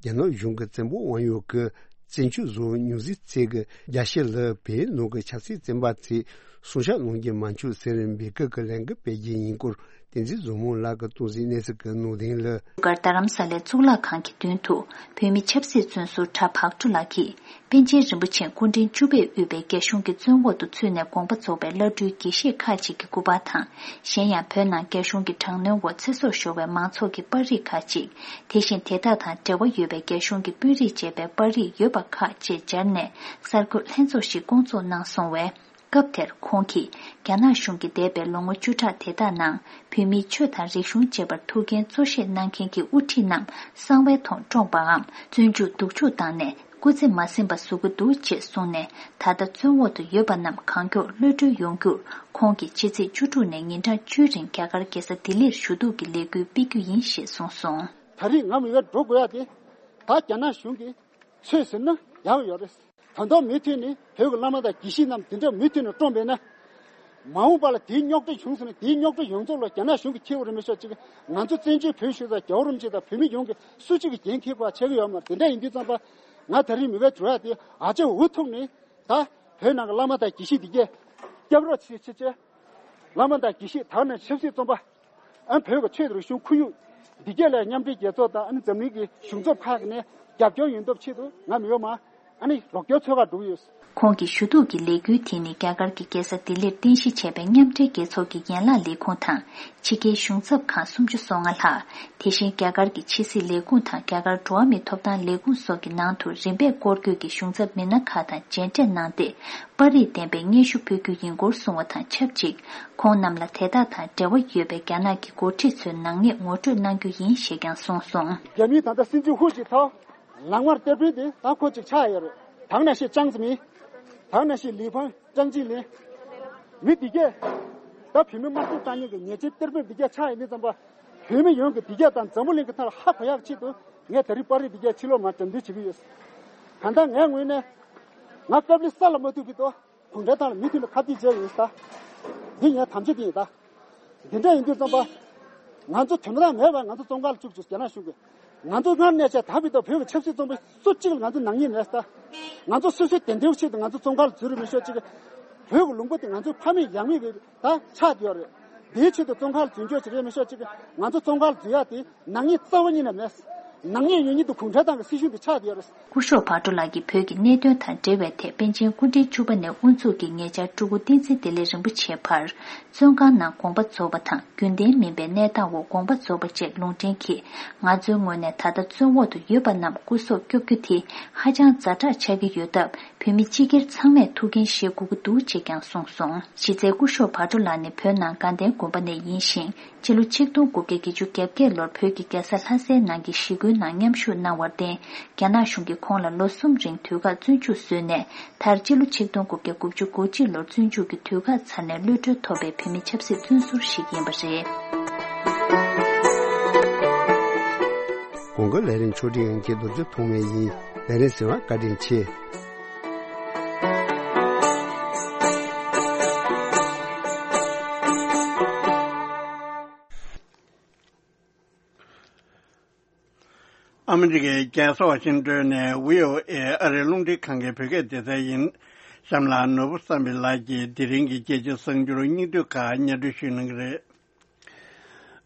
རྒྱ་ནག་གཞུང་གི་བཙན་པོ་དབང་ཡོད་ཀྱི་བཙན་བྱོལ་བཟོ་བའི་མྱོང་རྫས་ཚད་ཀྱི་རྒྱ་ཤི་ལ་བོད་ནང་གི་ཆབ་སྲིད་བཙོན་པ་ཚོས་སྲུང་སྐྱོབ་གནང་རྒྱུ་མ་འཆུག་ཟེར་འབོད་སྐུལ་གྱི་ལས་འགུལ་སྤེལ་རྒྱུ་ཡིན་སྐོར། བསྟན་འཛིན་བཟང་མོ་ལགས་ཀྱིས་གཏོང་གཟིགས་གནས་ཚུལ་གྱི་ནང་དོན་ལ། བཞུགས་སྒར་རྡ་རམ་ས་ལའི་གཙུག་ལག་ཁང་གི་མདུན་དུ་བོད་མི་ཆབ་སྲིད་བཙོན་ཟུར་གྲྭ་བག་གྲོ་ལགས་ཀྱིས་པཎ་ཆེན་རིན་པོ་ཆེ་སྐུ་ཕྲེང་བཅུ་པས་དབུས་པའི་རྒྱ་གཞུང་གི་བཙོན་འོག་ཏུ་ཚུད་ནས་དགོངས་པ་རྫོགས་པའི་བླ་སྤྲུལ་དགེ་བཤེས་ཁག་ཅིག་གི་སྐུ་པར་དང་། གཞན་ཡང་བོད་ནང་རྒྱ་གཞུང་གི་དྲག་གནོན་འོག་ཚེ་སྲོག་ཤོར་བའི་མང་ཚོགས་ཀྱི་པར་རིས་ཁག་ཅིག། དེ་བཞིན་དེ་དག་དང་འབྲེལ་བ་ཡོད་པའི་རྒྱ་གཞུང་གི་དཔོན་རིགས་བཅས་པའི་པར་རིས་ཡོད་པ་ཁག་བཅས་སྦྱར་ནས་གསར་འགོད་ལྷན་ཚོགས་ཤིག་བསྐོང་ཚོགས་གནང་སོང་བས། སྐབས་དེར་ཁོང་གིས་རྒྱ་ནག་གཞུང་གིས་འདས་པའི་ལོ་ངོ་བཅུ་ཕྲག་དེ་དག་ནང་བོད་མིའི་ཆོས་དང་རིག་གཞུང་བཅས་པར་ཐུགས་འགན་གཙོ་བཞེས་གནང་མཁན་གྱི་དབུ་ཁྲིད་རྣམས་གསང་བའི་ཐོག་བཀྲོངས་པའམ་བཙོན་འཇུག་སྡུག་འཇུག་བཏང་ནས་སྐུ་ཚེ་མ་ཟིན་པ་བཟོ་གི་འདུག་ཅེས་གསུངས་ནས། ད་ལྟ་བཙོན་འོག་ཏུ་ཡོད་པ་རྣམས་གང་མགྱོགས་གློད་གྲོལ་ཡོང་རྒྱུར་ཁོང་གིས་ཕྱི་ཚེས་བཅུ་དྲུག་ནས་ཉིན་གྲངས་བཅུའི་རིང་རྒྱ་གར་རྒྱལ་ས་ལྡི་ལིར་ཞུ་གཏུག་གི་ལས་འགུལ་སྤེལ་རྒྱུ་ཡིན་ཞེས་གསུངས་སོང་། ད་རེས་ང་མི་ཡར་འགྲོ་དགོས་ཡ་དེ་ད་རྒྱ་ནག་གཞུང་གིས། ཆོས་ཟེར་ན་ཡག་ཡོད་རེད། ད་དུང་མུ་མཐུད་ནས་བོད་ཀྱི་བླ་མ་དང་དགེ་བཤེས་རྣམས་དེ་འདྲ་མུ་མཐུད་ནས་བཀྲོངས་པས་ན། མ་འོངས་པ་ལ་དེའི་རྙོག་དྲ་བྱུང་སོང་ན་དེའི་རྙོག་དྲ་ཡོངས་རྫོགས་ལ་རྒྱ་ནག་གཞུང་གིས་འཁྱེར་དགོས་རེད་མི་ཤོག་ཅིག། ང་ཚོ་བཙན་བྱོལ་བོད་གཞུང་དང་རྒྱལ་བ་རིན་པོ་ཆེ་དང་བོད་མི་ཡོངས་ཀྱིས་སུ་གཅིག་གིས་འགན་འཁྱེར་དགོས་ཆགས་ཀྱི་ཡོད་མ་རེད། དེ་འདྲ་ཡིན་དུས་ཙམ་པ་ང་ད་རིང་མི་བའི་འགྲོ་ཡ་དེ་ཨ་ཅེ་འུ་ཐུག་ནས་ད་བོད་ནང་གི་བླ་མ་དང་དགེ་བཤེས་དེ་གས་སྐྱབས་རོགས་བྱེད་བྱེད་བྱེད། བླ་མ་དང་དགེ་བཤེས་དག་ནས་ཆབ་སྲིད་བཙོན་པ། ཨ་བོད་ཀྱི་ཆོས་དང་རིག་གཞུང་ཁོར་ཡུག་འདི་གས་ལ་མཉམ་འབྲེལ་རྒྱལ་ཚོགས་དང་ཨ་ནི་འཛམ་གླིང་གི་གཞུང་ཚབ་ཁག་ནས་རྒྱབ་སྐྱོར་ཡོང་ཐབས་ཆེད་དུ་ང་མི་ཡོང་མ་ཨ་ནི་རོགས་སྐྱོར་འཚོལ་ག་འགྲོ་གི་ཡོད། ཁོང་གི་ཞུ་གཏུག་གི་ལས་འགུལ་དེ་ནི་རྒྱ་གར་གྱི་རྒྱལ་ས་ལྡི་ལིར་རྟེན་གཞི་བྱས་པའི་མཉམ་འབྲེལ་རྒྱལ་ཚོགས་ཀྱི་ཡན་ལག་ལས་ཁུངས་དང་ཕྱི་རྒྱལ་གཞུང་ཚབ་ཁང་སུམ་ཅུ་སོ་ལྔ་ལྷག། དེ་བཞིན་རྒྱ་གར་གྱི་ཕྱི་སྲིད་ལས་ཁུངས་དང་རྒྱ་གར་འགྲོ་བ་མིའི་ཐོབ་ཐང་ལས་ཁུངས་སོགས་ཀྱི་ནང་དུ་རིམ་པས་སྐོར་སྐྱོད་ཀྱིས་གཞུང་ཚབ་མི་སྣ་ཁག་དང་མཇལ་འཕྲད་གནང་སྟེ། པར་རིས་ལྡན་པའི་སྙན་ཞུ་ཕུལ་རྒྱུ་ཡིན་སྐོར་གསུངས་བ་དང་ཆབས་ཅིག། ཁོང་རྣམས་ལ་དེ་དག་དང་འབྲེལ་བ་ཡོད་པའི་རྒྱ་ནག་གི་འགོ་ཁྲིད་ཚོའི་ནག་ཉེས་ངོ་སྤྲོད་གནང་རྒྱུ་ཡིན་ཞེས་ཀྱང་གསུངས་སོང་། རྒྱ་མིའི་ད་ལྟ་སྲིད་འཛིན་ཧུ་ཅི་ཐའོ་ལག་དམར་གཏེར་དཔོན་དེ་ད་ཁོ་ཅིག་ཆགས་ཡོད་རེད། ད་ནང་བཞིན་ཅང་ཙེ་མིན། ད་ནང་བཞིན་ལི་ཕང་། ཅང་ཅི་ལིན། མི་འདི་གས། ད་བོད་མི་དམར་གསོད་བཏང་མཁན་གྱི་ཉེས་ཅན་གཏེར་དཔོན་འདི་གས་ཆགས་ཡོད་མི་ཙམ་པ། བོད་མི་ཡོངས་ཀྱི་འདི་གས་དང་འཛམ་བུ་གླིང་གི་ཐོག་ལ་ཧ་གོ་ཡག་ཆེད་དུ་ངས་ད་རིང་པར་རིས་འདི་གས་ཕྱི་ལོགས་མར་དྲན་འདུན་བྱེད་ཀྱི་ཡོད། གང་ལྟར་ངའི་ངོས་ནས་ང་སྐབས་ལས་ས་ལ་མ་ཐུག་གི་ཏོ། གུང་ཁྲན་ཏང་ལ་མུ་མཐུད་ནས་ཁ་གཏད་བྱས་ཡོད་ས། འདི་ངའི་དམ་བཅའ་དེ་ཡིན་ད། འདི་འདྲ་ཡིན་དུས་ཙམ་པ། ང་ཚོ་དོན་དག་མེད་པར་ང་ཚོ་བཙོན་ཁང་ལ་བཅུག་བཅུག་རྒྱ་ནག་གཞུང་གིས། ང་ཚོ་སྔར་ནས་བྱས་ད་བར་དུ་བོད་ཀྱི་ཆབ་སྲིད་བཙོན་པ་སུ་གཅིག་ལ་ང་ཚོ་ནག་ཉེས་མེད་ད། ང་ཚོ་སོ་སོའི་བདེན་དོན་ཆེད་དུ་ང་ཚོ་བཙོན་ཁང་ལ་འཛུལ་རེ་མི་ཤོག་ཅིག་བོད་ཀྱི་ལུང་པ་དེ་ང་ཚོའི་ཕ་མེས་ཡང་མེས་ཀྱི་ད་ཆགས་བསྡད་ཡོད་རེད། དེའི་ཆེད་དུ་བཙོན་ཁང་ལ་འཛུལ་འཇོག་བྱེད་རེ་མི་ཤོག་ཅིག་ང་ཚོ་བཙོན་ཁང་ལ་འཛུལ་ཡག་དེ་ནག་ཉེས་རྩ་བ་ཉིད་ནས་མེད། ནག་ཉེས་ཡོད་ཉིད་དུ་གུང་ཁྲན་ཏང་གི་སྲིད་གཞུང་དེ་ཆགས་བསྡད་ཡོད་རེད། སྐུ་ཞབས་བྷ་ཏོ་ལགས་ཀྱིས་བོད་ཀྱི་གནད་དོན་དང་འབྲེལ་བའི་ཐད་པཎ་ཆེན་སྐུ་ཕྲེང་བཅུ་པ་ནས་དབུ་འཛུགས་ཀྱིས་ཉེ་ཆར་སྤྲུལ་སྐུ་བསྟན་འཛིན་བདེ་ལེགས་རིན་པོ་ཆེའི་བར་བཙོན་ཁང་ནང་དགོངས་པ་རྫོགས་པ་དང་རྒྱུན་ལྡན་མིན་པའི་གནས་སྟངས་འོག་དགོངས་པ་རྫོགས་པ་བཅས་ལུང་འདྲེན་གྱིས་ང་ཚོའི་ངོས་ནས་ད་ལྟ་བཙོན་འོག་ཏུ་ཡོད་པ་རྣམས་སྐུ་སྲོག་སྐྱོབ་རྒྱུ་དེ་ཧ་ཅང་ཛ་དྲག་ཆགས་ཀྱི་ཡོད་སྟབས་བོད་མི་སྤྱི་སྒེར་ཚང་མས་ཐུགས་འགན་བཞེས་དགོས་ཀྱི་འདུག་ཅེས་ཀྱང་གསུངས་སོང་། གཞི་རྩའི་སྐུ་ཞབས་བྷ་ཏོ་ལགས་ནི་བོད་ནང་དགའ་ལྡན་དགོན་པ་ནས་ཡིན་ཞིང་། སྤྱི་ལོ་ཆིག་སྟོང་དགུ་བརྒྱ་བརྒྱད་ཅུ་གྱ་བརྒྱད་ལོར་བོད་ཀྱི་རྒྱལ་ས་ལྷ་སའི་ནང་གི་ཞི་རྒོལ་ནང་མཉམ་ཞུགས་གནང་བར་བརྟེན། རྒྱ་ནག་གཞུང་གིས་ཁོང་ལ་ལོ་གསུམ་རིང་དུས་བཀག་བཙོན་འཇུག་བཟོས་ནས། མཐར་སྤྱི་ལོ་ཆིག་སྟོང་དགུ་བརྒྱ་དགུ་བཅུ་གོ་གཅིག་ལོར་བཙོན་འཇུག་གི་དུས་བཀག་ཚར་ནས་གློད་གྲོལ་ཐོབ་པའི་བོད་མི་ཆབ་སྲིད་བཙོན་ཟུར་ཞིག་ཡིན་པ་རེད། གོང་གི་ལས་རིམ་ཕྱོགས་སྒྲིག་ཨང་ཀི་རྡོ་རྗེ་ཐོགས་མེད་ཡིན། ལས་རིམ་གསན་པར་བཀའ་དྲིན་ཆེ། ཨ་མི་རི་ཀའི་རྒྱལ་ས་ཝ་ཤིང་ཏོན་ནས་བྷི་ཨོ་ཨེ་ཨ་རིའི་རླུང་འཕྲིན་ཁང་གི་བོད་སྐད་སྡེ་ཚན་ཡིན། གཤམ་ལ་ནོར་བུ་བསམ་འཕེལ་ལགས་ཀྱིས་དེ་རིང་གི་རྒྱལ་སྤྱིའི་གསར་འགྱུར་སྙིང་བསྡུས་ཁག་སྙན་སྒྲོན་ཞུ་གནང་གི་རེད།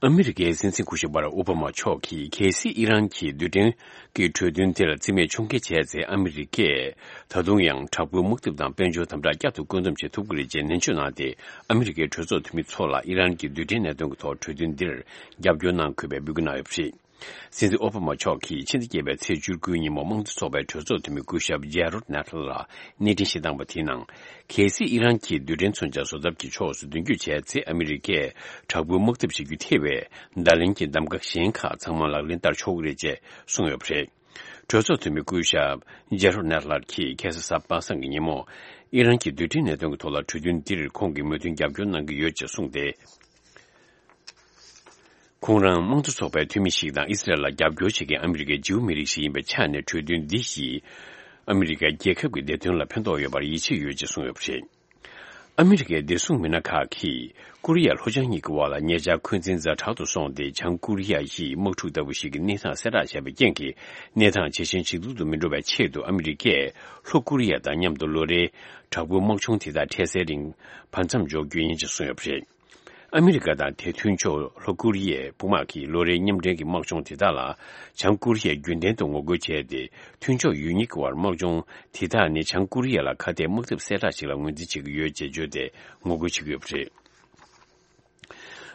ཨ་མི་རི་ཀའི་སྲིད་འཛིན་སྐུ་ཞབས་པ་རག་ཨོ་བྷ་མ་མཆོག་གིས་གལ་སྲིད་ཨི་རན་གྱིས་རྡུལ་ཕྲན་གྱི་གྲོས་མཐུན་དེར་རྩིས་མེད་ཕྱོགས་འགལ་བྱས་ཚེ་ཨ་མི་རི་ཀས་ད་དུང་ཡང་དྲག་པོའི་དམག་འཐབ་དང་དཔལ་འབྱོར་དམ་དྲག་བསྐྱར་དུ་བཀོད་འདོམས་བྱེད་ཐུབ་ཀྱི་རེད་ཅེས་ནན་བརྗོད་གནང་སྟེ། ཨ་མི་རི་ཀའི་གྲོས་ཚོགས་འཐུས་མི་ཚོ་ལ་ཨི་རན་གྱི་རྡུལ་ཕྲན་གནད་དོན་གྱི་ཐོག་གྲོས་མཐུན་འདིར་རྒྱབ་སྐྱོར་གནང་དགོས་པའི་འབོད་སྐུལ་གནང་ཡོད་པ་རེད། སྲིད་འཛིན་ཨོ་བྷ་མ་མཆོག་གིས་ཕྱི་ཟླ་བརྒྱད་པའི་ཚེས་བཅུ་དགུའི་ཉིན་མོ་དམངས་གཙོ་ཚོགས་པའི་གྲོས་ཚོགས་འཐུས་མི་སྐུ་ཞབས་ཇེ་རོད་ནེ་ཐལ་ལ་གནས་འཕྲིན་ཞིག་བཏང་པ་དེའི་ནང་། གལ་སྲིད་ཨི་རན་གྱིས་རྡུལ་ཕྲན་མཚོན་ཆ་བཟོ་ཐབས་ཀྱི་ཕྱོགས་སུ་མདུན་སྐྱོད་བྱས་ཚེ་ཨ་མི་རི་ཀས་དྲག་པོའི་དམག་འཐབ་བྱེད་རྒྱུ་ཐེ་བའི་བརྡ་ལན་གྱི་གདམ་ག་གཞན་ཁག་ཚང་མ་ལག་ལེན་བསྟར་ཆོག་གི་རེད་ཅེས་གསུངས་ཡོད་པ་རེད། གྲོས་ཚོགས་འཐུས་མི་སྐུ་ཞབས་ཇེ་རོད་ནེ་ཐལ་གྱིས་ཁ་སང་གཟའ་པ་སངས་ཀྱི་ཉིན་མོ་ཨི་རན་གྱི་རྡུལ་ཕྲན་གནད་དོན་གྱི་ཐོག་ལ་གྲོས་མཐུན་འདིར་ཁོང་གིས་མོས་མཐུན་རྒྱབ་སྐྱོར་གནང་གི་ཡོད་ཅེས་གསུངས་ཏེ། ཁོང་རང་དམངས་གཙོ་ཚོགས་པའི་འཐུས་མི་ཞིག་དང་ཨི་སི་རལ་ལ་རྒྱབ་སྐྱོར་བྱེད་མཁན་ཨ་མི་རི་ཀའི་ཇིའུ་མི་རིགས་ཤིག་ཡིན་པའི་ཆ་ནས་གྲོས་མཐུན་འདི་ཡིས་ཨ་མི་རི་ཀའི་རྒྱལ་ཁབ་ཀྱི་བདེ་དོན་ལ་ཕན་ཐོགས་ཡོད་པར་ཡིད་ཆེས་ཡོད་ཅེས་གསུངས་ཡོད་པ་རེད། ཨ་མི་རི་ཀའི་བདེ་སྲུང་མི་སྣ་ཁག་གིས་ཀོ་རི་ཡ་ལྷོ་བྱང་གཉིས་ཀྱི་དབར་ལ་ཉེ་ཆར་འཁོན་འཛིན་ཛ་དྲག་ཏུ་སོང་སྟེ། བྱང་ཀོ་རི་ཡ་ཡིས་དམག་འཁྲུག་ལྟ་བུ་ཞིག་གི་གནས་སྟངས་གསལ་བསྒྲགས་བྱས་པའི་རྐྱེན་གྱིས། གནས་སྟངས་ཇེ་ཞན་ཇེ་སྡུག་ཏུ་མི་འགྲོ་བའི་ཆེད་དུ་ཨ་མི་རི་ཀས་ལྷོ་ཀོ་རི་ཡ་དང་མཉམ་དུ་ལོ་རེའི་དྲག་པོའི་དམག་སྦྱོང་དེ་དག་འཕྲལ་སེལ་རིང་བར་མཚམས་འཇོག་རྒྱུ་ཡིན་ཅེས་གསུངས་ཡོད་པ་རེད། ཨ་མི་རི་ཀ་དང་དེའི་མཐུན་ཕྱོགས་ལྷོ་ཀོ་རི་ཡའི་དཔུང་དམག་གིས་ལོ་རེའི་མཉམ་འབྲེལ་གྱི་དམག་སྦྱོང་དེ་དག་ལ་བྱང་ཀོ་རི་ཡས་རྒྱུན་ལྡན་དུ་ངོ་རྒོལ་བྱས་ཏེ། མཐུན་ཕྱོགས་ཡུལ་གཉིས་ཀྱི་དབར་དམག་སྦྱོང་དེ་དག་ནི་བྱང་ཀོ་རི་ཡ་ལ་ཁ་གཏད་དམག་འཐབ་གསལ་བསྒྲགས་ཤིག་ལ་ངོས་འཛིན་བྱེད་ཀྱི་ཡོད་ཅེས་བརྗོད་དེ་ངོ་རྒོལ་བྱེད་ཀྱི་ཡོད་པ་རེད།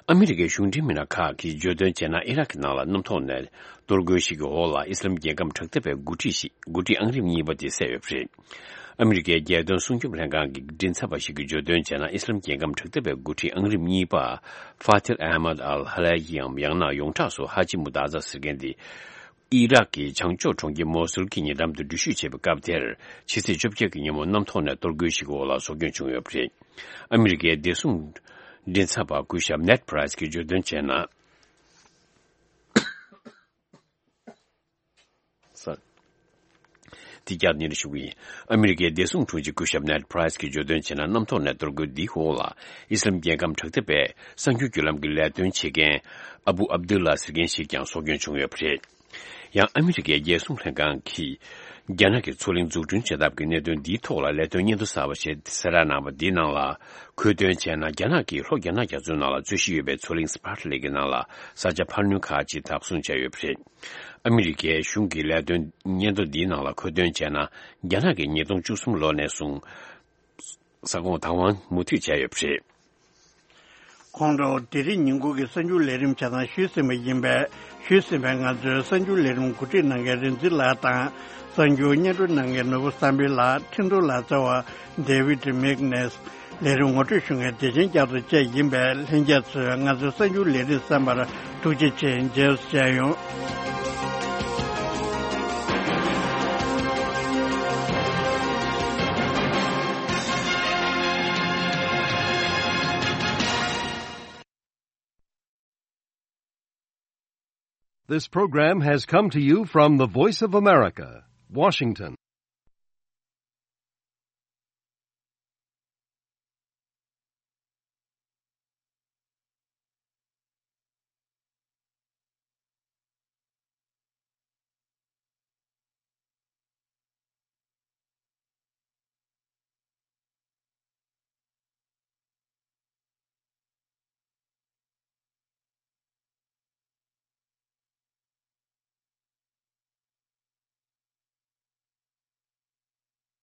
ཨ་མི་རི་ཀའི་གཞུང་འབྲེལ་མི་སྣ་ཁག་གིས་བརྗོད་དོན་བྱས་ན། ཨི་རག་གི་ནང་ལ་གནམ་ཐོག་ནས་གཏོར་རྒོལ་ཞིག་གི་འོག་ལ་ཨི་སི་ལམ་རྒྱལ་ཁམས་དྲག་འཐབ་པའི་འགོ་ཁྲིད་ཞིག་འགོ་ཁྲིད་ཨང་རིམ་གཉིས་པ་དེ་བསད་ཡོད་པ་རེད། ཨ་མི་རི་ཀའི་རྒྱལ་དོན་སྲུང་སྐྱོབ་ལྷན་ཁང་གི་མགྲིན་ཚབ་པ་ཞིག་གིས་བརྗོད་དོན་བྱས་ན། ཨི་སི་ལམ་རྒྱལ་ཁམས་དྲག་འཐབ་པའི་འགོ་ཁྲིད་ཨང་རིམ་གཉིས་པ་ཧྥ་ཐིལ་ཨ་མད་ཨལ་ཧ་ལ་ཡིའམ་ཡང་ན་ཡོངས་གྲགས་སུ་ཧ་ཇི་མུ་ཏཱ་ཛ་ཟེར་མཁན་དེ། ཨི་རག་གི་བྱང་ཕྱོགས་གྲོང་ཁྱེར་མོ་སུལ་གྱི་ཉེ་འགྲམ་དུ་འགྲུལ་བཞུད་བྱས་པའི་སྐབས་དེར། ཕྱི་ཚེས་བཅོ་བརྒྱད་ཀྱི་ཉིན་མོ་གནམ་ཐོག་ནས་གཏོར་རྒོལ་ཞིག་གི་འོག་ལ་སྲོག་སྐྱོན་བྱུང་ཡོད་པ་རེད། ཨ་མི་རི་ཀའི་བདེ་སྲུང་མགྲིན་ཚབ་པ་སྐུ་ཞབས་ནེད་པ་རའེ་སི་གིས་བརྗོད་དོན་བྱས་ན། ས། དེ་བསྐྱར་སྙན་སྒྲོན་ཞུ་གི་ཡིན། ཨ་མི་རི་ཀའི་བདེ་སྲུང་དྲུང་ཆེ་སྐུ་ཞབས་ནེད་པ་རའེ་སི་གིས་བརྗོད་དོན་བྱས་ན། གནམ་ཐོག་ནས་གཏོར་རྒོལ་འདིའི་འོག་ལ་ཨི་སི་ལམ་རྒྱལ་ཁམས་དྲག་འཐབ་པའི་གསར་འགྱུར་བརྒྱུད་ལམ་གྱི་ལས་དོན་བྱེད་མཁན་ཨ་བུ་ཨབ་དུལ་ལ་ཟེར་མཁན་ཞིག་ཀྱང་སྲོག་སྐྱོན་བྱུང་ཡོད་པ་རེད། ཡང་ཨ་མི་རི་ཀའི་རྒྱལ་སྲུང་ལྷན་ཁང་གིས་རྒྱ་ནག་གི་མཚོ་གླིང་འཛུགས་སྐྲུན་བྱེད་ཐབས་ཀྱི་གནད་དོན་འདིའི་ཐོག་ལ་ལས་དོན་སྙན་ཐོ་གསར་པ་ཞིག་གསལ་བསྒྲགས་གནང་བ་འདིའི་ནང་ལ། འཁོད་དོན་བྱས་ན། རྒྱ་ནག་གིས་ལྷོ་རྒྱ་ནག་རྒྱ་མཚོའི་ནང་ལ་རྩོད་གཞི་ཡོད་པའི་མཚོ་གླིང་སི་པར་ཊ་ལེག་གི་ནང་ལ་ས་ཆ་འཕར་སྣོན་ཁག་ཅིག་བདག་བཟུང་བྱས་ཡོད་པ་རེད། ཨ་མི་རི་ཀའི་གཞུང་གི་ལས་དོན་སྙན་ཐོ་འདིའི་ནང་ལ་འཁོད་དོན་བྱས་ན། རྒྱ་ནག་གིས་ཉིས་སྟོང་བཅུ་གསུམ་ལོ་ནས་བཟུང་ས་ཁོངས་བདག་དབང་མུ་མཐུད་བྱས་ཡོད་པ་རེད། ཁོང་ཁྲོ་དེ་རིང་ཉིན་གུང་གི་གསར་འགྱུར་ལས་རིམ་ཆ་ཚང་ཞུས་ཟིན་པ་ཡིན་པས། ཞུས་ཟིན་པའི་ང་ཚོའི་གསར་འགྱུར་ལས་རིམ་གོ་སྒྲིག་གནང་མཁན་རིག་འཛིན་ལགས་དང་། གསར་འགྱུར་སྙན་སྒྲོན་གནང་མཁན་ནོར་བུ་བསམ་འཕེལ་ལགས། འཕྲིན་གཏོང་ལག་རྩལ་བ་ཌེ་ཝིད་མེག་ནེས། ལས་རིམ་ངོ་སྤྲོད་ཞུ་མཁན་བདེ་ཆེན་རྒྱ་མཚོ་བཅས་ཡིན་པས། ལྷན་རྒྱས་ཚོས་ང་ཚོའི་གསར་འགྱུར་ལས་རིམ་གསན་པར་ཐུགས་རྗེ་ཆེ། མཇལ་བྱས་ཡོང་། This program has come to you from the Voice of America, Washington.